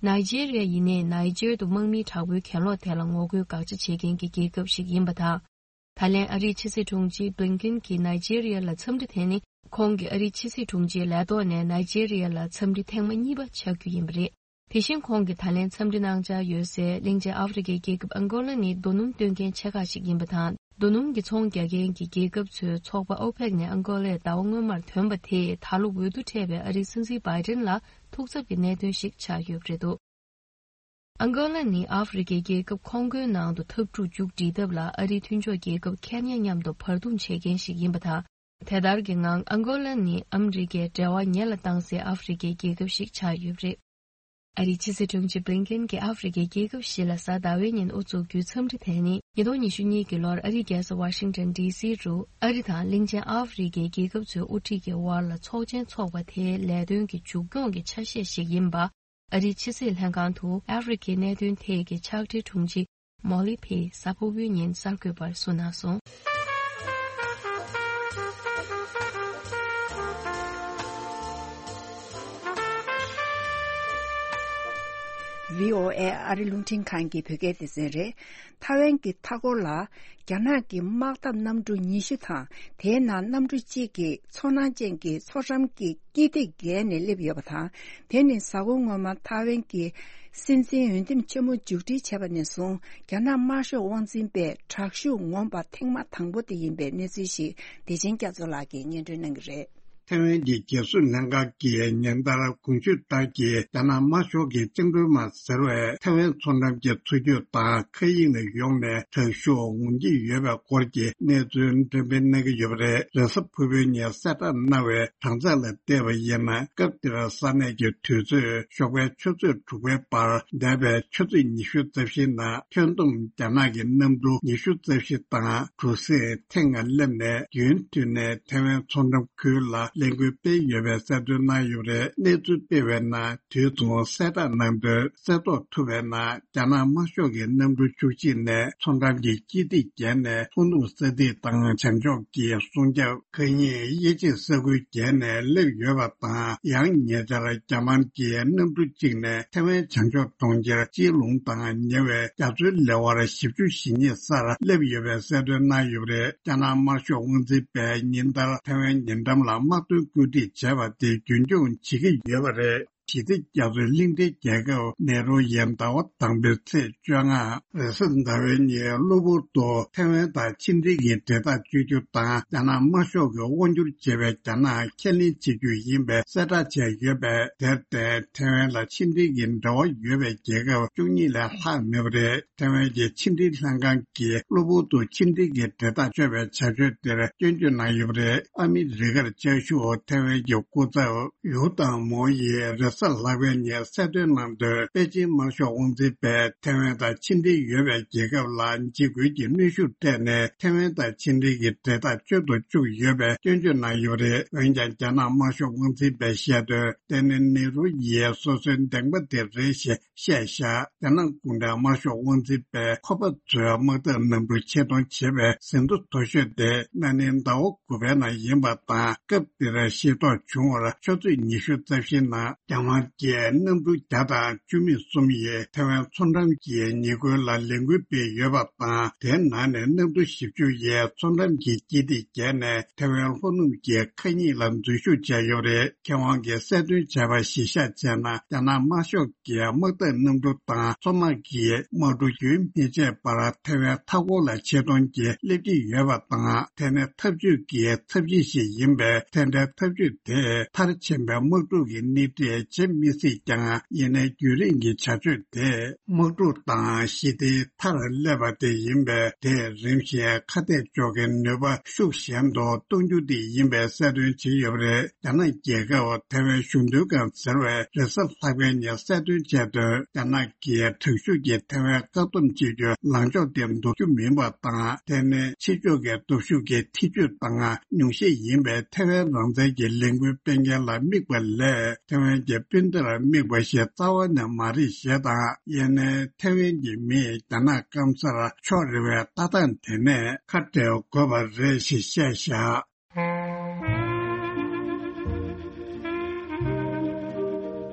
ནའི་ཇེ་རི་ཡ་ཡིན་ནའི་ནའི་ཇེ་དུ་དམག་མིའི་དྲག་པོའི་གྱེན་ལོག་དེ་ལ་ངོ་རྒོལ་དགག་བྱ་བྱེད་མཁན་གྱི་རྒྱལ་ཁབ་ཞིག་ཡིན་པ་དང་། ད་ལན་ཨ་རིའི་ཕྱི་སྲིད་དྲུང་ཆེ་བྷི་ལིན་ཀེན་གྱིས་ནའི་ཇེ་རི་ཡ་ལ་འཚམས་འདྲི་དེ་ནི་ཁོང་གིས་ཨ་རིའི་ཕྱི་སྲིད་དྲུང་ཆེའི་ལས་ཐོག་ནས་ནའི་ཇེ་རི་ཡ་ལ་འཚམས་འདྲི་ཐེངས་མ་གཉིས་པ་ཆགས་རྒྱུ་ཡིན་པ་རེད། དེ་བཞིན་ཁོང་གིས་ད་ལན་འཚམས་འདྲི་གནང་འཆར་ཡོད་སའི་གླིང་ཆེན་ཨ་ཧྥེ་རི་ཁའི་རྒྱལ་ཁབ་ཨང་གོ་ལ་ནི་རྡོ་སྣུམ་སྟོན་མཁན་ཆེ་ཁག་ཞིག་ཡིན་པ་དང་། རྡོ་སྣུམ་གྱི་ཚོང་རྒྱག་མཁན་གྱི་རྒྱལ་ཁབ་ཚོའི་ཚོགས་པ་ཨོ་པེག་ནས་ཨང་གོ་ལའི་ཟླ་བ་སྔོན་མར་ཐོན་པ་དེས་ད་ལོ་འོས་བསྡུ་འཕྲད་པའི་ཨ་རིའི་སྲིད་འཛིན་བྷའི་ཏིན་ལ་ཐུགས་འཚབ་ཀྱི་གནད་དོན་ཞིག་ཆགས་ཡོད་པ་རེད་འདུག་ཨང་གོ་ལ་ནི་ཨ་ཧྥེ་རི་ཁའི་རྒྱལ་ཁབ་ཁོང་ཀོའི་ནང་དུ་འཐབ་འཁྲུག་མཇུག་སྒྲིལ་ཐབས་ལ་ཨ་རིའི་མཐུན་ཕྱོགས་རྒྱལ་ཁབ་ཁེ་ནི་ཡ་མཉམ་དུ་བར་འདུམ་བྱེད་མཁན་ཞིག་ཡིན་པ་དང་། དེ་ལྟར་གྱི་ངང་ཨང་གོ་ལ་ནི་ཨ་མི་རི་ཀས་འབྲེལ་བ་ཉེ་ལ་བཏང་སའི་ཨ་ཧྥེ་རི་ཁའི་རྒྱལ་ཁབ་ཞིག་ཆགས་ཡོད་པ་རེད། ཨ་རིའི་ཕྱི་སྲིད་དྲུང་ཆེ་བྷི་ལིན་ཀེན་གྱིས་ཨ་ཧྥེ་རི་ཁའི་རྒྱལ་ཁབ་བཞི་ལ་གཟའ་ཟླ་བའི་ཉིན་དབུ་འཛུགས་རྒྱུའི་འཚམས་འདྲི་དེ་ནི་ཉིས་སྟོང་ཉི་ཤུ་གཉིས་ཀྱི་ལོར་ཨ་རིའི་རྒྱལ་ས་ཝ་ཤིང་ཊོན་ཌི་སི་རུ་ཨ་རི་དང་གླིང་ཆེན་ཨ་ཧྥེ་རི་ཁའི་རྒྱལ་ཁབ་ཚོའི་དབུ་ཁྲིད་ཀྱི་དབར་ལ་ཚོགས་ཆེན་འཚོགས་པ་དེའི་ལས་དོན་གྱི་མཇུག་སྐྱོང་གི་ཆ་ཤས་ཤིག་ཡིན་པ། ཨ་རིའི་ཕྱི་སྲིད་ལྷན་ཁང་དུ་ཨ་ཧྥེ་རི་ཁའི་གནད་དོན་ཐད་ཀྱི་ཕྱག་སྦྲེལ་དྲུང་ཆེ་མོ་ལི་ཕིས་གཟའ་ཕུར་བུའི་ཉིན་གསར་འགོད་པར་གསུངས་གནང་སོང་། བྷི་ཨོ་ཨེ་ཨ་རི་རླུང་འཕྲིན་ཁང་གི་བོད་སྐད་སྡེ་ཚན་རེད། ཐའེ་ཝན་གྱི་མཐའ་འཁོར་ལ་རྒྱ་ནག་གི་དམག་འཐབ་གནམ་གྲུ་ཉི་ཤུ་དང་། དེའི་ནང་གནམ་གྲུ་གཅིག་གིས་མཚོ་ནག་ཅན་གྱི་མཚོ་ཁྲམ་གྱི་དཀྱིལ་ཐིག་བརྒལ་ནས་སླེབས་ཡོད་པ་དང་། དེ་ནི་གཟའ་འཁོར་སྔོན་མ་ཐའེ་ཝན་གྱི་སྲིད་འཛིན་འོས་འདེམས་ཆེན་མོ་མཇུག་སྒྲིལ་བྱས་པ་ནས་བཟུང་རྒྱ་ནག་དམར་ཤོག་དབང་འཛིན་པས་དྲག་ཤུགས་ངོམ་པ་ཐེངས་མ་དང་པོ་དེ་ཡིན་པའི་གནས་ཚུལ་ཞིག་བདེ་ཆེན་སྐྱབས་མཚོ་ལགས་ཀྱིས་སྙན་སྒྲོན་གནང་གི་རེད། ཐའེ་ཝན་གྱི་རྒྱལ་སྲུང་ལྷན་ཁང་གིས་ཉིན་ལྟར་གོང་ཞུས་ལྟར་གྱི་རྒྱ་ནག་དམར་ཤོག་གི་བཅིངས་འགྲོལ་དམག་ཟེར་བས་ཐའེ་ཝན་མཚོ་འགྲམ་གྱི་མཚོ་རྒྱུད་དང་མཁའ་དབྱིངས་ལ་ཡོང་ནས་དྲག་ཤུགས་ངོམ་གྱི་ཡོད་པའི་སྐོར་གྱི་གནས་ཚུལ་འགྲེམས་སྤེལ་གནང་གི་ཡོད་པ་རེད། རེས་གཟའ་ཕུར་བུའི་ཉིན་གསལ་བསྒྲགས་གནང་བའི་གྲངས་ཚད་ལ་བལྟས་པ་ཡིན་ན། སྐབས་དེར་ས་གནས་ཀྱི་དུས་ཚོད་ཞོགས་པའི་ཆུ་ཚོད་དྲུག་པའི་བར་འདས་པའི་ཆུ་ཚོད་ཉི་ཤུ་རྩ་བཞིའི་ནང་ཁྱོན་བསྡོམས་རྒྱ་ནག་གི་གནམ་གྲུ་ཉི་ཤུ་རྩ་བཞི་དང་གྲུ་གཟིངས་ཐེངས་ལྔ་སླེབས་ནས་རྒྱུན་མཐུད་ནས་ཐའེ་ཝན་མཚོ་འགྲམ་ཁུལ་ལ་ལས་འགུལ་སྤེལ་ཡོད་པའི་གསལ་སྟོན་གནང་ཡོད་པ་རེད། གནས་ཚུལ་སྤེལ་བའི་ནང་དུས་མཚུངས་གསལ་བསྒྲགས་གནང་དོན་གསལ་རྟོགས་ཐུབ་པའི་ནང་། རྒྱ་ནག་དམར་ཤོག་གི་གནམ་གྲུ་བཅུ་གཅིག་ནས་མཚོ་འགྲམ་གྱི་དཀྱིལ་ཐིག་བརྒལ་ནས་ལྷོ་ནུབ་ས་ཐིག་དང་བྱང་ཕྱོགས་ཀྱི་སྲུང་སྐྱོབ་མཁའ་དབྱིངས་དབྱེ་འབྱེད་ས་ཁུལ་བརྒལ་ནས་སླེབས་ཡོད་པ་དང་། ཡང་ཉེ་ཆར་རྒྱ་དམར་གྱི་གནམ་གྲུ་གཅིག་ནས་ཐའེ་ཝན་བྱང་ཕྱོགས་གྲོང་ཁྱེར་ཅི་ལུང་དང་ཉེ་བའི་རྒྱ་མཚོའི་ལེ་དབར་བཞི་བཅུ་ཞེ་གཉིས་སར་སླེབས་ཡོད་པའི་གསལ་སྟོན་གནང་ཡོད་པ་རེད། རྒྱ་ནག་དམར་ཤོག་དབང་འཛིན་པས་ཉིན་ལྟར་ཐའེ་ཝན་ཉེ་འགྲམ་ལ་དམག་དོན་བཀོད་སྒྲིག་བྱས་པ་དེ་རྒྱུན་འཁྱོངས་བྱེད་ཀྱི་ཡོད་པ་རེད། ཞི་བདེ་རྒྱ་མཚོའི་གླིང་ཕྲན་རྒྱལ་ཁབ་ནེ་རུ་ཡིས་ཟླ་བ་དང་པོའི་ཚེས་བཅོ་ལྔ་རེས་གཟའ་ཟླ་བའི་ཉིན་གློ་བུར་དུ་ཐའེ་ཝན་དང་ཕྱི་འབྲེལ་གྱི་འབྲེལ་ཐག་གཅོད་རྒྱུ་དང་། རྒྱ་ནག་དམར་ཤོག་གིས་དབང་སྒྱུར་བྱེད་པའི་རྒྱ་ནག་ཁས་ལེན་བྱེད་རྒྱུ་ཡིན་པའི་གསལ་བསྒྲགས་བྱས་ཡོད་པས། དེར་བརྟེན་ཐའེ་ཝན་ལ་ཕྱི་འབྲེལ་གྱི་འབྲེལ་བ་ཡོད་པའི་རྒྱལ་ཁབ་བཅུ་གཉིས་ལས་ལྷག་མེད་པ་རེད། ཐའེ་ཝན་གྱི་ཕྱི་འབྲེལ་ལྷན་ཁང་གིས་གློ་བུར་དུ་ཕྱི་འབྲེལ་གྱི་འབྲེལ་ཐག་གཅོད་པའི་བྱ་སྤྱོད་དེར་སྐྱོན་བརྗོད་གནང་ཡོད་པ་རེད། ཨ་མི་རི་ཀར་བཅའ་བཞུགས་ཐའེ་ཝན་གྱི་སྐུ་ཚབ་ཡུའུ་ཏང་མོ་ཡིས་རེས་གཟའ་ལྷག་པའི་ཉིན་གསལ་སྟོན་གནང་དོན། པེ་ཅིན་དམར་ཤོག་དབང་འཛིན་པས་ཐའེ་ཝན་དང་ཕྱི་འབྲེལ་ཡོད་པའི་རྒྱལ་ཁབ་ལ་འཇིགས་སྐུལ་གྱི་གནོན་ཤུགས་སྤྲད་ནས་ཐའེ་ཝན་དང་ཕྱི་འབྲེལ་གྱི་འབྲེལ་ཐག་གཅོད་དུ་བཅུག་ཡོད་པའི་སྐྱོན་བརྗོད་གནང་ཡོད་པ་རེད། འོན་ཀྱང་རྒྱ་ནག་དམར་ཤོག་དབང་འཛིན་པས་བཤད་དོན། དེ་ནི་ནེ་རུ་ཡིས་སོ་སོའི་འདེམས་པ་དེ་རེད་ཞེས་བཤད་བཞག་རྒྱ་ནག་གུང་ཁྲན་དམར་ཤོག་དབང་འཛིན་པས་ཁོ་པ་ཚོའི་དམག་འཐབ་གནམ་གྲུ་ཆེད་གཏོང་བྱེད་པའི་ཟིན་ཐོ་མཐོ་ཤོས་དེ་ན་ནིང་ཟླ་བ་དགུ་པའི་ནང་ཡིན་པ་དང་། སྐབས་དེར་ཤེས་རྟོགས་བྱུང་བར་ཆུ་ཚོད་ཉི་ཤུ་རྩ་བཞིའི་ནང་རྒྱ་དམར་གྱི་གནམ་གྲུ་བརྒྱ་དང་བཅུ་མེད་གསུམ་ཡིས་ཐའེ་ཝན་མཚོ་འགྲམ་གྱི་ཉེ་ཁུལ་ལ་ལས་འགུལ་སྤེལ་ཡོད་པ་དང་། དེའི་ནང་ནས་གནམ་གྲུ་བཞི་བཅུ་ཡིས་མཚོ་འགྲམ་གྱི་དཀྱིལ་ཐིག་བརྒལ་ནས་ཐའེ་ཝན་ལྷོ་ནུབ་ཀྱི་མཁའ་དབྱིངས་ལ་འཛུལ་ཞུགས་བྱས་ཡོད་པ་རེད། མཁས་དབང་གིས་གསལ་སྟོན་བྱས་པ་གཞིར་བཞག་བྱས་ན། རྒྱ་ནག་དམར་ཤོག་གི་དམག་འཐབ་གནམ་གྲུ་དང་མཚོ་དམག་གི་དམག་གྲུ་རྒྱུན་མི་ཆད་པར་ཐའེ་ཝན་མཐའ་འཁོར་ལ་ཆེད་གཏོང་གིས་སླེབས་ཀྱི་ཡོད་པ་དང་། དེ་ནི་འཐབ་ཇུས་ཀྱི་ཚབས་གཞི་ཞིག་ཡིན་པས། དེ་འདྲའི་འཐབ་ཇུས་དེས་མཐར་ཕྱིན་པའི་དམག་འཁྲུག་གི་སྣེ་ཁྲིད་ བྱེད་མི་སྲིད་ཀྱང་། ཡིན་ནའི་རྒྱུན་རིང་གི་བྱ་སྤྱོད་དེས་དམག་འཁྲུག་དང་ཞི་བདེའི་མཐར་སླེབས་པ་དེ་ཡིན་པས། དེས་རིམ་བཞིན་ཁ་གཏད་གཅོག་མཁན་ནུས་པ་ཤུགས་ཞན་དུ་གཏོང་རྒྱུ་དེ་ཡིན་པའི་གསལ་སྟོན་བྱས་ཡོད་པ་རེད། རྒྱ་ནག་རྒྱལ་ཁབ་ཐའེ་ཝན་གཞུང་དོན་ཁང་ཟེར་བས་རེས་གཟའ་ལྷག་པའི་ཉིན་གསལ་སྟོན་བྱས་དོན། རྒྱ་ནག་གིས་དྲག་ཤུགས་ཀྱིས་ཐའེ་ཝན་བཀག་སྡོམ་བྱེད་རྒྱུའི་ལངས་ཕྱོགས་དེ་འདོར་རྒྱུ་མིན་པ་དང་། དེ་ནི་ཕྱི་ཕྱོགས་ཀྱི་སྟོབས་ཤུགས་ཀྱི་ཐེ་ཇུས་དང་ཉུང་ཤས་ཡིན་པའི་ཐའེ་ཝན་རང་བཙན་གྱི་ལས་འགུལ་སྤེལ་མཁན་ལ་དམིགས་པ་ལས། ཐའེ་ཝན་གྱི་སྤུན་ཟླར་དམིགས་པ་ཞིག་རྩ་བ་ནས་མ་རེད་ཞེས་དང་། ཡིན་ནའི་ཐའེ་ཝན་གྱི་མིས་རྒྱ་ནག་སྐམ་སར་ཕྱོགས་རེ་བའི་ལྟ་སྟངས་དེ་ནས་ཁ་བྲལ་དགོས་པ་རེད་ཞེས་བཤད་བཞག།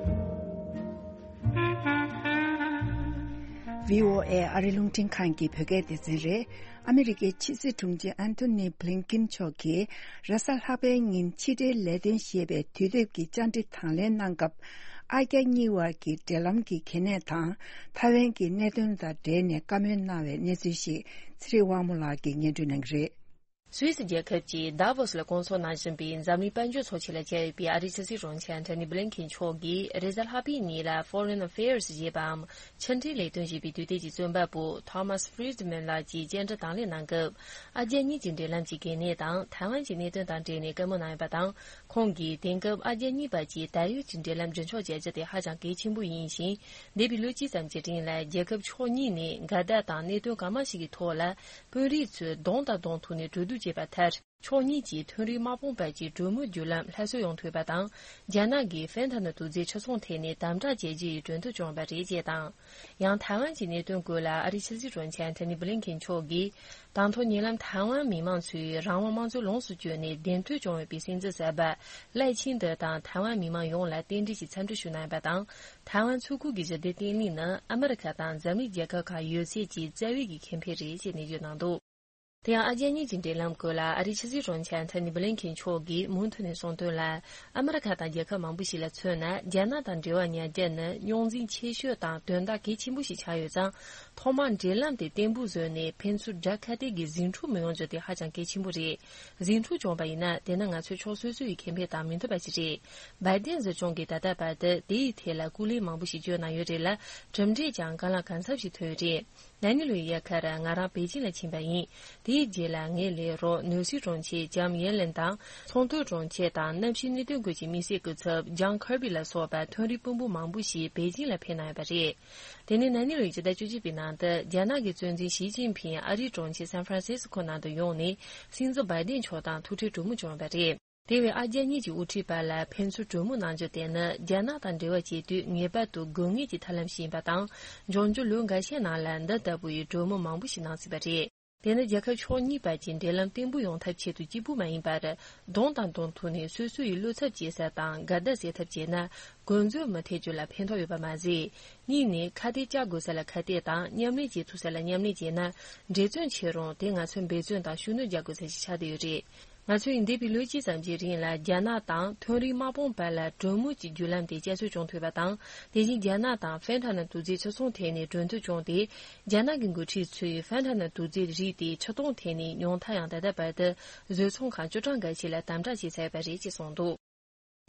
བྷི་ཨོ་ཨེ་ཨ་རི་རླུང་འཕྲིན་ཁང་གི་བོད་སྐད་སྡེ་ཚན་རེད། ཨ་མི་རི་ཀའི་ཕྱི་སྲིད་དྲུང་ཆེ་ཨན་ཐོ་ནི་བྷི་ལིན་ཀིན་མཆོག་གིས་རེས་གཟའ་ལྷག་པའི་ཉིན་ཕྱི་འབྲེལ་ལས་དོན་ཞེས་པའི་དུས་དེབ་ཀྱི་བཅར་འདྲི་དང་ལེན་གནང་སྐབས། ཨ་རྒྱ་གཉིས་བར་གྱི་འབྲེལ་ལམ་གྱི་གལ་གནད་དང་། ཐའེ་ཝན་གྱི་གནད་དོན་དང་འབྲེལ་ནས་བཀའ་མོལ་གནང་བའི་གནས་ཚུལ་ཞིག་ཚེ་རིང་དབང་མོ་ལགས་ཀྱིས་སྙན་སྒྲོན་གནང་གི་རེད། སུད་སི་རྒྱལ་ཁབ་ཀྱི་དཱ་བོ་སི་ལ་སྐོང་ཚོགས་གནང་བཞིན་པའི་འཛམ་གླིང་དཔལ་འབྱོར་ཚོགས་ཆེན་ལ་བཅར་ཡོད་པའི་ཨ་རིའི་ཕྱི་སྲིད་དྲུང་ཆེ་ཨན་ཐོ་ནི་བྷི་ལིན་ཀིན་མཆོག་གིས་རེས་གཟའ་ལྷག་པའི་ཉིན་ལ་Foreign Affairs ཞེས་པའམ་ཕྱི་འབྲེལ་ལས་དོན་ཞེས་པའི་དུས་དེབ་ཀྱི་རྩོམ་པ་པོ་Thomas Friedman ལགས་ཀྱིས་བཅར་འདྲི་དང་ལེན་གནང་སྐབས། ཨ་རྒྱ་གཉིས་ཀྱི་འབྲེལ་ལམ་གྱི་གལ་གནད་དང་ཐའེ་ཝན་གྱི་གནད་དོན་དང་འབྲེལ་ནས་བཀའ་མོལ་གནང་ཡོད་པ་དང་། ཁོང་གིས་དེང་སྐབས་ཨ་རྒྱ་གཉིས་བར་གྱི་ད་ཡོད་ཀྱི་འབྲེལ་ལམ་རྒྱུན་འཁྱོངས་བྱ་རྒྱུ་དེ་ཧ་ཅང་གལ་ཆེན་པོ་ཡིན་ཞིང་། འདས་པའི་ལོ་གཅིག་ཙམ་གྱི་རིང་ལ་རྒྱལ་ཁབ་ཕྱོགས་གཉིས་ནས་འགལ་ཟླ་དང་གནད་དོན་གང་མང་ཞིག་གི་ཐོག་ལ། དཔོན་རིགས་ཚོས་གདོང་དང་གདོང་ཐུག་ནས་གྲོས་བསྡུར་བྱས་པ་མཐར། ཕྱོགས་གཉིས་ཀྱིས་མཐོ་རིམ་དམག་དཔུང་བར་གྱི་གྲོས་མོལ་བརྒྱུད་ལམ་སླར་གསོ་ཡོང་ཐུབ་པ་དང་། རྒྱ་ནག་གིས་ཧྥན་ཐ་ན་དུག་རྫས་ཕྱིར་ཚོང་ཐད་ནས་དམ་དྲག་བྱས་རྗེས་གྲོས་མཐུན་བྱུང་བ་རེད་ཅེས་དང་། ཡང་ཐའེ་ཝན་གྱི་གནད་དོན་སྐོར་ལ་ཨ་རིའི་ཕྱི་སྲིད་དྲུང་ཆེ་ཨན་ཐོ་ནི་བྷི་ལིན་ཀིན་མཆོག་གིས། དང་ཐོག་ཉེ་ལམ་ཐའེ་ཝན་མི་མང་ཚོས་རང་དབང་དམངས་གཙོ་ལོངས་སུ་སྤྱོད་ནས་གདེང་ཐོན་བྱུང་ཡོད་པའི་སྲིད་འཛིན་གསར་པ་ལའེ་ཆིང་ཏེ་དང་ཐའེ་ཝན་མི་མང་ཡོངས་ལ་རྟེན་འབྲེལ་གྱི་འཚམས་འདྲི་ཞུ་གནང་ཡོད་པ་དང་། ཐའེ་ཝན་མཚོ་ཁུལ་གྱི་ཞི་བདེ་བརྟན་ལྷིང་ནི་ཨ་མི་རི་ཁ་དང་འཛམ་གླིང་རྒྱལ་ཁབ་ཁག་ཡོད་ཚད་ཀྱི་རྩ་བའི་གི་ཁེ་ཕན་རེད་ཅེས་ནན་བརྗོད་གནང་འདུག། དེ་ཡང་ཨ་རྒྱ་གཉིས་ཀྱི་འབྲེལ་ལམ་སྐོར་ལ་ཨ་རིའི་ཕྱི་སྲིད་དྲུང་ཆེ་ཨན་ཐོ་ནི་བྷི་ལིན་ཀིན་མཆོག་གིས་མུ་མཐུད་ནས་གསུངས་དོན་ལ། ཨ་མི་རི་ཁ་དང་རྒྱལ་ཁབ་མང་པོ་ཞིག་ལ་མཚོན་ན། རྒྱ་ནག་དང་འབྲེལ་བ་ཉར་རྒྱུ་ནི་རྙོག་འཛིང་ཆེ་ཤོས་དང་དོན་དག་གལ་ཆེན་པོ་ཞིག་ཆགས་ཡོད་ཙང་། ཐོག་མར་འབྲེལ་ལམ་དེ་བརྟན་པོ་བཟོས་ནས། ཕན་ཚུན་དགྲ་ཁ་གཏད་ཀྱི་ཟིང་འཁྲུག་མི་ཡོང་རྒྱུ་དེ་ཧ་ཅང་གལ་ཆེན་པོ་རེད། ཟིང་འཁྲུག་བྱུང་བ་ཡིན་ན། དེ་ནི་ང་ཚོའི་ཕྱོགས་སོ་སོ་ཡི་ཁེ་ཕན་དང་མི་མཐུན་པ་ཞིག་རེད། བའི་ཏན་སྲིད་སྐྱོང་གིས་ད་ལྟ་བར་དུ་དེ་ཡི་ཐད་ལ་སྐུ་ལས་མང་པོ་ཞིག་བསྐྱོན་གནང་ཡོད་རེད་ལ། གྲུབ་འབྲས་ཀྱང་གང་ལ་གང་འཚམ་ཞིག་ཐོན་ཡོད་རེད། ན་ནིང་ལོའི་དབྱར་ཁར་ང་རང་པེ་ཅིང་ལ་ཕྱིན་པ་ཡིན། དེའི་རྗེས་ལ་ངའི་ལས་རོགས་ནོར་སྲིད་དྲུང་ཆེ་ལྕམ་ཡེ་ལེན་དང་། ཚོང་དོན་དྲུང་ཆེ་དང་གནམ་གཤིས་གནད་དོན་སྐོར་གྱི་དམིགས་བསལ་སྐུ་ཚབ་ཇོན་ཁར་བྷི་ལ་སོགས་པ་མཐོ་རིམ་དཔོན་པོ་མང་པོ་ཞིག་པེ་ཅིང་ལ་ཕེབས་གནང་ཡོད་པ་རེད། དེ་ནས་ན་ནིང་ལོའི་ཕྱི་ཟླ་བཅུ་གཅིག་པའི་ནང་དུ་རྒྱ་ནག་གི་གཙོ་འཛིན་ཞི་ཅིན་ཕིང་ཨ་རིའི་དྲུང་ཆེ་སན་ཧྥ་རན་སི་སི་ཁོ་ནང་དུ་ཡོང་ནས་སྲིད་འཛིན་བའི་ཏན་མཆོག་དང་ཐུག་འཕྲད་གྲོས་མོལ་བྱུང་ཡོད་པ་རེད། དེ་བས་ཨ་རྒྱ་གཉིས་ཀྱི་དབུ་ཁྲིད་བར་ལ་ཕན་ཚུན་གྲོས་མོལ་གནང་རྒྱུ་དེ་ནི་རྒྱ་ནག་དང་འབྲེལ་བ་བྱེད་དུས་ངེས་པར་དུ་དགོས་ངེས་ཀྱི་ཐབས་ལམ་ཞིག་ཡིན་པ་དང་། འབྱུང་འགྱུར་ལོ་འགའ་ཤས་ནང་ལ་འདི་ལྟ་བུའི་གྲོས་མོལ་མང་པོ་ཞིག་གནང་སྲིད་པ་རེད། དེ་ནི་རྒྱལ་ཁབ་ཕྱོགས་གཉིས་བར་གྱི་འབྲེལ་ལམ་བརྟན་པོ་ཡོང་ཐབས་ཆེད་དུ་གཅིག་པུ་མ་ཡིན་པར། གདོང་དང་གདོང་ཐུག་ནས་སོ་སོ་ཡི་བློ་འཚབ་བྱེད་ས་དང་འགལ་ཟླ་སེལ་ཐབས་བྱས་ན། འགོ་འཛོལ་མི་ཐེབས་རྒྱུ་ལ་ཕན་ཐོགས་ཡོད་པ་མ་ཟད། གཉིས་ནས་ཁ་གཏད་བཅག་དགོས་ས་ལ་ཁ་གཏད་དང་མཉམ་ལས་བྱེད་ཐུབ་ས་ལ་མཉམ་ལས་བྱས་ན། འབྲེལ་བརྩོན་ཆེ་རུང་དེ་ང་ཚོས་འབད་བརྩོན་དང་ཤུགས་སྣོན་རྒྱག་དགོས་ས་ཞིག་ཆགས་བསྡད་ཡོད་རེད། ང་ཚོས་འདས་པའི་ལོ་གཅིག་ཙམ་གྱི་རིང་ལ་རྒྱ་ནག་དང་མཐོ་རིམ་དམག་དཔུང་བར་ལ་གྲོས་མོལ་གྱི་བརྒྱུད་ལམ་དེ་བསྐྱར་གསོ་བྱུང་ཐུབ་པ་དང་། དེ་བཞིན་རྒྱ་ནག་དང་ཧྥན་ཐ་ན་དུག་རྫས་ཕྱིར་ཚོང་ཐད་ནས་གྲོས་མཐུན་བྱུང་སྟེ། རྒྱ་ནག་གི་འགོ་ཁྲིད་ཚོས་ཧྥན་ཐ་ན་དུག་རྫས་རིགས་དེ་ཕྱིར་གཏོང་ཐད་ནས་ཉུང་མཐའ་ཡང་ད་ལྟ་བར་དུ་བཟོ་ཚོང་ཁང་བཅུ་གྲངས་འགའ་ཞིག་ལ་དམ་དྲག་བྱས་ཚར་བ་རེད་ཅེས་གསུངས་འདུག།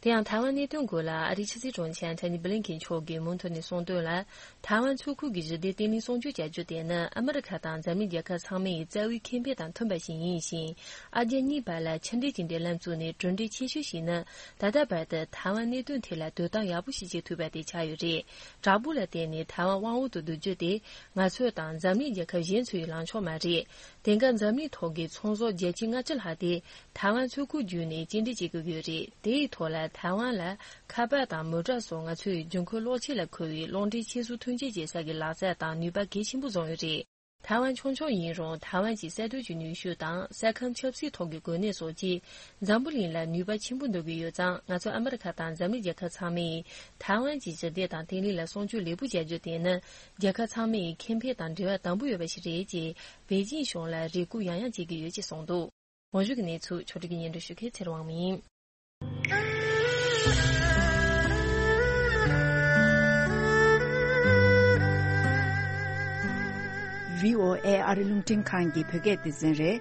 དེ་ཡང་ཐའེ་ཝན་གནད་དོན་སྐོར་ལ་ཨ་རིའི་ཕྱི་སྲིད་དྲུང་ཆེ་ཨན་ཐོ་ནི་བྷི་ལིན་ཀིན་མཆོག་གིས་མུ་མཐུད་ནས་གསུངས་དོན་ལ། ཐའེ་ཝན་མཚོ་ཁུལ་གྱི་ཞི་བདེ་བརྟན་ལྷིང་སྲུང་སྐྱོབ་བྱ་རྒྱུ་དེ་ནི་ཨ་མི་རི་ཁ་དང་འཛམ་གླིང་རྒྱལ་ཁབ་ཚང་མའི་རྩ་བའི་ཁེ་ཕན་དང་མཐུན་པ་ཞིག་ཡིན་ཞིང་། ཨ་རྒྱ་གཉིས་བར་ལ་ཕྱི་འབྲེལ་གྱི་འབྲེལ་ལམ་བཙུགས་ནས་གྲུབ་འབྲས་ཆེ་ཤོས་ཤིག་ནི། ད་ལྟ་བར་དུ་ཐའེ་ཝན་གནད་དོན་ཐད་ལ་དོ་སྣང་ཡག་པོ་ཞིག་བྱེད་ཐུབ་པ་དེ་ཆགས་ཡོད་རེད། དྲག་པོ་ལ་བརྟེན་ནས་ཐའེ་ཝན་དབང་འོག་ཏུ་བསྡུ་རྒྱུ་དེ། ང་ཚོ་དང་འཛམ་གླིང་རྒྱལ་ཁབ་གཞན་ཚོའི་ལངས་ཕྱོགས་མ་རེད། དེང་སྐབས་འཛམ་གླིང་ཐོག་གི་ཚོང་ཟོག་བརྒྱ་ཆ་ལྔ་བཅུ་ལྷག་དེ་ཐའེ་ཝན་མཚོ་ཁུལ་བརྒྱུད་ནས་སྐྱེལ་འདྲེན་བྱེད་དགོས་ཀྱི་ཡོད་རེད། དེ་ཡི་ཐོག་ལ་ཐའེ་ཝན་ལ་ཁ་པར་དང་མོ་ཊ་སོགས་ང་ཚོའི་འབྱུང་ཁུངས་གློག་ཆས་ལ་མཁོ་བའི་གློག་འདྲེན་ཆེད་གཟུགས་ཐོན་སྐྱེད་བྱེད་ས་གི་ལག་རྩལ་དང་ནུས་པ་གལ་ཆེན་པོ་བཟུང་ཡོད་རེད། ཐའེ་ཝན་ཆུང་ཆུང་ཡིན་རུང་ཐའེ་ཝན་གྱི་ས་རྡུལ་གྱི་ནུས་ཤུགས་དང་ས་ཁམས་ཆབ་སྲིད་ཐོག་གི་གོ་གནས་སོགས་ཀྱིས་འཛམ་བུ་གླིང་ལ་ནུས་པ་ཆེན་པོ་འདོན་གྱི་ཡོད་ཙང་། ང་ཚོ་ཨ་མི་རི་ཁ་དང་འཛམ་གླིང་རྒྱལ་ཁབ་ཚང་མས་ཐའེ་ཝན་གྱི་ཞི་བདེ་དང་བརྟན་ལྷིང་ལ་སྲུང་སྐྱོབ་ལེགས་པོ་བྱ་རྒྱུ་དེ་ནི་རྒྱལ་ཁབ་ཚང་མའི་ཁེ་ཕན་དང་འབྲེལ་བ་དམ་པོ་ཡོད་པ་ཞིག་རེད་ཅེས་པེ་ཅིང་གཞུང་ལ་རེ་སྐུལ་ཡང་ཡང་བྱེད་ཀྱི་ཡོད་ཅེས་གསུངས་འདུག། གོང་ཞུས་ཀྱི་གནས་ཚུལ་ཕྱོགས་སྒྲིག་སྙན་སྒྲོན་ཞུ་མཁན་ཚེ་རིང་དབང་མོ་ཡིན། བྷི་ཨོ་ཨེ་ཨ་རི་རླུང་འཕྲིན་ཁང་གི་བོད་སྐད་སྡེ་ཚན་རེད།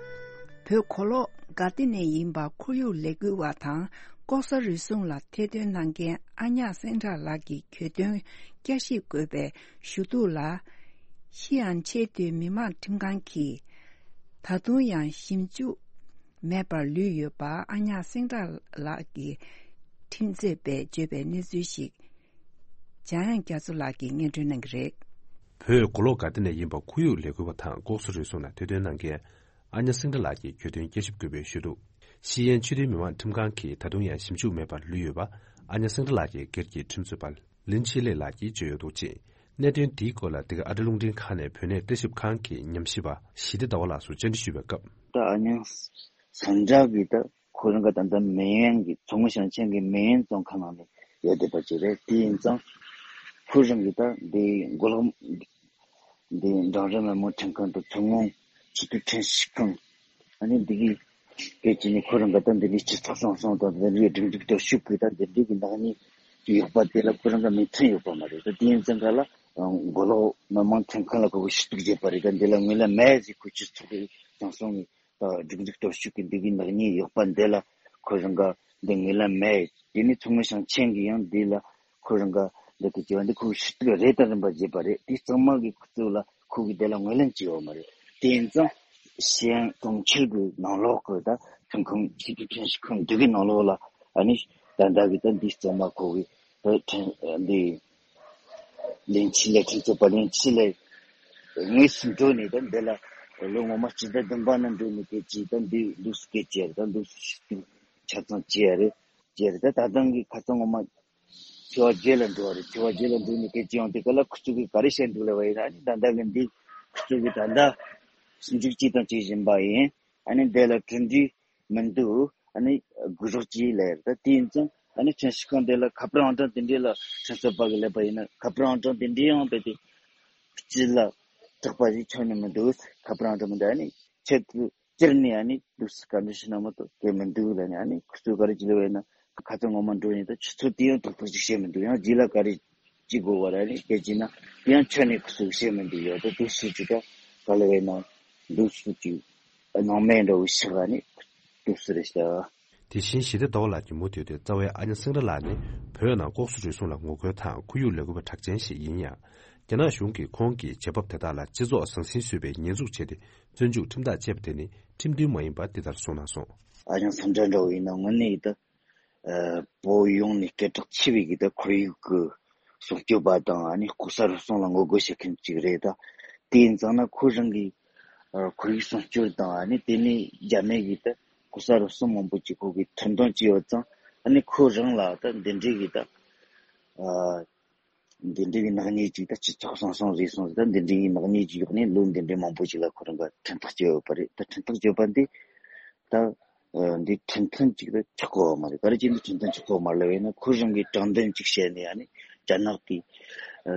བོད་གོ་ལོག་ག་ཏེ་ནས་ཡིན་པ་ཁོར་ཡུག་ལས་འགུལ་བ་དང་ ལྐོག་ཟ་རུལ་སུངས་ལ་ཐེར་འདོན་གནང་མཁན་ཨ་ཉག་སེང་བྲག་ལགས་ཀྱི་གྱོད་དོན་བསྐྱར་ཞིབ་དགོས་པའི་ཞུ་གཏུག་ལ། ཤི་ཨན་ཆེས་མཐོའི་མི་དམངས་ཁྲིམས་ཁང་གིས་ད་དུང་ཡང་ཞིབ་འཇུག་མེད་པར་ལུས་ཡོད་པ་ཨ་ཉག་སེང་བྲག་ལགས་ཀྱི་ཁྲིམས་རྩོད་པས་བརྗོད་པའི་གནས་ཚུལ་ཞིག་འཇམ་དབྱངས་རྒྱ་མཚོ་ལགས་ཀྱིས་སྙན་སྒྲོན་གནང་གི་རེད། བོད་མགོ་ལོག་དགའ་ལྡན་ནས་ཡིན་པ་ཁོར་ཡུག་ལས་འགུལ་བ་དང་ལྐོག་ཟ་རུལ་སུངས་ལ་ཐེར་འདོན་གནང་མཁན་ཨ་ཉག་སེང་བྲག་ལགས་ཀྱི་གྱོད་དོན་བསྐྱར་ཞིབ་དགོས་པའི་ཞུ་གཏུག་ཤི་ཨན་ཆེས་མཐོའི་མི་དམངས་ཁྲིམས་ཁང་གིས་ད་དུང་ཡང་ཞིབ་འཇུག་མེད་པར་ལུས་ཡོད་པ་ཨ་ཉག་སེང་བྲག་ལགས་ཀྱི་སྒེར་གྱི་ཁྲིམས་རྩོད་པ་ལིན་ཆི་ལེ་ལགས་ཀྱིས་བརྗོད་ཡོད་འདུག་ཅེས། གནད་དོན་འདིའི་སྐོར་ལ་འདི་ག་ཨ་རི་རླུང་འཕྲིན་ཁང་ནས་བོད་གནས་བརྟག་ཞིབ་ཁང་གི་ཉམས་ཞིབ་པ་ཞི་བདེ་ཟླ་བ་ལགས་སུ་བཅར་འདྲི་ཞུས་པའི་སྐབས། ད་ཨ་ཉག་སེང་བྲག་གིས་ད་ཁོ་རང་ག་ད་ལྟ་མེན་ཡན་གྱི་མཚོ་སྔོན་ཞིང་ཆེན་གྱི་མེན་ཡན་བཙོན་ཁང་ནང་ནས་ཡོད་བསྡད་པ་ཅིག་རེད། དེ་ཡིན་ཙང་ཁོ་རང་གིས་ད་འདི་མགོ་ལོག་འདི་འབྲིང་རིམ་མི་དམངས་ཁྲིམས་ཁང་དང་མཚོ་སྔོན་སྤྱི་འཐུས་ཁྲིམས་ཞིབ་ཁང་ཨ་ནི་འདི་གི་སྐད་ཀྱི་ནི་ཁོ་རང་ག་ད་འདི་འདྲའི་སྤྱི་ཚོགས་བཟང་སྤྱོད་དང་འདི་འདྲའི་སྒྲིག་འཛུགས་སྟོབས་ཤུགས་ཀྱིས་ད་འདི་འདྲའི་གི་ནག་ཉེས་ཀྱི་ཡོད་པ་དེ་ལ་ཁོ་རང་ག་མོས་མཐུན་ཡོད་པ་མ་རེད། ད་དེ་ཡིན་ཙང་ག་ལ་མགོ་ལོག་མི་དམངས་ཁྲིམས་ཁང་ལ་ཁོ་གི་ཞུ་གཏུག་བྱས་པ་རེད། ད་འདི་ལ་ངོས་ལེན་མེད་ཟེར་ཁོ་སྤྱི་ཚོགས་ཀྱི་བཟང་སྤྱོད་ནི་ད་སྒྲིག་འཛུགས་སྟོབས་ཤུགས་ཀྱིས་འདི་གི་ནག་ཉེས་ཡོད་པ་འདི་ལ་ཁོ་རང་ག་འདི་ངོས་ལེན་མེད། དེ་ནི་མཚོ་སྔོན་ཞིང་ཆེན་གྱི་ཡང་འདི་ལ་ཁོ་རང་ག་འདི་དེ་བྱས་པ་འདི་ཁོ་གི་ཞུ་གཏུག་རེ་དང་རིམ་པ་བརྒྱབ་པ་རེད། དེ་གཙང་མ་གི་ཁོ་ཚོ་ལ་ཁོ་གི་དེ་ལ་ངོས་ལེན་བྱས་ཡོད་མ་རེད། དེ་ཡིན་ཙང་ཤི་ཨན་གྲོང་ཁྱེར་གྱི་ནང་ལོགས་ཀྱི་ད་ཁྲིམས་ཁང་སྤྱི་འཐུས་ཁྲིམས་ཞིབ་ཁང་འདི་གི་ནང་ལོགས་ལ་ཨ་ནི་ད་ལྟ་གི་ད་འདི་གཙང་མ་ཁོ་གི་ད་ཁྲིམས་འདི་ལིན་ཆི་ལེ་ཁྲིམས་རྩོད་པ་ལིན་ཆི་ལེ་དངོས་སུ་འགྲོ་ནས་ད་འདི་ལ་ལོ་ངོ་མ་སྤྱི་ཟླ་བདུན་པ་ནང་འགྲོ་ནས་སྐད་ཆ་ད་འདི་འདུག་སེ་སྐད་ཆ་རེད། ད་འདུག་སེ་ཆ་ཚང་བྱས་རེད་བྱས་རེད། ད་ད་ཐེངས་གི་ཁ་སང་ངོ་མ་ཚེས་པ་བརྒྱད་ལ་འགྲོ་བ་རེད། ཚེས་པ་བརྒྱད་ལ་འགྲོ་ནས་སྐད་ཆ་ཡང་དེ་ག་ལ་ཁོ་ཚོ་གིས་ག་རེ་བཤད་འདུག་ལབ་པ་ཡིན་ན་ཨ་ནི་ད་ལྟ་གི་འདི་ཁོ་ཚོ་གིས་ད་ལྟ་ཞིབ་འཇུག་བྱས་དང་བྱེད་བཞིན་པ་ཡིན། ཨ་ནི་འདི་ལ་གྲུབ་འབྲས་མི་འདུག་ཨ་ནི་དགོས་རོགས་གྱིས་ལབ་ཡོད་རེད། ད་དེ་ཡིན་ཙང་ཨ་ནི་ཁྲིམས་ཞིབ་ཁང་འདི་ལ་ཁ་པར་ཨང་གྲངས་དེ་འདྲས་ལ་ཁྲིམས་རྩོད་པ་གིས་སླེབས་པ་ཡིན་ན་ཁ་པར་ཨང་གྲངས་དེ་འདྲས་ཡང་རྦད་དེ་སྤྱི་ལ་དྲག་པ་ཞིག་ཆགས་ནི་མི་འདུག་ཁ་པར་ཨང་གྲངས་མི་འདུག་ཨ་ནི་ཆེད་དུ་སྤྱིར་ནས་ཨ་ནི་འདུག་སེ་བཀའ་འདྲི་ཞུ་ན་མ་གཏོགས་དེ་མི་འདུག་ལབ་ནས་ཨ་ནི་ཁོ་ཚོས་ག་རེ་ཅིག་ལབ་པ་ཡིན་ན་ཁ་སང་ངོ་མ་འགྲོ་ཡིན་ད་ཆུ་ཚོད་དེ་ཡང་ཏག་ཏག་ཅིག་བཤད་མི་འདུག་ཡང་རྗེས་ལ་ག་རེ་ཅིག་དགོས་པ་རེད། ཨ་ནི་སྐད་ཅིག་ན་དེ་ཡང་ཁྱོན་ནས་ཁོ་ཚོས་བཤད་མི་འདུག་ཡོད་ད་འདུག་སེ་ཅིག་ད་ག་ལབ་པ་ཡིན་ན་འདུག་སེ་ཅིག་སྣང་མེད་འདྲ་བོ་ཞིག་ཨ་ནི་འདུག་སེ་རེད་ཤག་དེ་བཞིན་ཞི་བདེ་ཟླ་བ་ལགས་ཀྱིས་མུ་མཐུད་དེ་རྩ་བའི་ཨ་ཉག་སེང་བྲག་ལགས་ནི་བོད་ནང་ལྐོག་ཟ་རུལ་སུངས་ལ་ངོ་རྒོལ་དང་ཁོར་ཡུག་ལས་འགུལ་བ་གྲགས་ཅན་ཞིག་ཡིན་ཡང་། རྒྱ་ནག་གཞུང་གིས་ཁོང་གི་བྱེད་བབ་དེ་དག་ལ་སྤྱི་ཚོགས་ཟང་ཟིང་བཟོས་པའི་ཉེས་འཛུགས་བྱས་ཏེ་བཙོན་འཇུག་ཁྲིམས་ཐག་བཅད་པ་དེ་ནི་ཁྲིམས་མཐུན་མ་ཡིན་པ་འདི་ལྟར་གསུངས་གནང་སོང་། ཨ་ཉག་སེང་བྲག་འདྲ་བོ་ཡིན་ན་དངོས་གནས་ཡིན་ད་བོད་ཡོངས་ནས་སྐད་གྲགས་ཆེ་བའི་གི་ད་ཁོར་ཡུག་གི་སྲུང་སྐྱོབ་པ་དང་ཨ་ནི་ལྐོག་ཟ་རུལ་སུངས་ལ་ངོ་རྒོལ་བྱེད་མཁན་ཅིག་རེད་ད། དེ་ཡིན་ཙང་ན་ཁོ་རང་གི་ཁོར་ཡུག་སྲུང་སྐྱོབ་དང་ཨ་ནི་དེ་ནས་རྒྱ་མི་གི་ད་ལྐོག་ཟ་རུལ་སུངས་མང་པོ་ཅིག་ཁོ་གི་ཁྲིམས་དོན་ཅིག་ཡོད་ཙང་ཨ་ནི་ཁོ་རང་ལ་ད་འདི་འདྲའི་གི་ད་འདི་འདྲའི་གི་ནག་ཉེས་ཅིག་ད་སྤྱི་ཚོགས་སང་སང་རེད་སོང་ཟེར་ད་འདི་འདྲའི་གི་ནག་ཉེས་ཅིག་ཡོད་ནས་ལོ་འདི་འདྲའི་མང་པོ་ཅིག་ལ་ཁོ་རང་ག་ཁྲིམས་ཐག་གཅོད་ཡོད་པ་རེད། ད་ཁྲིམས་ཐག་གཅོད་པ་འདི་ད་འདི་ཁྲིམས་མཐུན་ཅིག་ད་ཆགས་ཀྱི་ཡོད་མ་རེད། ག་རེ་བྱས་འདི་ཁྲིམས་མཐུན་ཆགས་ཀྱི་ཡོད་མ་རེད་ལབ་ཡིན་ན་ཁོ་རང་གི་དྲང་བདེན་ཅིག་བཤད་ནས་ཨ་ནི་རྒྱ་ནག་གི་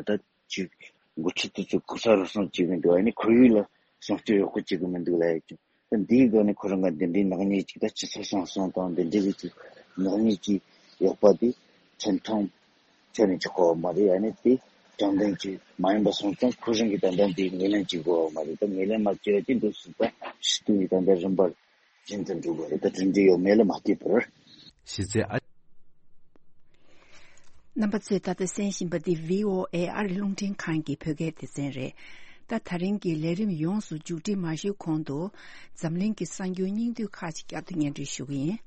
ད་ཅིག་འགོ་ཁྲིད་དེ་ཚོ་ལྐོག་ཟ་རུལ་སུངས་བྱེད་གི་འདུག་ཨ་ནི་ཁོར་ཡུག་ལ་སྲུང་སྐྱོབ་ཡག་པོ་བྱེད་གི་མི་འདུག་ལབ་ཡོད་ཀྱང་། ད་འདིའི་སྒང་ནས་ཁོ་རང་ག་འདི་འདྲའི་ནག་ཉེས་ཅིག་ད་སྤྱི་ཚོགས་སང་སང་དང་འདི་འདྲའི་གི་ཅིག་ནག་ཉེས་ཅིག་ཡོད་པ་དེ་ཁྲིམས་ཐོག་ཁྱོན་ནས་ཅིག་གོ་བ་མ་རེད། ཨ་ནི་དེ་དྲང་བདེན་ཅིག་མ་ཡིན་པ་སོང་ཙང་ཁོ་རང་གི་ད་ལྟ་འདི་ངོས་ལེན་ཅིག་དགོས་བ་མ་རེད། ད་ངོས་ལེན་མ་བྱས་པ་ཅིག་འདུག་སྲིད་པ་ཞི་དུ་ཡི་ད་ལྟ་རིམ་པར་བཞིན་དུ་འགྲོ་དགོས་རེད། ད་གྲུབ་འབྲས་ཡོད་མེད་ལ་མ་ལྟོས་པར། གཞི་རྩའི་ཨ། རྣམ་པ་ཚོས་ད་ལྟ་གསན་བཞིན་པ་འདི་བྷི་ཨོ་ཨེ་ཨ་རི་རླུང་འཕྲིན་ཁང་གི་བོད་སྐད་སྡེ་ཚན་རེད། ད་ད་རིང་གི་ལས་རིམ་ཡོངས་སུ་མཇུག་སྒྲིལ་མ་ཞུས་གོང་དུ་འཛམ་གླིང་གི་གསར་འགྱུར་སྙིང་བསྡུས་ཁག་ཅིག་བསྐྱར་དུ་སྙན་སྒྲོན་ཞུ་གི་ཡིན།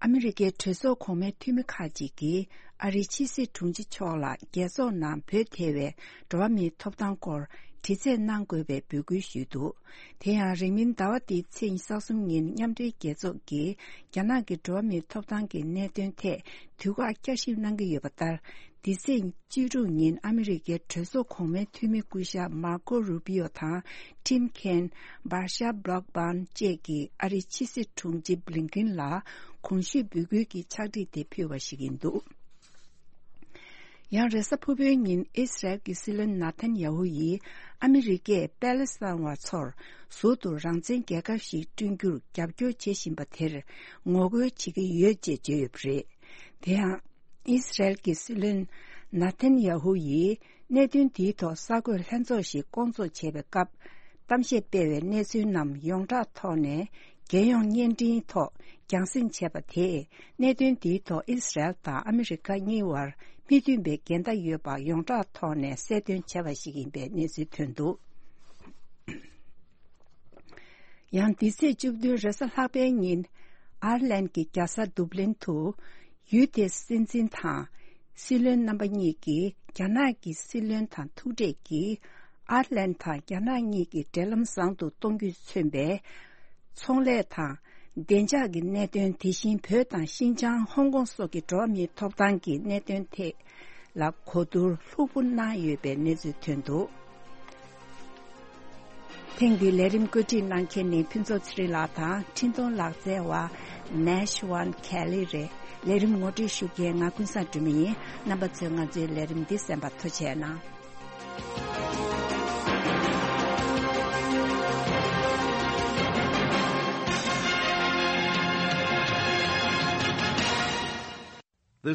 ཨ་མི་རི་ཀའི་གྲོས་ཚོགས་གོང་མའི་འཐུས་མི་ཁག་ཅིག་གིས་ཨ་རིའི་ཕྱི་སྲིད་དྲུང་ཆེ་མཆོག་ལ་རྒྱལ་ཚོགས་ནང་བོད་ཐེ་བའི་འགྲོ་བ་མིའི་ཐོབ་ཐང་སྐོར་དྲི་རྩད་གནང་དགོས་པའི་འབོད་སྐུལ་ཞུས་འདུག་དེ་ཡང་རིང་མིན་ཟླ་བ་འདིའི་ཚེས་ཉི་ཤུ་རྩ་གསུམ་ཉིན་མཉམ་འབྲེལ་རྒྱལ་ཚོགས་ཀྱིས་རྒྱ་ནག་གི་འགྲོ་བ་མིའི་ཐོབ་ཐང་གི་གནད་དོན་ཐད་དུས་བཀག་བསྐྱར་ཞིབ་གནང་གི་ཡོད་པ་ལྟར། འདི་ཚེས་བཅུ་དྲུག་ཉིན་ཨ་མི་རི་ཀའི་གྲོས་ཚོགས་གོང་མའི་འཐུས་མི་སྐུ་ཞབས་མར་ཀོ་རུ་པི་ཡོ་དང་ཁྲིམ་མཁན་བྷར་ཤ་བྷ་ལོག་བྷན་བཅས་ཀྱིས་ཨ་རིའི་ཕྱི་སྲིད་དྲུང་ཆེ་བྷི་ལིན་ཀིན་ལ་གོང་ཞུས་འབོད་སྐུལ་གྱི་ཕྱག་བྲིས་དེ་ཕུལ་བ་ཞིག་ཡིན་འདུག་ཡང་རེས་གཟའ་ཕུར་བུའི་ཉིན་ཨི་སི་རལ་གྱི་སྲིད་བློན་ནཱ་ཐན་ཡ་ཧུ་ཡིས་ཨ་མི་རི་ཀས་པེ་ལེ་སི་ཐན་བ་ཚོར་ཟུར་དུ་རང་བཙན་རྒྱལ་ཁབ་ཞིག་བསྐྲུན་རྒྱུར་རྒྱབ་སྐྱོར་བྱེད་བཞིན་པ་དེར་ངོ་རྒོལ་བྱེད་ཀྱི་ཡོད་ཅེས་བརྗོད་ཡོད་པ་རེད། དེ་ཡང་། ཨི་སི་རལ་གྱི་སྲིད་བློན་ནཱ་ཐན་ཡ་ཧུ་ཡིས་གནད་དོན་འདིའི་ཐོག་གསར་འགོད་ལྷན་ཚོགས་ཤིག་བསྐོང་ཚོགས་བྱས་པའི་སྐབས། གཏམ་བཤད་སྤེལ་བའི་གནས་ཚུལ་རྣམས་ཡོངས་གྲགས་ཐོག་ནས། རྒྱལ་ཡོངས་བརྙན་འཕྲིན་ཐོག་རྒྱང་སྲིང་བྱས་པ་དེས། གནད་དོན་འདིའི་ཐོག་ཨི་སི་རལ་དང་ཨ་མི་རི་ཀ་གཉིས་བར་མི་མཐུན་པའི་འགལ་ཟླ་ཡོད་པ་ཡོངས་གྲགས་ཐོག་ནས་གསལ་སྟོན་བྱས་པ་ཞིག་ཡིན་པའི་གནས་ཚུལ་ཐོན་འདུག། ཡང་འདི་ཚེས་བཅུ་བདུན་རེས་གཟའ་ལྷག་པའི་ཉིན། ཨར་ལན་གྱི་རྒྱལ་ས་དུབ་ལིན་དུ། ཡུལ་དེའི་སྲིད་འཛིན་དང་། སྲིད་བློན་རྣམ་པ་གཉིས་ཀྱིས་རྒྱ་ནག་གི་སྲིད་བློན་དང་ཐུག་འཕྲད་ཀྱིས། ཨར་ལན་དང་རྒྱ་ནག་གཉིས་ཀྱི་འབྲེལ་ལམ་བཟང་དུ་གཏོང་རྒྱུས་མཚོན་པའི། ཚོང་ལས་དང་། བདེ་འཇགས་ཀྱི་གནད་དོན། དེ་བཞིན་བོད་དང་ཤིན་ཅང་། ཧོང་ཀོང་སོགས་ཀྱི་འགྲོ་བ་མིའི་ཐོབ་ཐང་གི་གནད་དོན་ཐད་ལ་གོ་བསྡུར་ལྷུག་པོ་གནང་ཡོད་པའི་གནས་ཚུལ་ཐོན་འདུག། ཐེངས་འདིའི་ལས་རིམ་བཀོད་སྒྲིག་གནང་མཁན་ནི་ཕུན་ཚོགས་ཚེ་རིང་ལགས་དང་། འཕྲིན་གཏོང་ལག་རྩལ་བ་Nash One Kelly རེད། ལས་རིམ་ངོ་སྤྲོད་ཞུ་མཁན་ང་ཀུན་བཟང་སྒྲོལ་མ་ཡིན། རྣམ་པ་ཚོས་ང་ཚོའི་ལས་རིམ་འདི་གསན་པར་ཐུགས་རྗེ་གནང་།